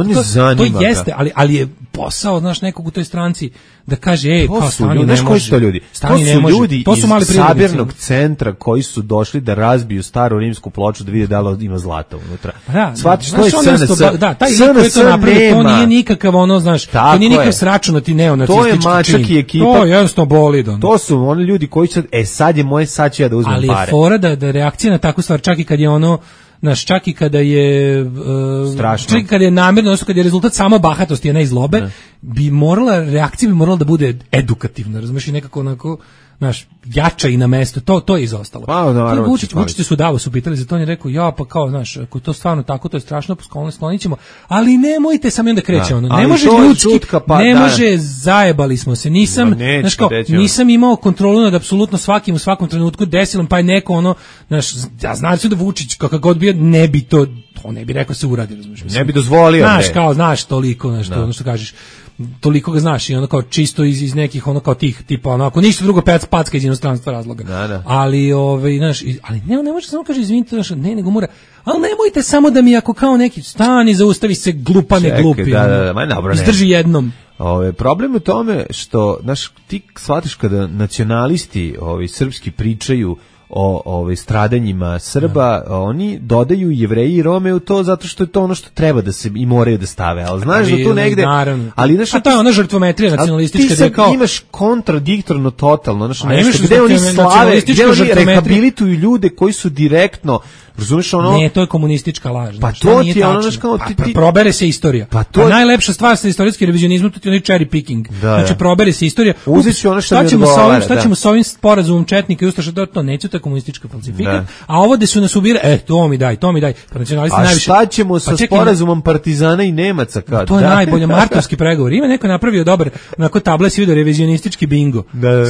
To jeste, ali je posao, znaš, nekog u toj stranci da kaže, kao stani ne može. To su ljudi iz sabirnog centra koji su došli da razbiju staru rimsku ploču da vide da li ima zlata unutra. Shvatiš, to je SNS. Da, taj lik koji to napravio, to nije nikakav ono, znaš, to nije nikakav sračunati neonacistički čin. To je mačak i ekipa. To je jednostavno boli. To su oni ljudi koji će, sad ću ja da uzmem pare. Ali je fora da reakcija na takvu stvar, čak i kad je ono, znaš, čak i kada je strašno, čak i kada je namjerno, odnosno kada je rezultat samo bahatosti, a ne zlobe, reakcija bi morala da bude edukativna, razumiješ, i nekako onako, znaš, jača i na mesto, to je izostalo. Vučić su Davos pitali za to, on je rekao, ja pa kao, znaš, ako to stvarno tako, to je strašno, sklonit ćemo, ali nemojte sam i onda kreće ono, ne može ljudski, ne može, zajebali smo se, nisam imao kontrolu nad apsolutno svakim u svakom trenutku, desilom, pa je neko ono, znaš, ja znam da Vučić, kakav god bio, ne bi to ne bi rekao se uradi, razumiješ. Ne bi dozvolio. Znaš toliko, ono što kažeš, toliko ga znaš i ono kao čisto iz nekih ono kao tih tipa ono ako ništa drugo packa iz inostranstva razloga. Ali znaš, ali ne može samo kaže izvinite, znaš, ne nego mora. Ali nemojte samo da mi ako kao neki stani zaustavi se glupane glupi. Izdrži jednom. Problem je u tome što znaš, ti shvatiš kada nacionalisti srpski pričaju o stradanjima Srba, oni dodaju Jevreji i Rome u to zato što je to ono što treba da se i moraju da stave, ali znaš da tu negde, ali znaš, a to je ona žrtvometrija nacionalistička, da je kao ti imaš kontradiktorno totalno, znaš, nešto gde oni slave, gde oni rehabilituju ljude koji su direktno, razumiješ ono? Ne, to je komunistička laž. Pa to ti je ono, znaš, kao ti... probere se istorija. Pa najlepša stvar sa istorijskim revizionizmom, to ti je onaj cherry picking. Znači, probere se istorija. Uzet ću ono što mi odgovara. Šta ćemo sa ovim sporazumom četnika i ustaša, to neću, to je komunistička falsifikat. A ovo gde su nas ubira, to mi daj. Pa nacionalisti najviše... A šta ćemo sa sporazumom Partizana i Nemaca kad? To je najbolje, martovski pregovor. Ima neko napravio dobar, onako tabla si vidio revizionistički bingo.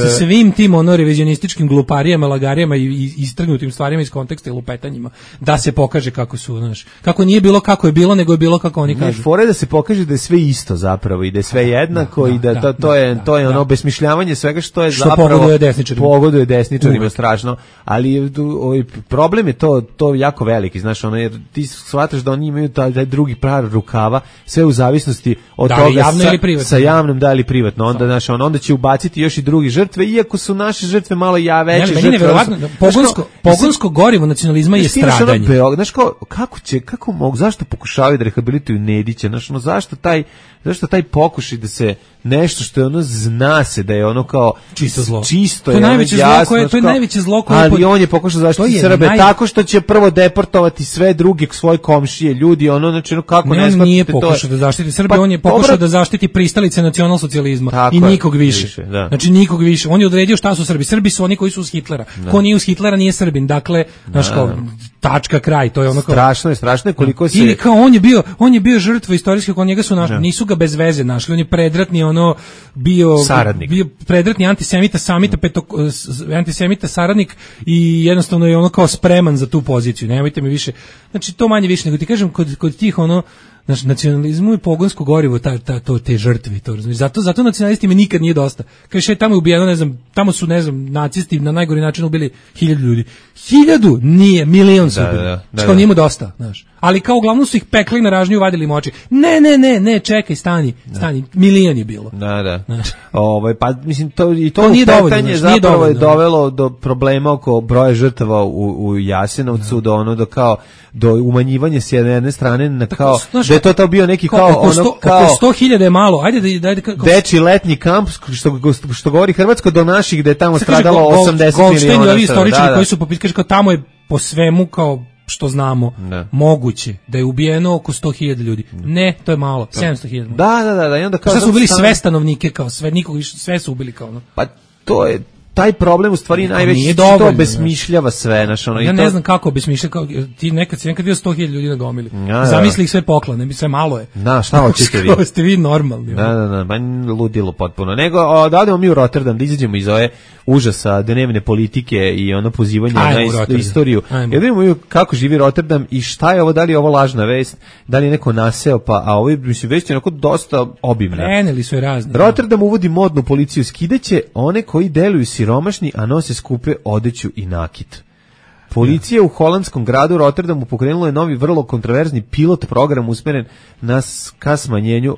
Sa svim tim revizionističkim gluparijama, lagarijama i istrgnutim stvarima iz konteksta i lupetanjima. Da se pokaže kako su, znaš, kako nije bilo kako je bilo, nego je bilo kako oni kažu. Fore da se pokaže da je sve isto zapravo i da je sve jednako i da to je ono obesmišljavanje svega što je zapravo pogoduje desničarima strašno, ali problem je to jako veliki, znaš, ono, jer ti shvataš da oni imaju taj drugi par rukava, sve u zavisnosti od toga sa javnom da ili privatno, onda znaš, onda će ubaciti još i drugi žrtve, iako su naše žrtve malo veće žrtve. Pogonsko gorivo nacionalizma je stradanje. Znaš, kako mogu, zašto pokušavaju da rehabilituju Nedića, znaš, ono, zašto taj pokušaj da se nešto što je ono, zna se da je ono kao čisto zlo. Čisto je najveće zlo koje, to je najveće zlo koje, ali on je pokušao zaštiti Srbe tako što će prvo deportovati sve druge svoje komšije, ljudi, ono, znači, kako ne shvatite, nije pokušao da zaštiti Srbe, on je pokušao da zaštiti pristalice nacionalsocijalizma i nikog više. Znači nikog više. On je odredio šta su Srbi. Srbi su oni koji su uz Hitlera. Ko nije uz Hitlera nije Srbin. Dakle, znaš, kao tačka, kraj, to je ono kao strašno je koliko se ili kao on je bio žrtva istorijska, kod njega su našli, nisu ga bez veze našli, on je predratni bio predratni antisemita saradnik i jednostavno je ono kao spreman za tu poziciju. Nemojte mi više. Znači to manje više nego ti kažem kod tih Znaš, nacionalizmu je pogonsko gorivo te žrtve, to razumiješ. Zato nacionalistima nikad nije dosta. Kaže, tamo je ubijeno, ne znam, tamo su, ne znam, nacisti na najgori način ubili 1000 ljudi. 1000 nije, milion su ubili. Što nije mu dosta, znaš. Ali kao uglavnom su ih pekli na ražnju, vadili im oči. Ne, čekaj, stani, milion je bilo. Da. Pa mislim to nije pitanje zapravo je dovelo do problema oko broja žrtava u Jasenovcu, do umanjivanja s jedne strane na kao da je to bio neki kao 100.000 je malo. Ajde dečiji letnji kamp što govori hrvatsko do naših da je tamo stradalo 80 miliona. Ovi istoričari koji su popitkali kao tamo je po svemu kao što znamo moguće da je ubijeno oko 100.000 ljudi. Ne, to je malo, 700.000. Da, i onda kao sad su ubili sve stanovnike, kao sve su ubili kao ono. Pa to je taj problem u stvari najveći, to obesmišljava sve, znaš, ono. Ja ne znam kako obesmišlja, kao ti nekad bio 100.000 ljudi na gomili. Zamisli ih sve poklane, sve malo je. Da, šta hoćete vi? Kako ste vi normalni? Da, ba ludilo potpuno. Nego da odemo mi u Rotterdam, da izađemo iz ove užasa dnevne politike i ono pozivanje na istoriju. Ja vidimo kako živi Rotterdam i šta je ovo, da li je ovo lažna vest, da li je neko naseo, a ovo mislim vest je onako dosta obimna. Preneli su je razni. Rotterdam uvodi modnu policiju, skidaće one koji deluju siromašni, a nose skupe odeću i nakit. Policija u holandskom gradu Rotterdamu pokrenula je novi vrlo kontroverzni pilot program usmeren ka smanjenju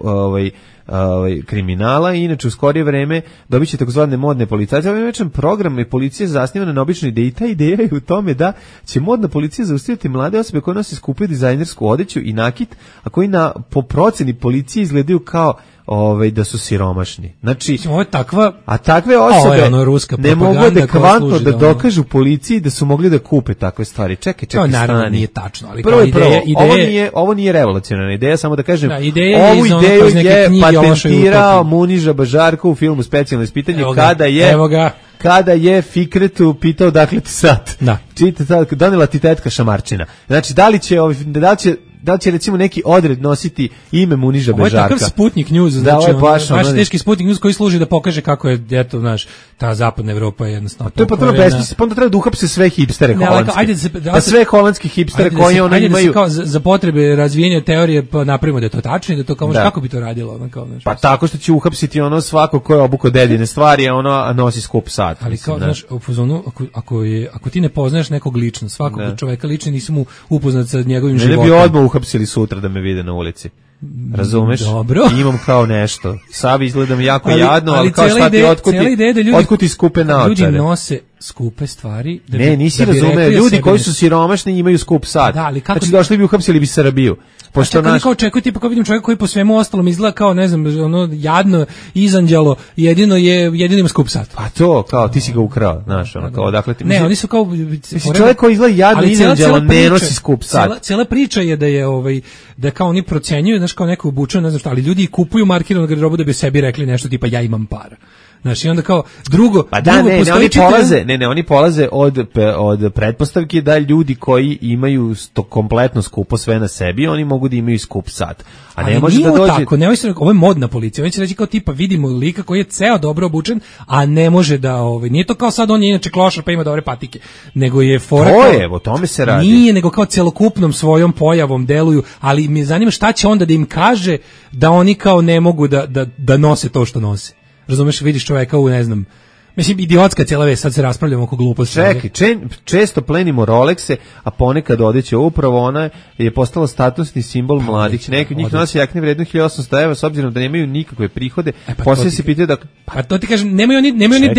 kriminala i inače u skorije vreme dobit će takozvane modne policajce. Ovaj večan program je policija zasnivana na običnoj ideji. Ta ideja je u tome da će modna policija zaustaviti mlade osobe koje nose skupu dizajnersku odeću i nakit, a koji po proceni policije izgledaju kao da su siromašni. Znači, ovo je takva, a takve osobe ne mogu adekvatno da dokažu policiji da su mogli da kupe takve stvari. Čekaj, to naravno nije tačno, ali prvo, ovo nije revolucionarna ideja, samo da kažem, ovu ideju je patentirao Muniža Bažarko u filmu Specijalno ispitanje kada je Fikretu pitao dakle ti sad. Donela ti tetka šamarčina. Znači, da li će recimo neki odred nositi ime Muniža Bežarka. Ovo je takav Sputnik News, znači baš teški Sputnik News koji služi da pokaže kako je, eto, znaš, ta zapadna Evropa je jednostavno. To je potpuno besmislice, pa onda treba da uhapse sve hipstere holandske. Pa sve holandski hipstere koji ono imaju. Za potrebe razvijenja teorije pa napravimo da je to tačno i da to kako bi to radilo, ono kao, znaš. Pa tako što će uhapsiti ono svako ko je obuko dedine stvari, a ono nosi skup sat. Ali kao, znaš, u fazonu, ako ti ne poznaješ nekog lično, svakog čoveka lično, nisi mu upoznat sa njegovim životom. Uhapsili sutra da me vide na ulici. Razumeš? Dobro. Imam kao nešto. Savi izgledam jako jadno, ali kao šta ti otkuti skupe naočare. Ljudi nose skupe stvari. Nisi razumeo. Ljudi koji su siromašni imaju skup sad. Znači došli bi uhapsili bi Srbiju. Pošto kao očekuju, tipa kao vidim čovjeka koji po svemu ostalom izgleda kao, ne znam, ono jadno, izanđalo, jedino ima skup sat. Pa to, kao ti si ga ukrao, znaš, ono kao odakle ti... Ne, oni su kao... Čovjek koji izgleda jadno, izanđalo, ne nosi skup sat. Cijela priča je da kao oni procenjuju, znaš, kao neko obučeno, ne znam šta, ali ljudi kupuju markiranu garderobu da bi sebi rekli nešto tipa ja imam para. Znači, onda kao drugo... Pa oni polaze od pretpostavke da ljudi koji imaju kompletno skupo sve na sebi, oni mogu da imaju skup sat. A ne može da dođe... Tako, ovo je modna policija. Oni će reći kao tipa, vidimo lika koji je ceo dobro obučen, a ne može da... Nije to kao sad on je inače klošar pa ima dobre patike, nego je fora... O tome se radi. Nije, nego kao celokupnom svojom pojavom deluju, ali me zanima šta će onda da im kaže da oni kao ne mogu da nose to što nose. Razumeš, vidiš čovjeka u, ne znam, mislim, idiotska cijela već, sad se raspravljamo oko gluposti. Čekaj, često plenimo Rolexe, a ponekad odeće, upravo ona je postala statusni simbol mladih. Neki od njih nosi jakne vredno 1800 evra, s obzirom da nemaju nikakve prihode, poslije se pitaju da... Pa to ti kažem, nemaju ni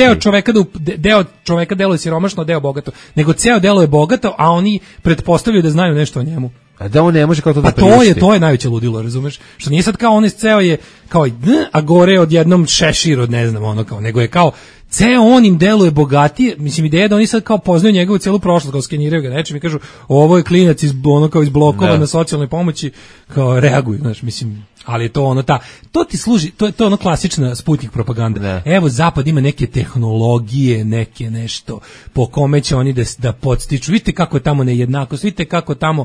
deo čoveka deluje siromašno, deo bogato, nego ceo delo je bogato, a oni pretpostavljaju da znaju nešto o njemu. A da on ne može kao to da priušti. To je najveće ludilo, razumeš? Što nije sad kao on ceo je kao a gore odjednom šešir od ne znam ono kao, nego je kao ceo on im deluje bogatije. Mislim, ideja da oni sad kao poznaju njegovu celu prošlost, kao skeniraju ga nečim i kažu ovo je klinac iz blokova na socijalnoj pomoći, kao reaguju, znaš, mislim. Ali je to ono to ti služi, to je ono klasična Sputnik propaganda. Ne. Evo zapad ima neke tehnologije, neke nešto po kome će oni da podstiču. Vidite kako je tamo nejednakost, vidite kako tamo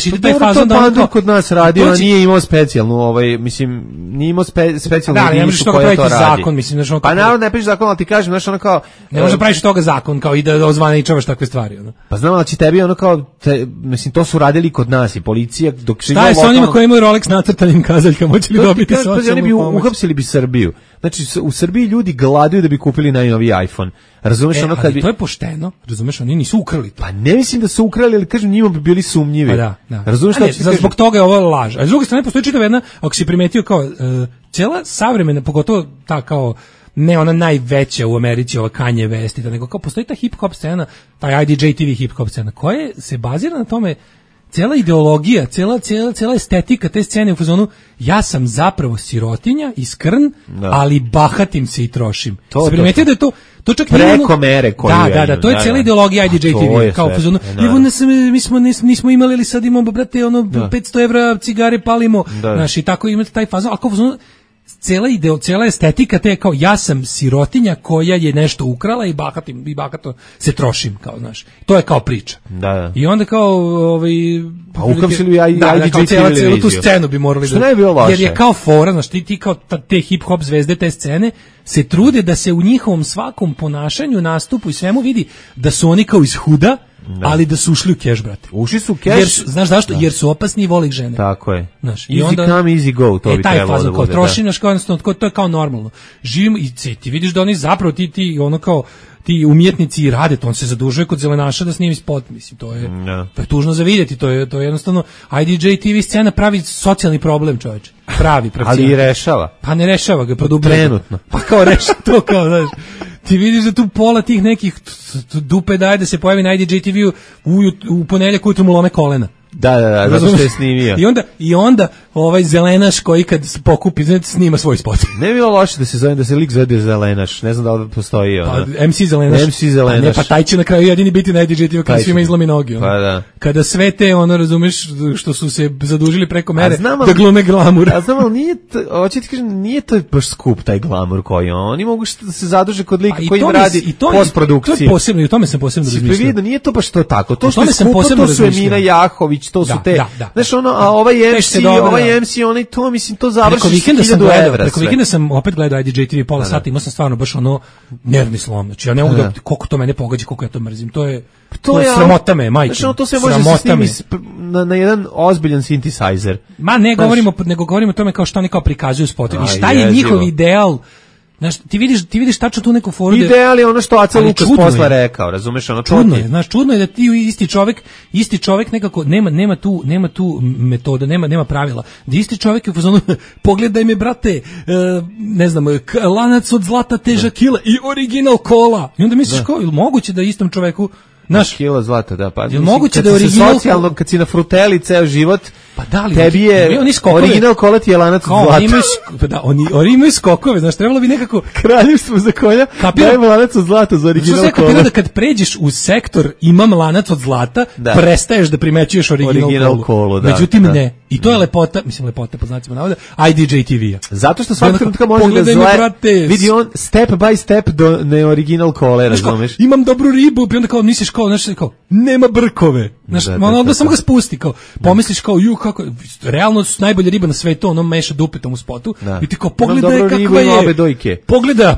ide taj fazon da on kod nas radio, a nije imao specijalnu, mislim, nije imao specijalnu jedinicu koja to radi. Zakon, mislim, znači pa naravno ne piše zakon, ali ti kažem, znači ono kao ne može praviš toga zakon kao i da ozvaničavaš takve stvari, ono. Pa znam, ali će tebi ono kao mislim, to su radili kod nas i policija dok šta je sa onima koji imaju Rolex nacrtanim kazaljkama, hoće li dobiti socijalnu pomoć? Uhapsili bi Srbiju. Znači, u Srbiji ljudi gladuju da bi kupili najnoviji iPhone. Razumeš ono kad bi... to je pošteno, razumeš, oni nisu ukrali to. Pa ne mislim da su ukrali, ali kažem, njima bi bili sumnjivi. Pa da. Razumeš šta zbog toga je ovo laž. A s druge strane postoji čitava jedna, ako si primetio kao cijela savremena, pogotovo ta kao ne ona najveća u Americi, ova Kanye West, nego kao postoji ta hip-hop scena, taj IDJ TV hip-hop scena, koja se bazira na tome, cijela ideologija, cijela estetika te scene u fazonu, ja sam zapravo sirotinja i skrn, ali bahatim se i trošim. Se primetio da je to čak preko mere koju da, to je cijela ideologija IDJ TV, kao u fazonu, nismo imali, ali sad imamo, brate, 500 evra cigare palimo, znaš, i tako imate taj fazon, ali kao u fazonu, cijela estetika te kao ja sam sirotinja koja je nešto ukrala i bahato se trošim, kao, znaš. To je kao priča. Da. I onda kao pa uhapsili cijelu tu scenu bi morali što ne bi bilo loše. Jer je kao fora, znaš, ti kao te hip hop zvezde te scene se trude da se u njihovom svakom ponašanju, nastupu i svemu vidi da su oni kao iz huda, ali da su ušli u keš, brate. Ušli su u keš. Znaš zašto? Jer su opasni i vole ih žene. Tako je. Znaš, easy onda, come, easy go, to bi trebalo da bude. Kao trošinaš, to je kao normalno. Živimo i ti vidiš da oni zapravo ti ono kao ti umjetnici i rade to, on se zadužuje kod zelenaša da snimi spot, mislim, to je tužno za vidjeti, to je jednostavno IDJ TV scena pravi socijalni problem, čoveče. Pravi. Ali i rešava. Pa ne rešava ga, produbljava. Trenutno. Pa kao reša to, kao, znaš. Ti vidiš da tu pola tih nekih dupe daje da se pojavi na IDJ TV u ponedjeljak ujutro mu lome kolena. Da, zato što je snimio. I onda ovaj zelenaš koji kad pokupi, snima svoj spot. Ne bi bilo loše da se lik zove zelenaš, ne znam da li postoji. Pa, MC zelenaš. Ne, pa taj će na kraju jedini biti na IDJ TV kada svima izlomi nogi. Pa da. Kada sve te, razumeš, što su se zadužili preko mere, da glume glamur. A znam, ali hoće ti kažem, nije to baš skup taj glamur koji oni mogu da se zaduže kod lika koji im radi postprodukciju. To je posebno, i o tome sam posebno razmišljao. Nije to baš to tako. To što je skupo, to su Emina Jahović, to su te, znaš a ovaj MC, onaj to, mislim, to završi 1000 evra. Preko vikenda sam opet gledao IDJ TV pola sata, imao sam stvarno baš nervni slom, znači ja ne mogu da, koliko to mene pogađa, koliko ja to mrzim, to je sramota me, majke. Znači to se može snimiti na jedan ozbiljan synthesizer. Ma ne govorimo o tome kao što oni kao prikazuju spotovi, šta je njihov ideal. Znaš, ti vidiš tačno tu neku foru. Ideal je ono što Aca Lukas posle rekao, razumeš, ono čudno je, znaš, čudno je da ti isti čovjek nekako nema tu metoda, nema pravila. Da isti čovjek je u fazonu pogledaj me, brate, ne znam, lanac od zlata težak kila i original kola. I onda misliš kao, ili moguće da istom čoveku naš kilo zlata, da, pa moguće da original socijalno kad si na fruteli ceo život, pa da li tebi je original kola ti je lanac od zlata. Oni imaju skokove, znaš, trebalo bi nekako kraljevstvo za konja, dajmo lanac od zlata za original kola. Da kad pređeš u sektor imam lanac od zlata, prestaješ da primećuješ original kolu. Međutim ne. I to je lepota po znacima navoda, IDJ TV-a. Zato što svaki trenutka može da vidi on step by step do neoriginal kole, razumeš? Imam dobru ribu, i onda kao misliš kao nema brkove. Znaš, onda samo ga spusti, kao pomisliš kao kako realno su najbolje riba na svetu, ono meša dupetom u spotu i ti kao pogledaj kakva je.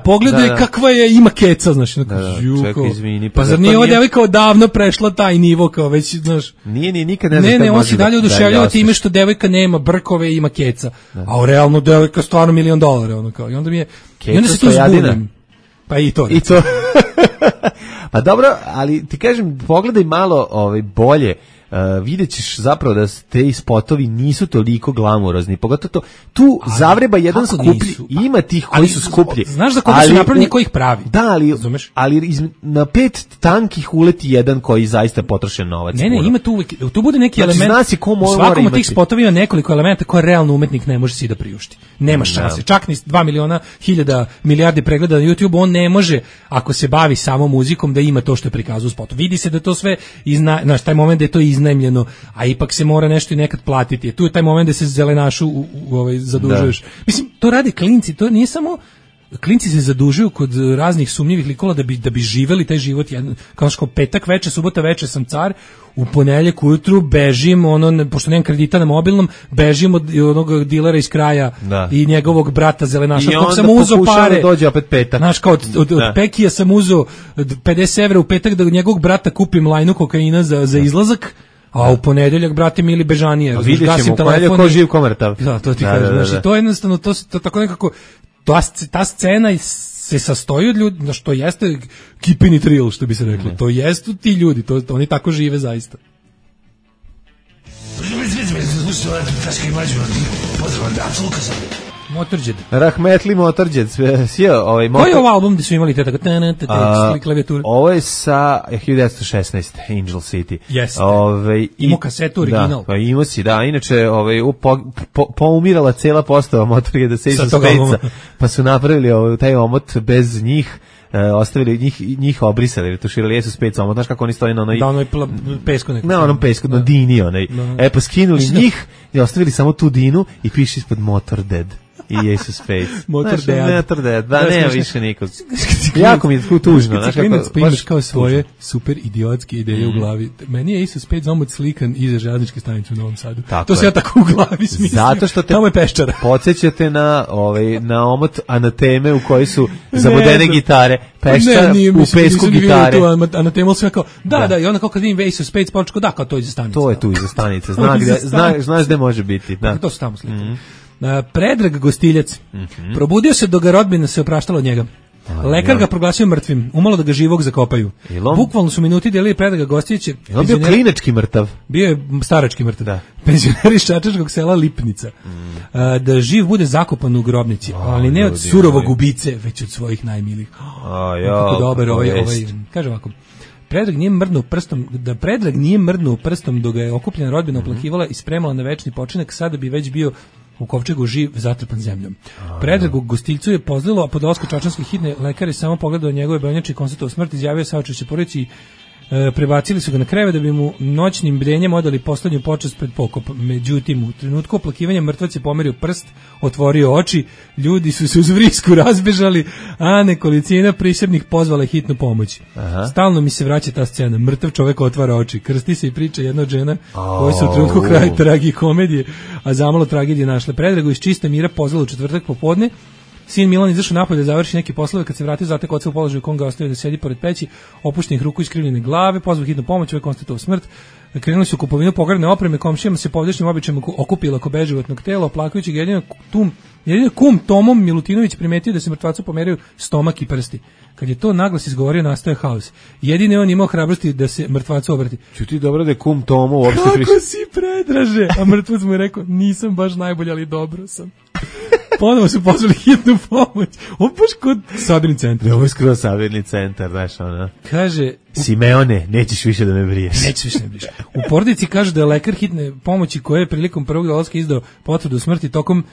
Pogledaj kakva je, ima keca, znaš, čekaj, izvini. Pa zar nije ova devojka odavno prešla taj nivo, kao već, znaš. Nije nikad ne znam. Ne, on se dalje oduševljava time što devojka nema brkove i ima keca. A realno devojka stvarno $1.000.000, ono kao. I onda se tu zbunim. Pa i to. Pa dobro, ali ti kažem, pogledaj malo bolje, vidjet ćeš zapravo da te spotovi nisu toliko glamurozni, pogotovo to, tu zavreba jedan skuplji, ima tih koji su skuplji. Znaš za koga su napravljeni, koji ih pravi? Da, ali na 5 tankih uleti jedan koji zaista potrošen novac. Ne, ima tu bude neki element, u svakom od tih spotova ima nekoliko elementa koje realno umetnik ne može si da priušti. Nema šanse, čak ni 2 milijardi pregleda na YouTube, on ne može, ako se bavi samo muzikom, da ima to što je prikazao u spotu. Vidi se da to sve, znaš, taj moment da je to iznajmljeno, a ipak se mora nešto i nekad platiti. Tu je taj moment da se zelenašu zadužuješ. Da. Mislim, to rade klinci, to nije samo klinci se zadužuju kod raznih sumnjivih likova da bi živeli taj život, kao što petak veče, subota veče sam car, u ponedeljak ujutru bežim, pošto nemam kredita na mobilnom, bežim od onog dilera iz kraja i njegovog brata zelenaša, kog sam uzeo pare. Da dođe opet petak. Znaš, kao od Pekija sam uzeo 50 evra u petak da njegovog brata kupim lajnu kokaina za izlazak, a u ponedeljak, brate mili, bežanije. Vidjet ćemo, u ponedeljak ko živ, ko mrtav. Da, to ti kažem. Znači, to je jednostavno, to tako nekako, ta scena se sastoji od ljudi, što jeste keeping it real, što bi se reklo. To jesu ti ljudi, oni tako žive zaista. Motorđed. Rahmetli Motorđed. Koji je ovo album gde su imali te tako klavijature? Ovo je sa 1916, Angel City. Jeste. Imao kasetu original. Da, pa imao si, da. Inače, poumirala cela postava Motorđeda sa Ace of Spades-a, pa su napravili taj omot bez njih. Ostavili njih obrisali, retuširali Ace of Spades omot. Znaš kako oni stoji na onoj... Da, onoj pesku nekako. Na onom pesku, na dini onaj. Pa skinuli njih i ostavili samo tu dinu i piše ispod Motorđed. I Ace of Spades. Motorđed. Da, nema više nikog. Jako mi je tužno. Znaš kako... Imaš kao svoje super idiotske ideje u glavi. Meni je Ace of Spades omot slikan iza železničke stanice u Novom Sadu. To se ja tako u glavi smislio. Zato što te podsjećate na omot Anateme u kojoj su zabodene gitare. Peščara u pesku gitare. Anatema sve kao, da, i onda kao kad vidim Ace of Spades, počko, da, kao to je iza stanice. To je tu iza stanice. Znaš gde može biti. To su tamo slike. Predrag Gostiljac. Probudio se dok ga rodbina se opraštala od njega. Lekar ga proglasio mrtvim, umalo da ga živog zakopaju. Bukvalno su minuti delili Predraga Gostiljaća. Je on bio klinički mrtav? Bio je starački mrtav. Da. Penzioner iz čačačkog sela Lipnica. Da živ bude zakopan u grobnici, ali ne od surovog ubice, već od svojih najmilijih. Kako dobar kaže ovako. Predrag nije mrdnuo prstom dok ga je okupljena rodbina oplakivala i spremala na večni počinak, sada bi već bio u kovčegu živ, zatrpan zemljom. Predragu Gostiljcu je pozlilo, a po dolasku čačanske hitne lekar je samo pogledao njegove bojnjače i konstatovao smrt, izjavio saučešće porodici i prebacili su ga na krevet da bi mu noćnim bdenjem odali poslednju počast pred pokop. Međutim, u trenutku oplakivanja mrtvac je pomerio prst, otvorio oči, ljudi su se uz vrisku razbežali, a nekolicina prisebnih pozvala hitnu pomoć. Stalno mi se vraća ta scena. Mrtav čovek otvara oči, krsti se i priča jedna od žena koja se u trenutku kraja tragikomedije, a zamalo tragedije našle. Predragu iz čista mira pozvala u četvrtak popodne. Sin Milan izašao napolje da završi neke poslove, kad se vratio zatek oca u položaju u kom ga ostavio da sedi pored peći, opuštenih ruku i iskrivljene glave, pozvao hitnu pomoć, ovaj konstatovao smrt. Krenuli su u kupovinu pogrebne opreme, komšijama se povdešnim običajem okupila oko beživotnog tela, oplakajući ga jedino kum Tomom Milutinović primetio da se mrtvacu pomeraju stomak i prsti. Kad je to naglas izgovorio, nastaje haos. Jedini on imao hrabrosti da se mrtvacu obrati. Čuti dobro da je kum Tomo uopšte kako si Predraže? A mrtvac mu je rekao, nisam baš najbolji, ali dobro sam. Ponovo su pozvali hitnu pomoć. Ovo baš kod sabirni centar. Ovo je skroz sabirni centar, znaš ona. Kaže... Simeone, nećeš više da me briješ. Nećeš više da me briješ. U porodici kaže da je lekar hitne pomoći koji je prilikom prvog dolaska izdao potvrdu smrti tokom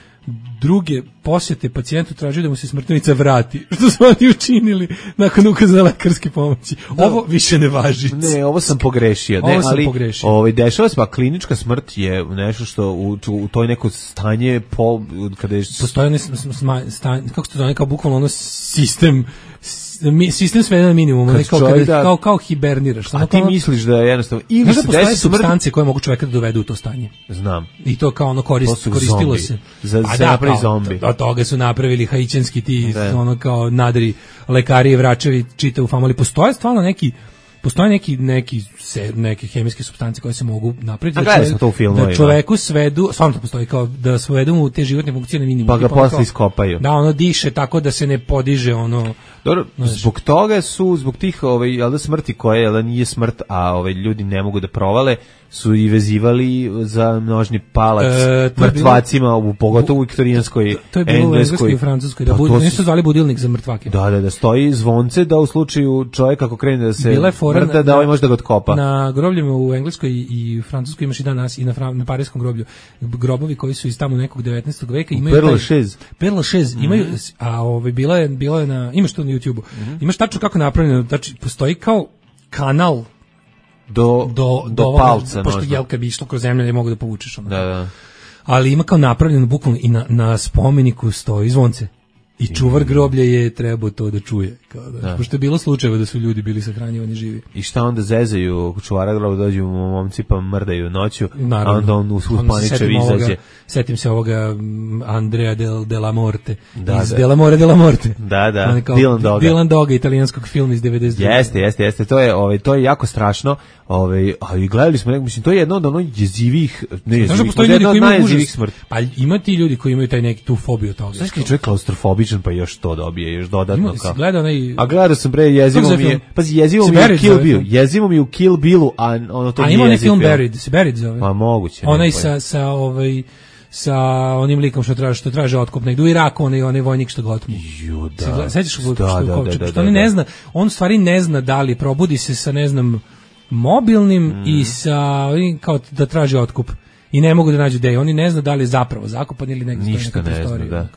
druge posjete pacijentu tražio da mu se smrtnica vrati. Što su oni učinili nakon ukaza lekarske pomoći. Ovo više ne važi. Ne, ovo sam pogrešio. Ne, ali dešava se, pa klinička smrt je nešto što u toj neko stanje kada je... Postoje stanje, kako se to zove, kao bukvalno ono sistem svede na minimum, kao hiberniraš. A ti misliš da je jednostavno... Ili se postoje supstance koje mogu čoveka da dovedu u to stanje. Znam. I to kao ono koristilo se. Za napravi zombi. Od toga su napravili haićanski ti, ono kao nadri lekari i vračevi čita u famu, ali postoje stvarno neke hemijske supstance koje se mogu napraviti da čoveku svedu, stvarno to postoji, kao da svedu mu te životne funkcije na minimum. Pa ga posle iskopaju. Da, ono diše tako da se ne podiže ono... Dobro, zbog toga su, zbog tih smrti koje nije smrt, a ljudi ne mogu da provale, su i za množni palac mrtvacima, pogotovo u viktorijanskoj, engleskoj. To je bilo u engleskoj i francuskoj, nisu zvali budilnik za mrtvake. Da stoji zvonce da u slučaju čovjek ako krene da se mrta, da ovaj može da ga otkopa. Na grobljima u engleskoj i francuskoj imaš i danas i na parijskom groblju. Grobovi koji su iz tamo nekog 19. veka imaju Père Lachaise imaju, a bilo je na, imaš to na YouTubeu. Imaš tačno kako napravljeno, znači postoji kao kanal do palca. Pošto jelka bi išlo kroz zemlju, ne mogu da povučeš. Da. Ali ima kao napravljeno bukvalno i na spomeniku stoji zvonce. I čuvar groblja je trebao to da čuje. Pošto je bilo slučajeva da su ljudi bili sahranjivani živi. I šta onda zezaju čuvara groblja, dođu momci pa mrdaju noću, naravno, a onda on uspaničev izađe. Setim se ovoga Andrea de la Morte. Iz De la More de la Morte. Da. Dylan Doga, italijanskog filma iz 92. Jeste. To je jako strašno. Ali gledali smo, mislim, to je jedno od ono jezivih, najjezivih smrti. Pa ima ti ljudi koji imaju taj neki tu fobiju toga. Znaš kad je čovjek klaustrofobičan pa još to dobije, još dodatno kao. A gledao sam bre, jezivo mi je. Pazi, jezivo mi je Kill Bill. Jezivo mi je u Kill Billu, a ono to nije. A ima onaj film Buried zove. Pa moguće. Onaj sa onim likom što traže otkup negdje u Iraku, onaj vojnik što ga otmu. Sećaš što on ne zna, on u stvari ne zna da li probudi se sa ne znam mobilnim i sa kao da traži otkup i ne mogu da nađu gde. Oni ne zna da li je zapravo zakopan ili negdje ništa ne zna, da.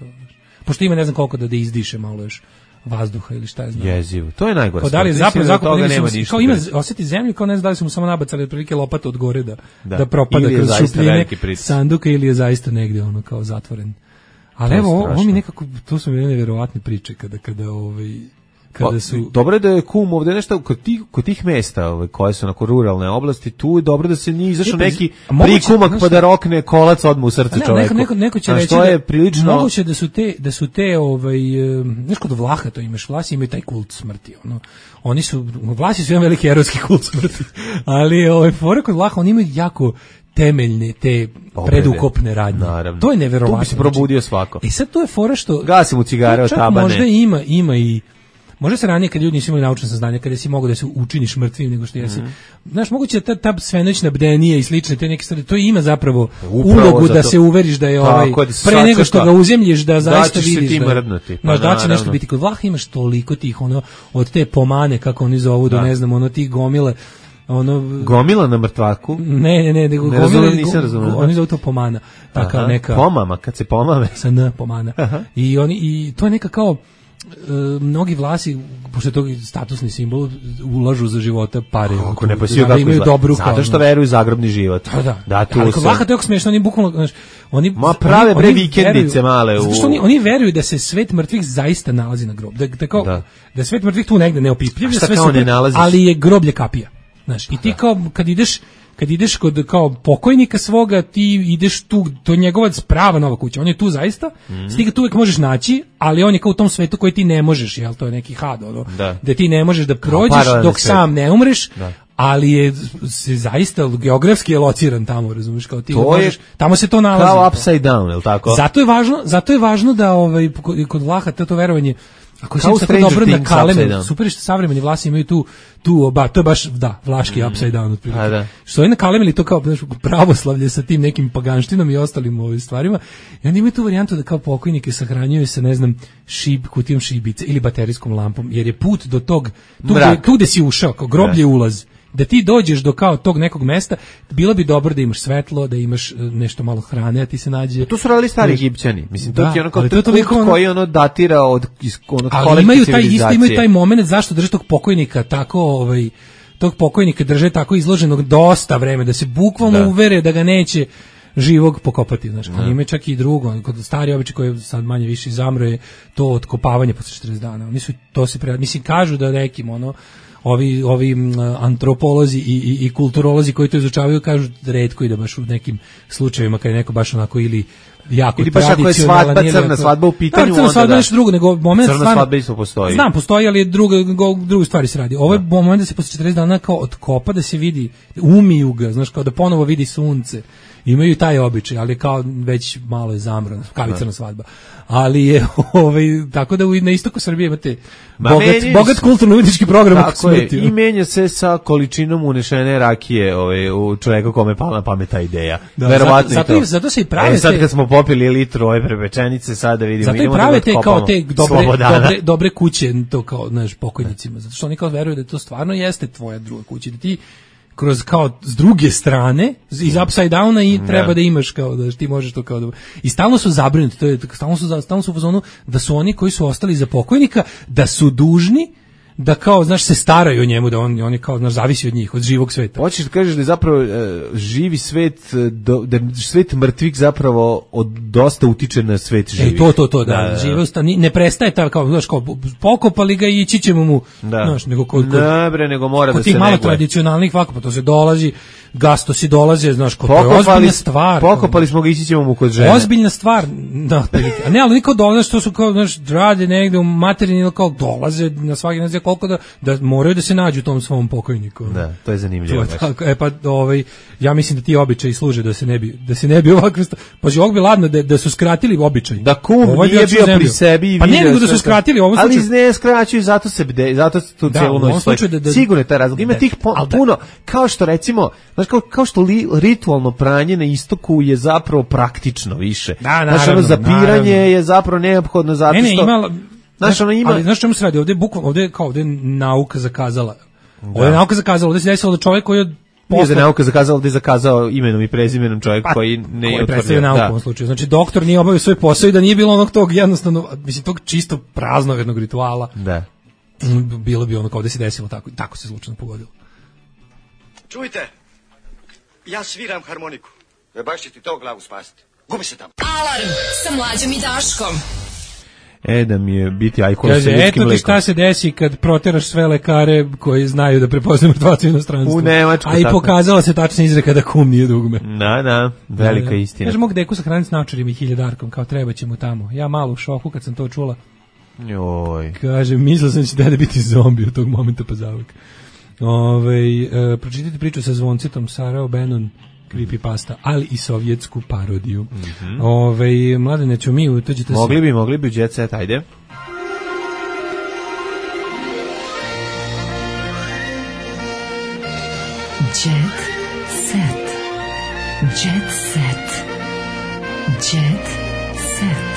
Pošto ima ne znam koliko da izdiše malo još vazduha ili šta je znam. Jezivo. To je najgore. Da li je zapravo zakopan nema ništa. Kao ima osjeti zemlju, kao ne znam da li su mu samo nabacali otprilike lopatu od gore da propada kroz šupljine sanduka ili je zaista negdje ono kao zatvoren. Ali evo, ovo mi nekako, to su mi nevjerovatne priče kada su... Dobro je da je kum ovdje nešto kod tih mesta koje su onako ruralne oblasti, tu je dobro da se nije izašao neki prikumak pa da rokne kolac odmah u srce čoveku. Neko će reći da je prilično... moguće da su te znaš kod Vlaha to imaš, Vlasi imaju taj kult smrti. Oni su, Vlasi su jedan veliki erotski kult smrti, ali fora kod Vlaha, oni imaju jako temeljne te predukopne radnje. Naravno. To je neverovatno. Tu bi se probudio svako. Sad to je fora što... Gasim u cigare od tabane. Možda ima i... Možda se ranije kad ljudi nisu imali naučno saznanje, kada si mogao da se učiniš mrtvim nego što jesi. Znaš, moguće da ta svenoćna bdenija i slične te neke stvari, to ima zapravo ulogu da se uveriš da je pre nego što ga uzemljiš da zaista vidiš da će nešto biti. Kod Vlaha imaš toliko tih od te pomane, kako oni zovu, da ne znam, tih gomile. Gomila na mrtvaku? Ne, nego nisam razumio. Oni zovu to pomana. Taka neka pomama, kad se pomame. Sa n pomana. I to je neka kao mnogi Vlasi, pošto je to statusni simbol, ulažu za života pare. Ako ne pasiju kako imaju dobru zato što veruju zagrobni život. Da, tu ali kod Vlaha to je smiješno, oni bukvalno, znaš, oni prave bre vikendice male. Zato što oni veruju da se svet mrtvih zaista nalazi na grobu. Da svet mrtvih tu negde neopipljiv, sve super, ali je groblje kapija. Znaš, i ti kao kad ideš kod kao pokojnika svoga, ti ideš tu, to je njegova prava nova kuća, on je tu zaista, ti ga tu uvijek možeš naći, ali on je kao u tom svetu koji ti ne možeš, jel, to je neki had, da ti ne možeš da prođeš dok sam ne umreš, ali je se zaista geografski je lociran tamo, razumiješ, kao ti možeš, tamo se to nalazi. Kao upside down, jel tako? Zato je važno da kod Vlaha to verovanje. Ako se tako dobro na Kalemenu, super što savremeni Vlasi imaju tu to je baš, vlaški upside down otprilike. Što je na Kalemeli to kao pravoslavlje sa tim nekim paganštinom i ostalim stvarima. I oni imaju tu varijantu da kao pokojnike sahranjuju sa, ne znam, kutijom šibice ili baterijskom lampom, jer je put do tog, tu gde si ušao, kao groblje ulaz. Da ti dođeš do kao tog nekog mesta, bilo bi dobro da imaš svetlo, da imaš nešto malo hrane, a ti se nađe... To su radili stari Egipćani. Mislim, to je ono kao kult koji datira od ali imaju taj moment zašto drže tog pokojnika tako, tog pokojnika drže tako izloženog dosta vreme, da se bukvalno uvere da ga neće živog pokopati, znaš. Ali ima čak i drugo, kod stari običaj koji sad manje više zamro je to otkopavanje posle 40 dana. Oni su to se mislim kažu da nekim ovi antropolozi i kulturolozi koji to izučavaju kažu retko i da baš u nekim slučajevima kad je neko baš onako ili jako ili baš ako je crna svadba u pitanju, crna svadba nešto drugo, nego moment crna svadba isto postoji. Znam, postoji, ali druge stvari se radi. Ovo je moment da se posle 40 dana kao otkopa, da se vidi, umiju ga, znaš, kao da ponovo vidi sunce. Imaju taj običaj, ali kao već malo je zamrana, kavicana svadba. Ali je tako da na istoku Srbije imate bogat kulturno-umjetnički program oko smrti. I menja se sa količinom unešene rakije u čoveka kome pala na pamet ta ideja. Verovatno i to. Zato se i prave sad kad smo popili litru ove prepečenice, sad da vidimo. Zato i prave te kao te dobre kuće, to kao, znaš, pokojnicima. Zato što oni kao veruju da to stvarno jeste tvoja druga kuća. Da ti kroz kao s druge strane iz upside downa i treba da imaš kao da ti možeš to kao da i stalno su zabrinuti, to je stalno su u fazonu da su oni koji su ostali za pokojnika da su dužni da kao, znaš, se staraju o njemu, da on je kao, znaš, zavisi od njih, od živog sveta. Hoćeš da kažeš da je zapravo živi svet, da svet mrtvih zapravo dosta utiče na svet živih. To, da. Žive ne prestaje ta, kao, znaš, kao, pokopali ga i ići ćemo mu, znaš, nego nego mora da se neguje. Kod tih malo tradicionalnih vakapa, to se dolazi, gastosi dolaze, znaš, to je ozbiljna stvar. Pokopali smo ga, ići ćemo mu kod žene. Ozbiljna stvar, da, a ne, ali niko dolaze, što su kao, znaš, rade negde u materini, ili kao dolaze na svaki, ne znam koliko da moraju da se nađu u tom svom pokojniku. Da, to je zanimljivo. Pa, ja mislim da ti običaji služe da se ne bi ovakve, pa ovog bi ladno da su skratili običaj. Da kum nije bio pri sebi i pa ne nego da su skratili u ovom slučaju. Ali ne skraćuju, zato tu celu noć stoji. Sigurno je taj razlog. Ima tih puno, kao što recimo, znaš, kao što ritualno pranje na istoku je zapravo praktično više. Znaš, ono zapiranje je zapravo neophodno zato što... Ali znaš čemu se radi? Ovde nauka zakazala. Ovde se desilo da čovjek koji je nije da nauka zakazala, da je zakazao imenom i prezimenom čovjek koji ne je predstavio nauku u ovom slučaju. Znači, doktor nije obavio svoj posao i da nije bilo onog tog jednostavno, mislim, tog čisto praznovernog rituala. Da. Bilo bi ono kao da se desilo tako se slučajno pogodilo. Čujte, ja sviram harmoniku. Baš će ti to glavu spasiti. Gubi se tamo. Alarm sa Mlađom i Daškom. Da mi je biti ajkon sa ljudskim mlekom. Eto ti šta se desi kad proteraš sve lekare koji znaju da prepoznaju mrtvaca u inostranstvu. U Nemačku. A i pokazala se tačna izreka da kum nije dugme. Da, velika istina. Kaže, mog deku sahraniti s naočarima i 1000-darkom, kao treba će mu tamo. Ja malo u šoku kad sam to čula. Joj. Kaže, mislio sam će da biti zombi od tog momenta pa zavek. Pročitajte priču sa Zvoncetom, Sarao Benon, creepypasta, ali i sovjetsku parodiju. Mladene, ću mi utođete se... Mogli bi, Jet Set, ajde. Jet Set. Jet Set. Jet Set.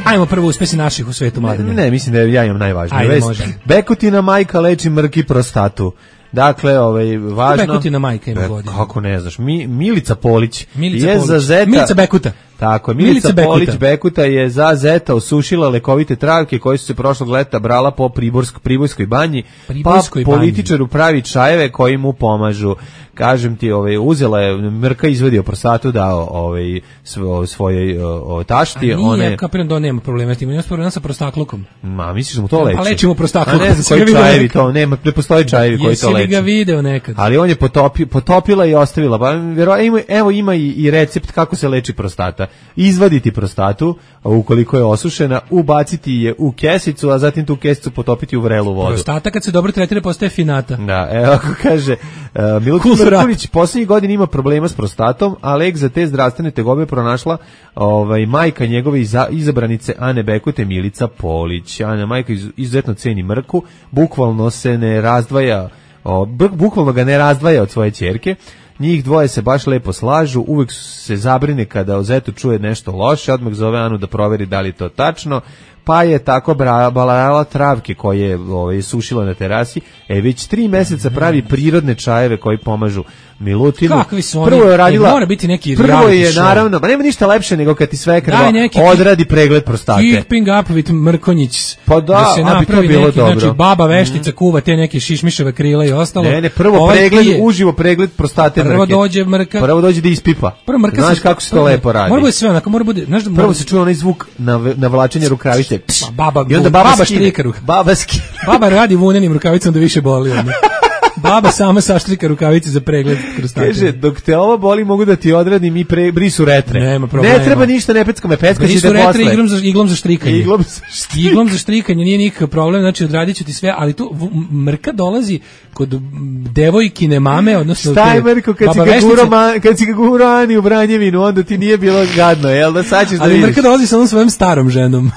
Ajmo prvo uspesi naših u svetu, Mladene. Ne, mislim da ja imam najvažnije. Ajde, može. Bekutina majka leči mrki prostatu. Dakle, važno... Bekutina majka ima godinu. Kako ne znaš, Milica Polić je za zeta... Milica Bekuta. Tako, Milica Polić Bekuta je za zeta osušila lekovite travke koje su se prošlog leta brala po Pribojskoj banji, političaru pravi čajeve koji mu pomažu. Kažem ti, uzela je mrka, izvadio prostatu, dao svojoj tašti. Nije, kapiram da on nema problema s tim, nema problema sa prostaklukom. Ma, misliš da mu to leči? Pa lečimo prostaklukom. A ne znam koji čajevi to, ne postoji čajevi koji to leči. Jesi li ga video nekad? Ali on je potopila i ostavila. Pa, evo ima i recept kako se leči prostata. Izvaditi prostatu, ukoliko je osušena, ubaciti je u kesicu, a zatim tu kesicu potopiti u vrelu vodu. Prostata kad se dobro tretira postaje finata. Da, evo ako kaže Milutin Mrkonjić poslednjih godina ima problema s prostatom, a lek za te zdravstvene tegobe pronašla majka njegove izabranice Ane Bekute, Milica Polić. Ana majka izuzetno ceni mrku, bukvalno ga ne razdvaja od svoje ćerke. Njih dvoje se baš lepo slažu, uvek se zabrine kada o zetu čuje nešto loše, odmah zove Anu da proveri da li je to tačno, pa je tako balala travke koje je sušila na terasi, već 3 meseca pravi prirodne čajeve koji pomažu Milutinu. Kakvi su oni? Prvo je radila, mora biti neki prvo je naravno, pa nema ništa lepše nego kad ti svekrva odradi pregled prostate. Keeping up with Mrkonjić. Pa da se napravi bilo neki, dobro. Znači baba veštica kuva te neke šišmiševe krila i ostalo. Ne, prvo pregled, uživo pregled prostate mrke. Prvo dođe mrka. Prvo dođe da ispipa. Znaš kako se to lepo radi. Mora bude sve onako, mora bude, znaš, prvo se čuje onaj zvuk navlačenja rukavice. Baba štrika Baba radi vunenim rukavicama da više boli. Baba sama saštrika rukavice za pregled prostate. Kaže, dok te ovo boli mogu da ti odradim i brisu retre. Nema problema. Ne treba ništa, ne pecka me, pecka će te posle. Iglom za štrikanje. Iglom za štrikanje nije nikakav problem, znači odradit ću ti sve, ali tu mrka dolazi kod devojkine mame, odnosno šta je mrko kad si ga gurao Ani u Branjevinu, onda ti nije bilo gadno, jel da sad ćeš da vidiš? Ali mrka dolazi sa onom svojom starom ženom,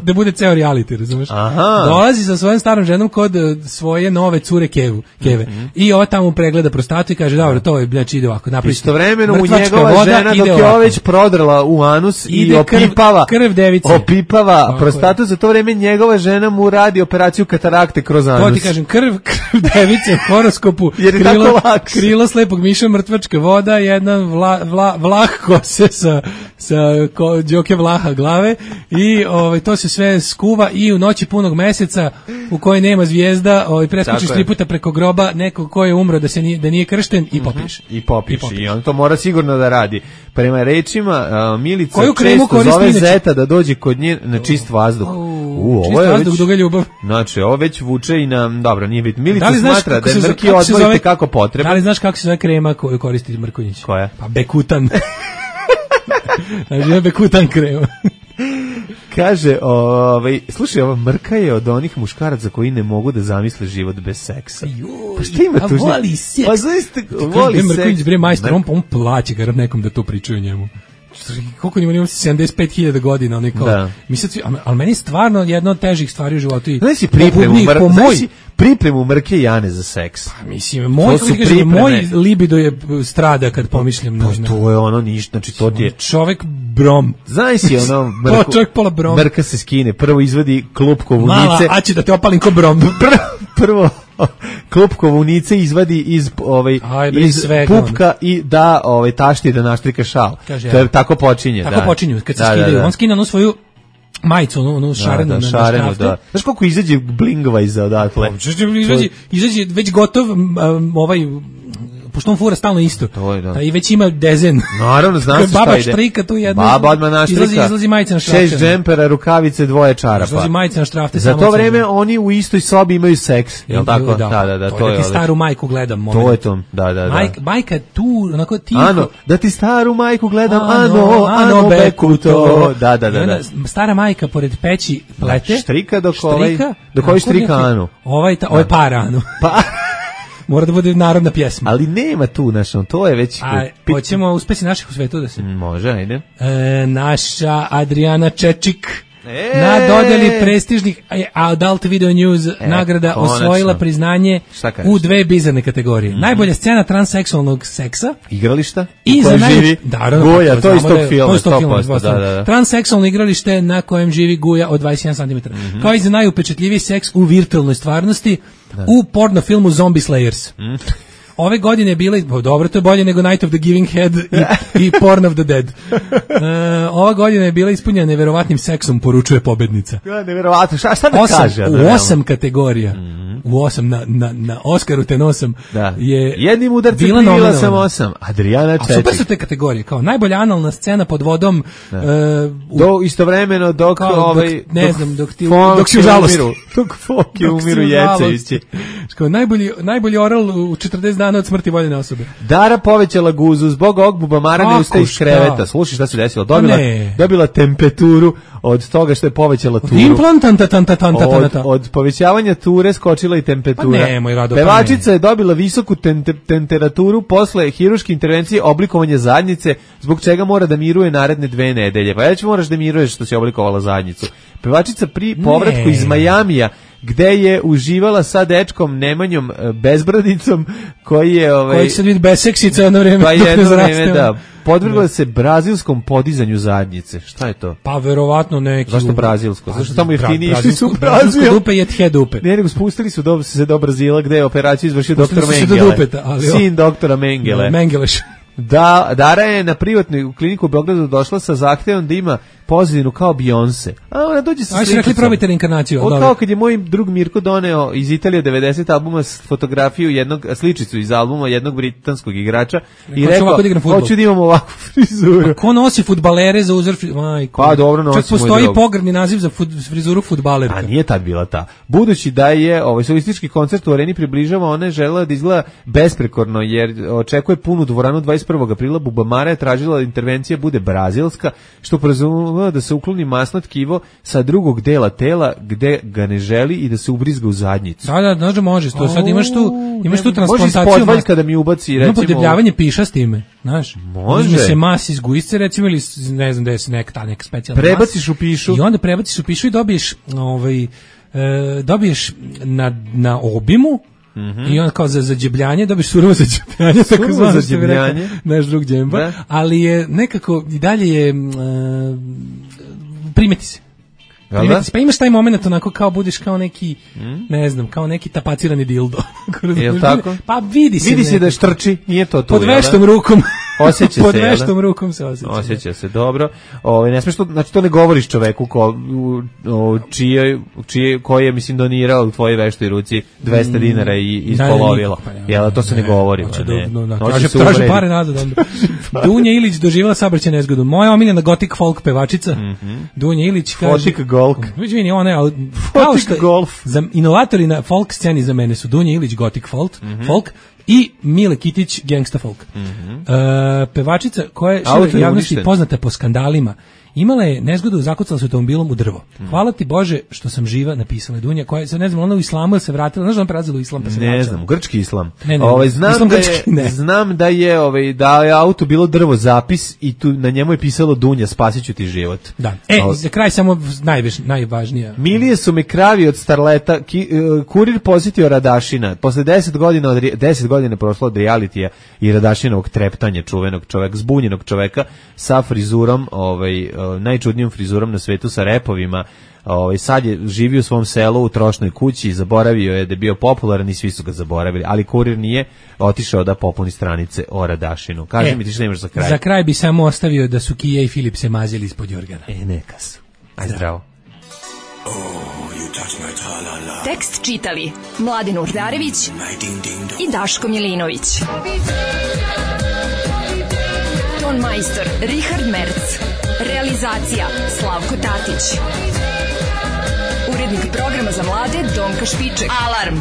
da bude ceo reality, razumeš? Dolazi sa svojom starom ženom kod svoje nove cure Kevu. keve. I ova tamo pregleda prostatu i kaže, dobro, to je, znači ide ovako, napravi. Istovremeno u njegova žena, dok je ovo već prodrala u anus i opipava prostatu, za to vreme njegova žena mu radi operaciju katarakte kroz anus. To ti kažem, krv device u horoskopu, krilo slepog miša, mrtvačka voda, jedna vlah kose sa džoke vlaha glave i to se sve skuva i u noći punog meseca u kojoj nema zvijezda, preskočiš 3 puta preko groba nekog ko je umro da nije kršten i popiješ. I on to mora sigurno da radi. Prema rečima Milica često zove zeta da dođe kod nje na čist vazduh. Čist vazduh, duga ljubav. Znači, ovo već vuče i na, dobro, nije bit. Milica smatra da je mrki odmorite kako potreba. Da li znaš kako se zove krema koju koristi Mrkonjić? Koja? Pa Bekutan. Znači, Bekutan krema. Kaže, slušaj, ova mrka je od onih muškaraca koji ne mogu da zamisle život bez seksa. Pa šta ima tu? Voli seks. Pa zaista, voli seks. Mrkonjić bre majstor, on plaće ga nekom da to pričaju njemu. Koliko njima 75.000 godina, ali meni je stvarno jedna od težih stvari u životu. Znaš si pripremu mrke Jane za seks? Pa mislim, moj libido je strada kad pomišljam na... Pa to je ono ništa, znači to ti je... Čovek brom. Znaš si ono mrku... čovek pola brom. Mrka se skine, prvo izvadi klupkovu nice... Mala, a će da te opalim ko brom. Prvo klupkovu nice izvadi iz pupka i da tašti da naštrika šal. Kaže, to je tako počinje. Tako počinju, kad se skidaju. On skine onu svoju majicu, onu šarenu na šrafte. Znaš koliko izađe blingova iza odatle? Izađe već gotov pošto on fura stalno isto. I već ima dezen. Naravno, znam se šta ide. Baba štrika tu jedna. Baba odmah naštrika. Izlazi majica na štrafte. 6 džempera, rukavice, 2 čarapa. Izlazi majica na štrafte. Za to vreme oni u istoj sobi imaju seks. Jel tako? Da. To je. Da ti staru majku gledam. To je to. Da. Majka tu, onako tiho. Ano, da ti staru majku gledam. Ano, beku to. Da. Stara majka pored peći plete. Štrika dok ovaj štrika Anu. Ovaj para Anu. Pa... Mora da bude narodna pjesma. Ali nema tu, to je već... Hoćemo uspesi naših u svetu da se... Može, ajde. Naša Adriana Čečik na dodeli prestižnih Adult Video News nagrada osvojila priznanje u 2 bizarne kategorije. Najbolja scena transseksualnog seksa. Igrališta? I za živi Guja, to je iz tog filma. 100%. Transseksualno igralište na kojem živi Guja od 21 cm. Kao i za najupečetljiviji seks u virtualnoj stvarnosti u porno filmu Zombie Slayers. Ove godine je bila, dobro, to je bolje nego Night of the Giving Head i Porn of the Dead. Ova godina je bila ispunjena neverovatnim seksom, poručuje pobednica. Neverovatno, šta da kaže? U 8 kategorija, u 8 na Oskaru ten 8 je jednim udarcem privila sam 8. Adriana Čečik. A super su te kategorije, kao najbolja analna scena pod vodom. Istovremeno dok si u žalosti. Dok Foki umiru Jecevići. Najbolji oral u 40 dana od smrti voljene osobe. Dara povećala guzu zbog ovog bubamara, ne ustaje iz kreveta. Slušaj šta se desilo. Dobila temperaturu od toga što je povećala turu. Od povećavanja ture skočila i temperatura. Pevačica je dobila visoku temperaturu posle hirurške intervencije oblikovanja zadnjice, zbog čega mora da miruje naredne 2 nedelje. Pa već moraš da miruješ što si oblikovala zadnjicu. Pevačica pri povratku iz Majamija, gde je uživala sa dečkom Nemanjom Bezbradicom, koji je... Koji sad vidi beseksica jedno vreme. Pa jedno vreme, da. Podvrgla se brazilskom podizanju zadnjice. Šta je to? Pa verovatno neki... Zašto brazilsko? Zašto tamo jeftini išli su u Brazil? Brazilsko dupe je tje dupe. Ne, nego spustili su se do Brazila, gde je operaciju izvršio doktor Mengele. Sin doktora Mengele. Mengeleš. Dara je na privatnu kliniku u Beogradu došla sa zahtevom da ima pozadinu kao Beyoncé. A ona dođe sa slikicom. Ajde, rekli probajte reinkarnaciju. Kao kad je moj drug Mirko doneo iz Italije 90 albuma fotografiju sličicu iz albuma jednog britanskog igrača i rekao, hoću da imam ovakvu frizuru. Ko nosi fudbalere za uzor majko? Pa dobro nosi. Čak postoji pogrdni naziv za frizuru fudbalerka. A nije tad bila ta. Budući da je solistički koncert u Areni približava, ona je želela da izgleda besprekorno jer očekuje punu dvoranu 21. aprila. Bubamara je tražila da intervencija bude brazilska, što podrazumeva da se ukloni masno tkivo sa drugog dela tela gde ga ne želi i da se ubrizga u zadnjicu. Da, može. To sad imaš tu transplantaciju. Može ispodvaljka da mi ubaci, recimo... Ima podebljavanje piša s time, znaš. Može. Uzme se mas iz gujsce, recimo, ili ne znam da je neka specijalna mas. Prebaciš u pišu. I onda prebaciš u pišu i dobiješ na obimu i on kao za zađebljanje, dobiš surovo zađebljanje, tako zvano što bi rekao naš drug Džemba, ali je nekako i dalje je primeti se. Pa imaš taj moment onako kao budeš kao neki, ne znam, kao neki tapacirani dildo. Jel tako? Pa vidi se da štrči, nije to tu. Pod veštom rukom. Osjeća pod veštom rukom se osjeća. Osjeća se, dobro. Ne smiješ to, znači to ne govoriš čoveku koji je, mislim, donirao u tvojoj veštoj ruci 200 dinara i ispolovilo. Jel, to se ne govori. Traže pare nazad. Dunja Ilić doživjela saobraćajnu nezgodu. Moja omiljena gothic folk pevačica, Dunja Ilić kaže... Gothic golf. Vidim, ona je... Gothic golf. Inovatori na folk sceni za mene su Dunja Ilić gothic folk i Mile Kitić gangsta folk. Pevačica koja je široj javnosti poznata po skandalima, imala je nezgodu, zakucala se automobilom u drvo. Hvala ti Bože što sam živa, napisala Dunja, koja se, ne znam, ona u islamu se vratila, znaš da on prelazila u islam pa se vraćala? Ne znam, grčki islam. Znam da je auto bilo drvo zapis i tu na njemu je pisalo Dunja, spasit ću ti život. Da. Za kraj samo najvažnija. Milije su mi kravi od starleta, kurir posjetio Radašina, posle 10 godina prošlo od realitija i Radašinovog treptanja, čuvenog čoveka, zbunjenog čoveka sa frizurom, najčudnijom frizurom na svetu, sa repovima. Sad je živio u svom selu u trošnoj kući, zaboravio je da je bio popularan i svi su ga zaboravili, ali kurir nije otišao da popuni stranice o Radašinu. Kaži mi ti što imaš za kraj. Za kraj bi samo ostavio da su Kija i Filip se mazili ispod jorgana. Neka su. Ajde, zdravo. Tekst čitali Mladin Urdarević i Daško Milinović. Ton majstor Richard Merc. Realizacija Slavko Tatić. Urednik programa za mlade Donka Špiček. Alarm!